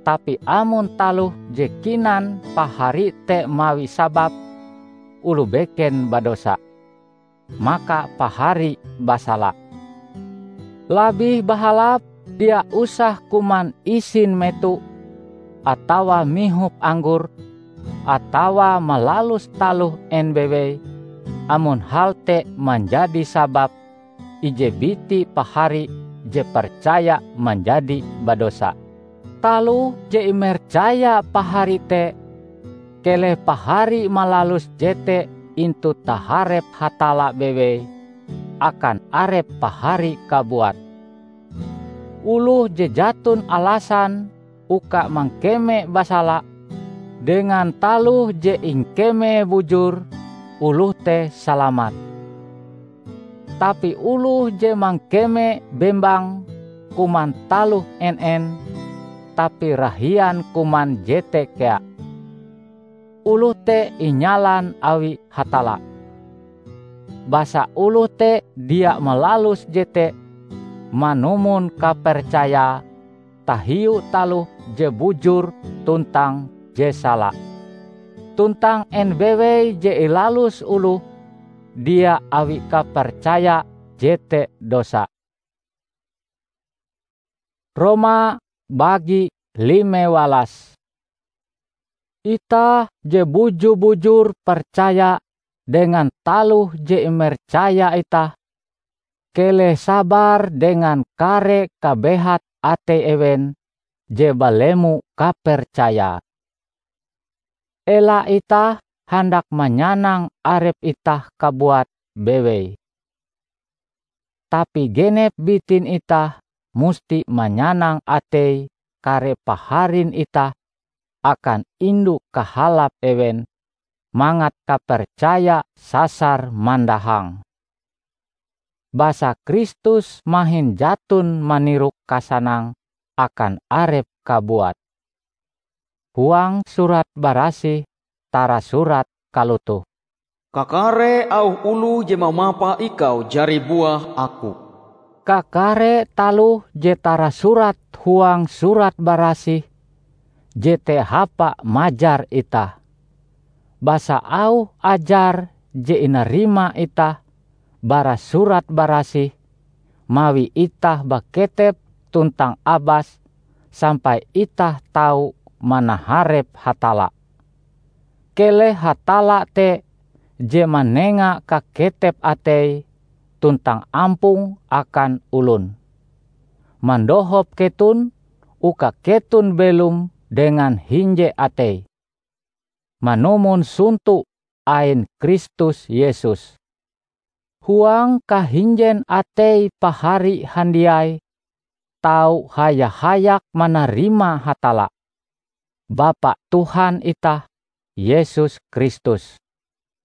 Tapi amon taloh je kinan pahari te mawi sabab oloh beken badosa, maka pahari basala. Labih bahalap dia usah kuman isin meto, atawa mihop anggor, atawa malalus taloh en bewei, amon hal te manjadi sabab ije biti pahari je percaya manjadi badosa. Taloh je imercaya pahari te, keleh pahari malalus jete intu taharep Hatalla bewei akan arep pahari kabuat. Oloh je jaton alasan uka mangkeme basala dengan taloh je ingkeme bujur, oloh te salamat. Tapi oloh je mangkeme bembang kuman taloh en-en, tapi rahian kuman jete kea, oloh te inyalan awi Hatalla. Basa oloh te dia malalus jete manumon kapercayae tahiu taloh je bujur tuntang je sala. Tuntang en bewei je ilalus oloh dia awi kapercaya jete dosa. Roma bagi lime walas. Itah je bujur-bujur percaya dengan taloh je imercaya itah, keleh sabar dengan kare kabehat atei ewen je balemo kapercayae. Ela itah handak manyanang arep itah kabuat bewei. Tapi genep bitin itah musti manyanang atei kare paharin itah akan indu kahalap ewen mangat kapercaya sasar mandahang. Basa Kristus mahin jaton manirok kasanang akan arep kabuat. Huang Surat Barasih tarasurat kalotoh, "Kakare auh oloh je mamapa ikau jari buah Aku." Kakare taloh je tarasurat huang Surat Barasih jete hapa majar itah. Basa auh ajar je inarima itah bara Surat Barasih mawi itah baketep tuntang abas sampai itah tau manaharep Hatalla. Keleh Hatalla te je manenga kaketep atei tuntang ampong akan olon, mandohop keton uka keton belom dengan hinje atei, manumon sonto ain Kristus Yesus. Huang kahinjen atei pahari handiai tau haya-hayak manarima Hatalla, Bapa Tuhan itah, Yesus Kristus.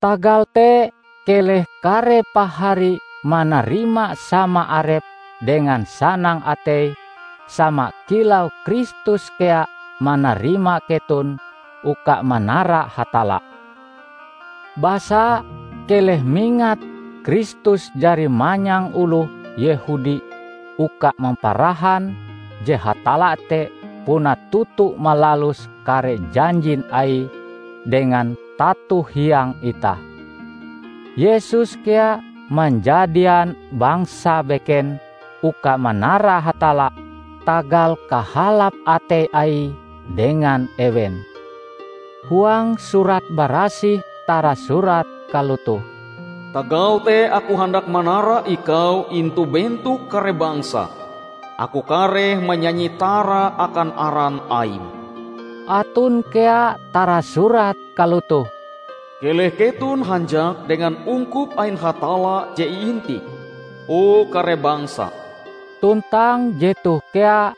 Tagal te, keleh kare pahari manarima sama arep dengan sanang atei, sama kilau Kristus kea manarima keton uka manara Hatalla. Basa, keleh mingat Kristus jari manyang oloh Yehudi uka mamparahan je Hatalla te puna toto malalus kare janjin Aie dengan tato hiang itah. Yesus kea manjadian bangsa beken uka manara Hatalla tagal kahalap atei Aie dengan ewen. Huang Surat Barasih tarasurat kalotoh, "Tagal te Aku handak manara ikau intu bentok kare bangsa. Aku kareh manyanyi tara akan aran Aim." Aton kea tarasurat kalotoh, "Keleh keton hanjak dengan ungkup ain Hatalla je iintih, o kare bangsa." Tuntang jetoh kea,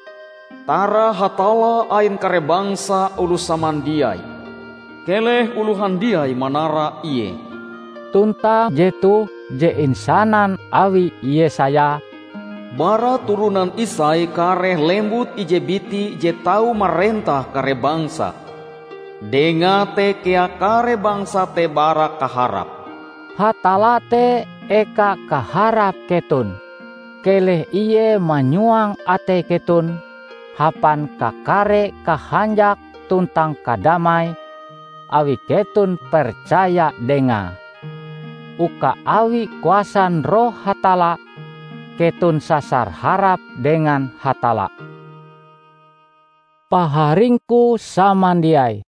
"Tara Hatalla ain kare bangsa oloh samandiai. Keleh oloh handiai manara Ie." Tuntang jetoh je insanan awi Yesaya, "Bara turonan Isai kareh lembut ije biti je tau marentah kare bangsa. Dengae te kea kare bangsa te bara kaharap." Hatalla te eka kaharap keton. Keleh Ie manyuang atei keton hapan kakare kahanjak tuntang kadamai awi keton percaya Dengae, uka awi kuasan Roh Hatalla keton sasar harap dengan Hatalla. Paharingku samandiai,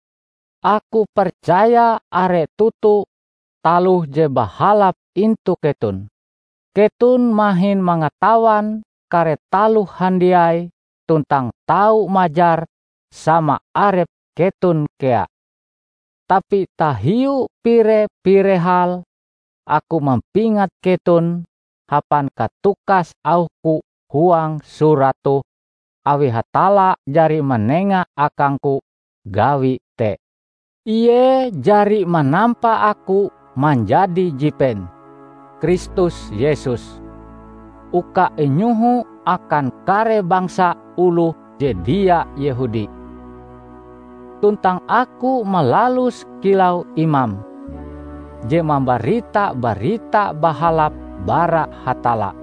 aku percaya are toto taloh je bahalap intu keton. Keton mahin mangatawan kare taloh handiai tuntang tau majar sama arep keton kea. Tapi tahiu pire-pire hal, aku mampingat keton hapan katukas auhku huang surat toh, awi Hatalla jari manenga akangku gawi te. Ie jari manampa aku manjadi jipen Kristus Yesus, uka inyoho akan kare bangsa oloh je dia Yehudi. Tuntang aku malalus kilau imam je mambarita Barita Bahalap bara Hatalla,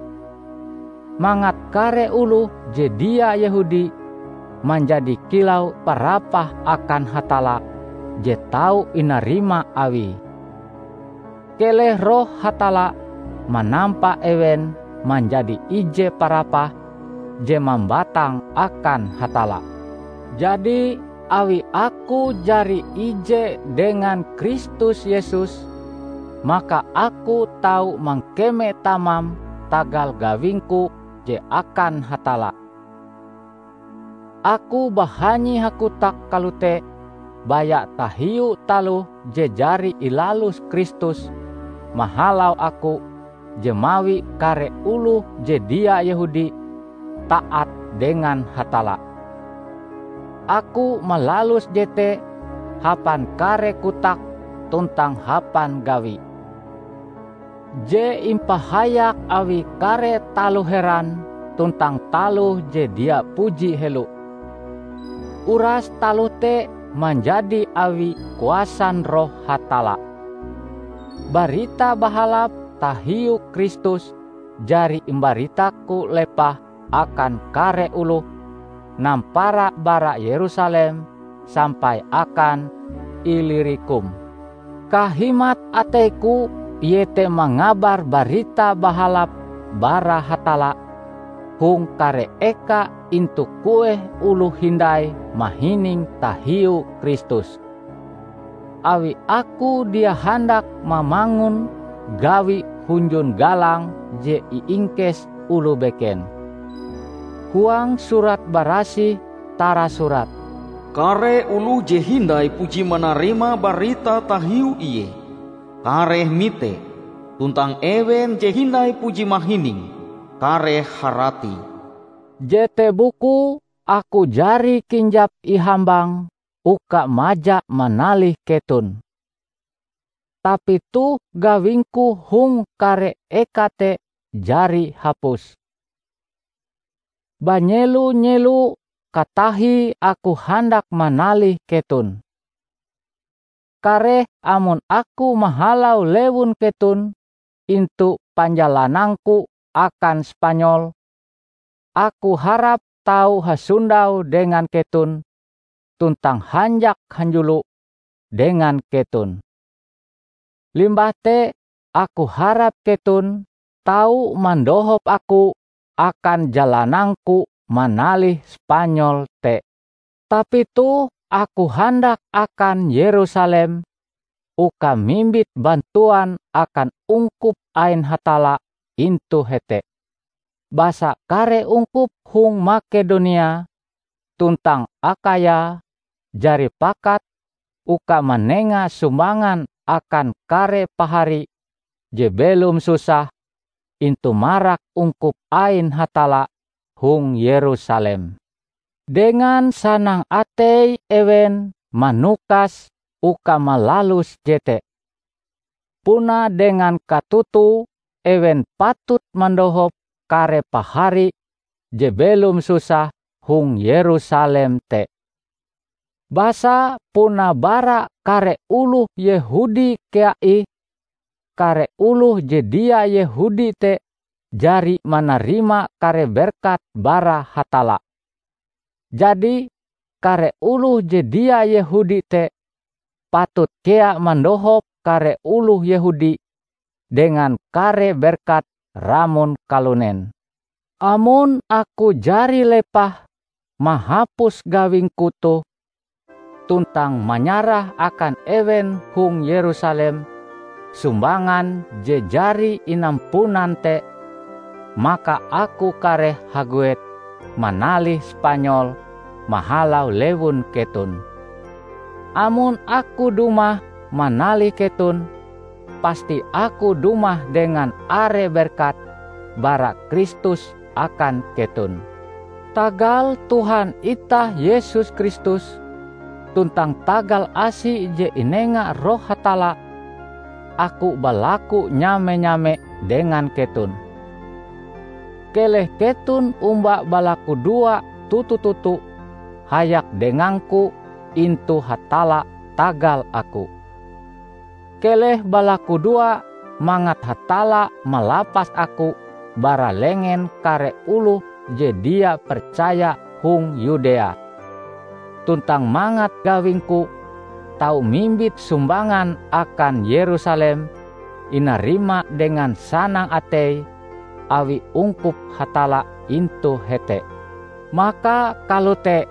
mangat kare oloh je dia Yehudi manjadi kilau parapah akan Hatalla je tau inarima Awie. Keleh Roh Hatalla manampa ewen manjadi ije parapah je mambatang akan Hatalla. Jadi, awi aku jari ije dengan Kristus Yesus, maka aku tau mangkeme tamam tagal gawingku je akan Hatalla. Aku bahanyi hakotak kalote baya tahiu taloh je jari ilalus Kristus mahalau aku, je mawi kare oloh je dia Yehudi taat dengan Hatalla. Aku malalus jete hapan kare kotak tuntang hapan gawi je impahayak awi kare taloh heran tuntang taloh je dia puji helo. Uras taloh te manjadi awi kuasan Roh Hatalla. Barita Bahalap tahiu Kristus jari imbaritaku lepah akan kare oloh, nampara bara Yerusalem sampai akan Ilirikum. Kahimat ateiku iete mangabar Barita Bahalap bara Hatalla hong kare eka intu kueh oloh hindai mahining tahiu Kristus. Awi aku dia handak mamangun gawi hunjun galang je iingkes oloh beken. Huang Surat Barasih tarasurat, "Kare oloh je hindai puji manarima barita tahiu Ie, kareh mite, tuntang ewen je hindai puji mahining, kareh harati." Jete bukue aku jari kinjap ihambang uka maja manalih keton. Tapi toh gawingku hong kare eka te jari hapus. Banyelo-nyelo katahie aku handak manalih keton. Kareh amon aku mahalau lewun keton intu panjalanangku akan Spanyol, aku harap tau hasondau dengan keton tuntang hanjak hanjulo dengan keton. Limbah te aku harap keton tau mandohop aku akan jalanangku manalih Spanyol te. Tapi toh aku handak akan Yerusalem uka mimbit bantuan akan ungkup ain Hatalla intu hete. Basa kare ungkup hong Makedonia tuntang Akhaya jari pakat uka manenga sumbangan akan kare pahari je belom susah intu marak ungkup ain Hatalla hong Yerusalem. Dengan sanang atei ewen manukas uka malalus jete. Puna dengan katoto ewen patut mandohop kare pahari je belom susah hong Yerusalem te. Basa puna bara kare oloh Yehudi kea ih, kare oloh je dia Yehudi te jari manarima kare berkat bara Hatalla. Jadi, kare oloh je dia Yehudi te patut kea mandohop kare oloh Yehudi dengan kare berkat ramon kalunen. Amon aku jari lepah mahapus gawingku toh tuntang manyarah akan ewen hong Yerusalem sumbangan je jari inampunan te, maka aku kareh haguet manalih Spanyol mahalau lewun keton. Amon aku dumah manalih keton, pasti aku dumah dengan are berkat bara Kristus akan keton. Tagal Tuhan itah Yesus Kristus tuntang tagal asi je inenga Roh Hatalla, aku balaku nyame-nyame dengan keton. Keleh keton omba balakudoa toto-toto hayak dengangku intu Hatalla tagal aku. Keleh balakudoa mangat Hatalla malapas aku bara lengen kare oloh je dia percaya hong Yudea, tuntang mangat gawingku tau mimbit sumbangan akan Yerusalem inarima dengan sanang atei awi ungkup Hatalla intu hete. Maka kalote,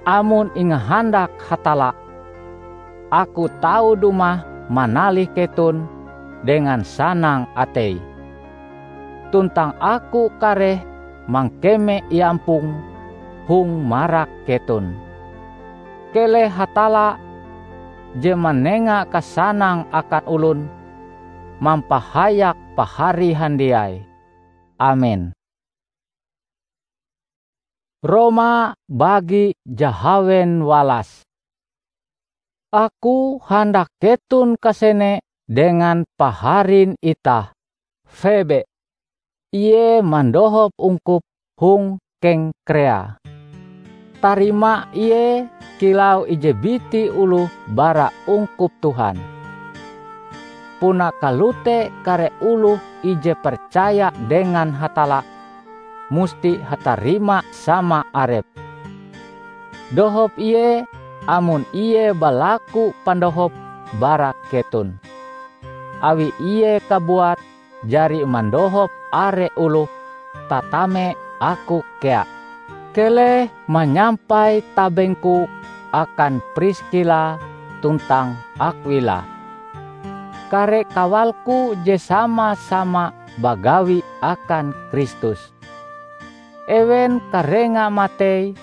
amon ingahandak Hatalla, aku tau dumah manalih keton dengan sanang atei. Tuntang aku kareh mangkeme iampong hong marak keton. Keleh Hatalla je manenga kasanang akan olon mampahayak pahari handiai. Amen. Roma bagi jahawen walas. Aku handak keton kasene dengan paharin itah, Febe. Ie mandohop ungkup hong Kengkrea. Tarima ie kilau ije biti oloh bara ungkup Tuhan. Puna kalote kare oloh ije percaya dengan Hatalla musti hatarima sama arep. Dohop ie amon ie balaku pandohop bara keton. Awi ie kabuat jari mandohop are oloh, tatame aku kea. Keleh manyampai tabengku akan Priskila tuntang Akwila, kare kawalku je sama-sama bagawi akan Kristus. Ewen karenga matei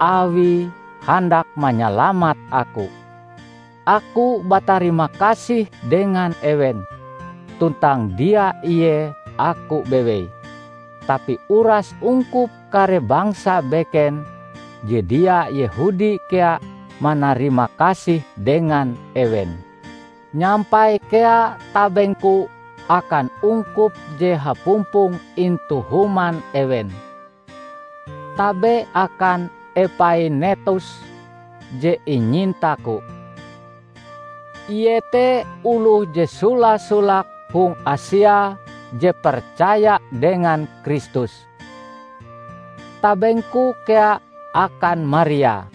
Awie handak manyalamat aku. Aku batarima kasih dengan ewen, tuntang dia ie aku bewei, tapi uras ungkup kare bangsa beken je dia Yehudi kea manarima kasih dengan ewen. Nyampai kea tabengku akan ungkup je hapumpong intu human ewen. Tabe akan Epainetus je inyintaku. Ie te oloh je sola-solake hong Asia je percaya dengan Kristus. Tabengku kea akan Maria.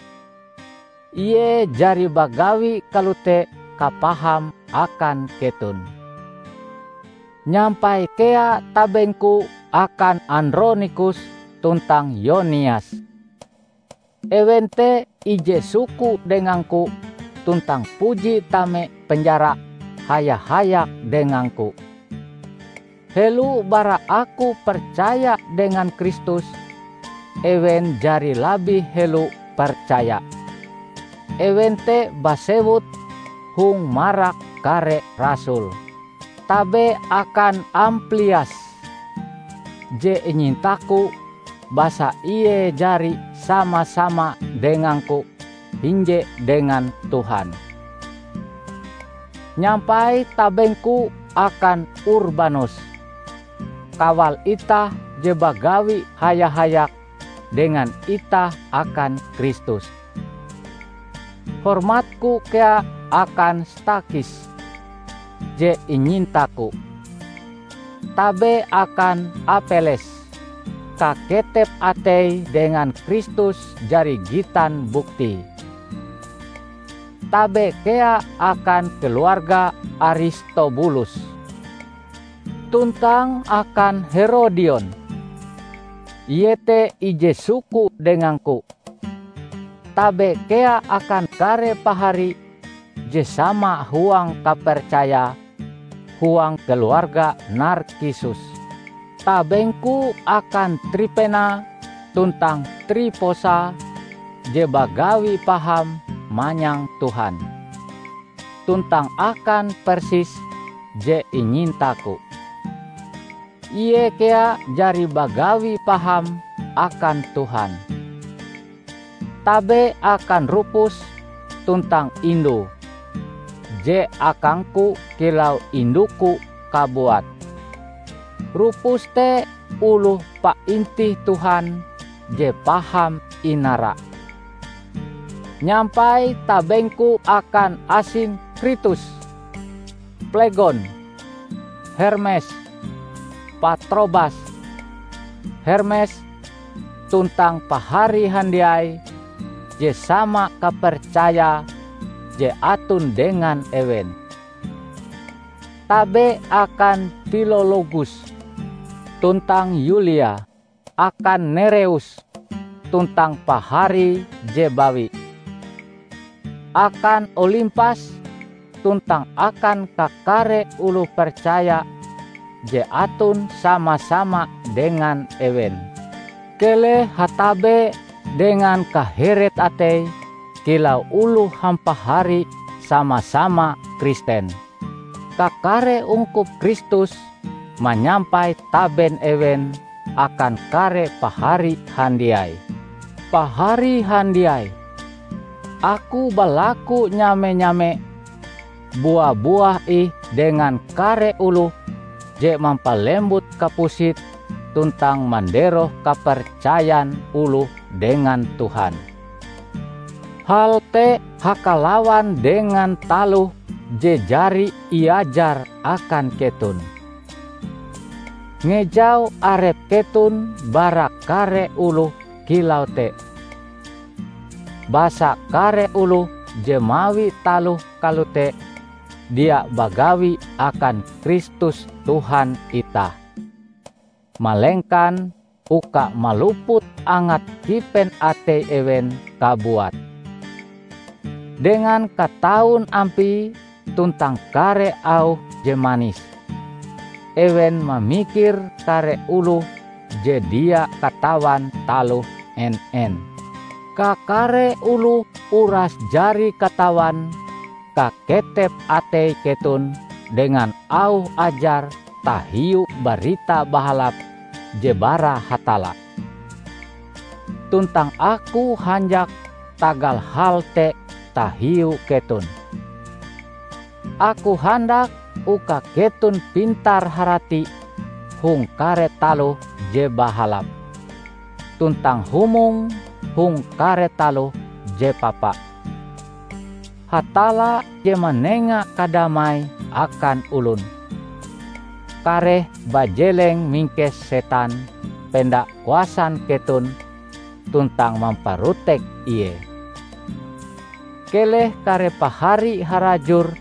Ie jari bagawi kalote kapaham akan keton. Nyampai kea tabengku akan Andronikus tuntang Yonias. Ewen te ije suku dengangku tuntang puji tame penjara haya-hayak dengangku. Helo bara aku percaya dengan Kristus, ewen jari labih helo percaya. Ewen te basewut hong marak kare rasul. Tabe akan Amplias je inyintaku, basa ie jari sama-sama dengangku hinje dengan Tuhan. Nyampai tabengku akan Urbanus, kawal itah je bagawi haya-hayak dengan itah akan Kristus. Hormatku kea akan Stakis je inyintaku. Tabe akan Apeles, kaketep ateie dengan Kristus jari gitan buktie. Tabe kea akan keluarga Aristobulus, tuntang akan Herodion, ie te ije suku dengangku. Tabe kea akan kare pahari je sama huang kapercaya huang keluarga Narkisus. Tabengku akan Tripena tuntang Triposa je bagawi paham manyang Tuhan, tuntang akan Persis je inyintaku. Ie kea jari bagawi paham akan Tuhan. Tabe akan Rupus tuntang indue, je akangku kilau induku kabuat. Rupus te oloh paintih Tuhan je paham inara. Nyampai tabengku akan Asinkritus, Plegon, Hermes, Patrobas, Hermes, tuntang pahari handiai je sama kapercaya je aton dengan ewen. Tabe akan Pilologus tuntang Yulia, akan Nereus tuntang pahari je bawi, akan Olimpas tuntang akan kakare oloh percaya je aton sama-sama dengan ewen. Keleh hatabe dengan kaheret atei kilau oloh hampahari sama-sama Kristen. Kakare ungkup Kristus manyampai taben ewen akan kare pahari handiai. Pahari handiai, aku balaku nyame-nyame bua-buah ih dengan kare oloh je mampalembut kapusit tuntang manderoh kapercayan oloh dengan Tuhan. Hal te hakalawan dengan taloh je jari iajar akan keton. Ngejau arep keton bara kare oloh kilau te, basa kare oloh je mawi taloh kalote dia bagawi akan Kristus Tuhan itah, malengkan uka maluput angat kipen atei ewen kabuat. Dengan kataun ampie tuntang kare auh je manis, ewen mamikir kare oloh je dia katawan taloh en-en. Kakare oloh uras jari katawan kaketep atei keton dengan auh ajar tahiu Barita Bahalap je bara Hatalla. Tuntang aku hanjak tagal hal te tahiu keton. Aku handak uka keton pintar-harati hong kare taloh je bahalap, tuntang humong hong kare taloh je papa. Hatalla je manenga kadamai akan olon, kareh bajeleng mingkes setan penda kuasan keton tuntang mamparotek ie. Keleh kare pahari harajur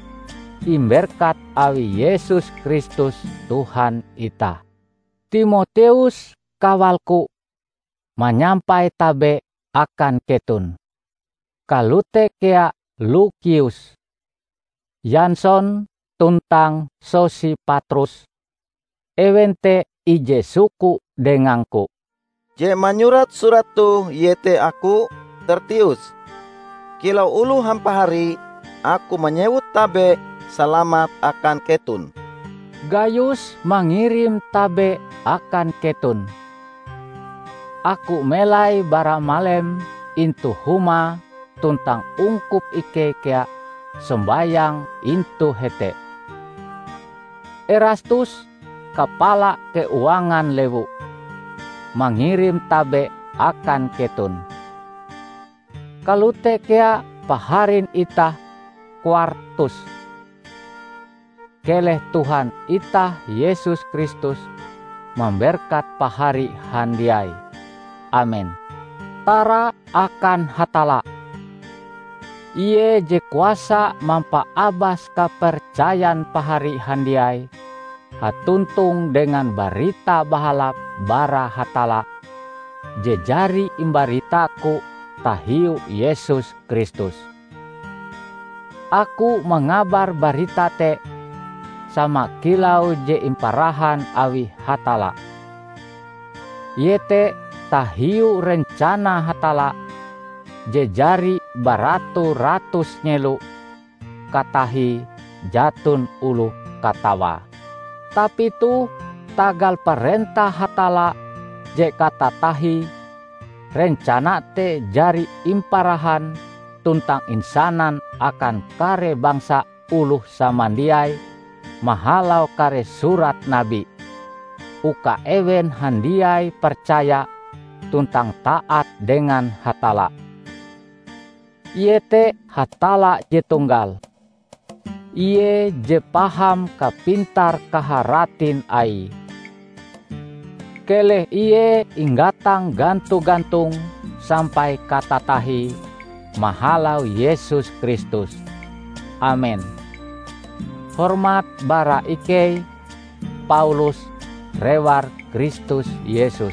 imberkat awi Yesus Kristus Tuhan itah. Timoteus, kawalku, manyampai tabe akan keton. Kalote kea Lukius, Yason tuntang Sosipatrus, ewen te ije suku dengangku. Je manyurat surat toh iete aku, Tertius. Kilau oloh hampahari, aku manyewut tabe salamat akan keton. Gayus mangirim tabe akan keton. Aku melai bara malem intu humae tuntang ungkup ikei kea sombayang intu hete. Erastus, kapala keuangan lewu, mangirim tabe akan keton. Kalote kea paharin itah Kwartus. Keleh Tuhan itah Yesus Kristus mamberkat pahari handiai. Amen. Tara akan Hatalla. Ie je kuasa mampaabas kapercayan pahari handiai hatontong dengan Barita Bahalap bara Hatalla je jari imbaritaku tahiu Yesus Kristus. Aku mangabar barita te sama kilau je imparahan awi Hatalla, iete tahiu rencana Hatalla je jari baratu-ratus nyelo katahie jaton oloh katawae. Tapi toh tagal parentah Hatalla je katatahie, rencana te jari imparahan tuntang insanan akan kare bangsa oloh samandiai mahalau kare surat nabi, uka ewen handiai percaya tuntang taat dengan Hatalla. Iete Hatalla je tunggal. Ie je paham kapintar-kaharatin Aie. Keleh Ie inggatang ganto-gantong sampai katatahie mahalau Yesus Kristus. Amen. Hormat bara ikei, Paulus, rewar Kristus Yesus.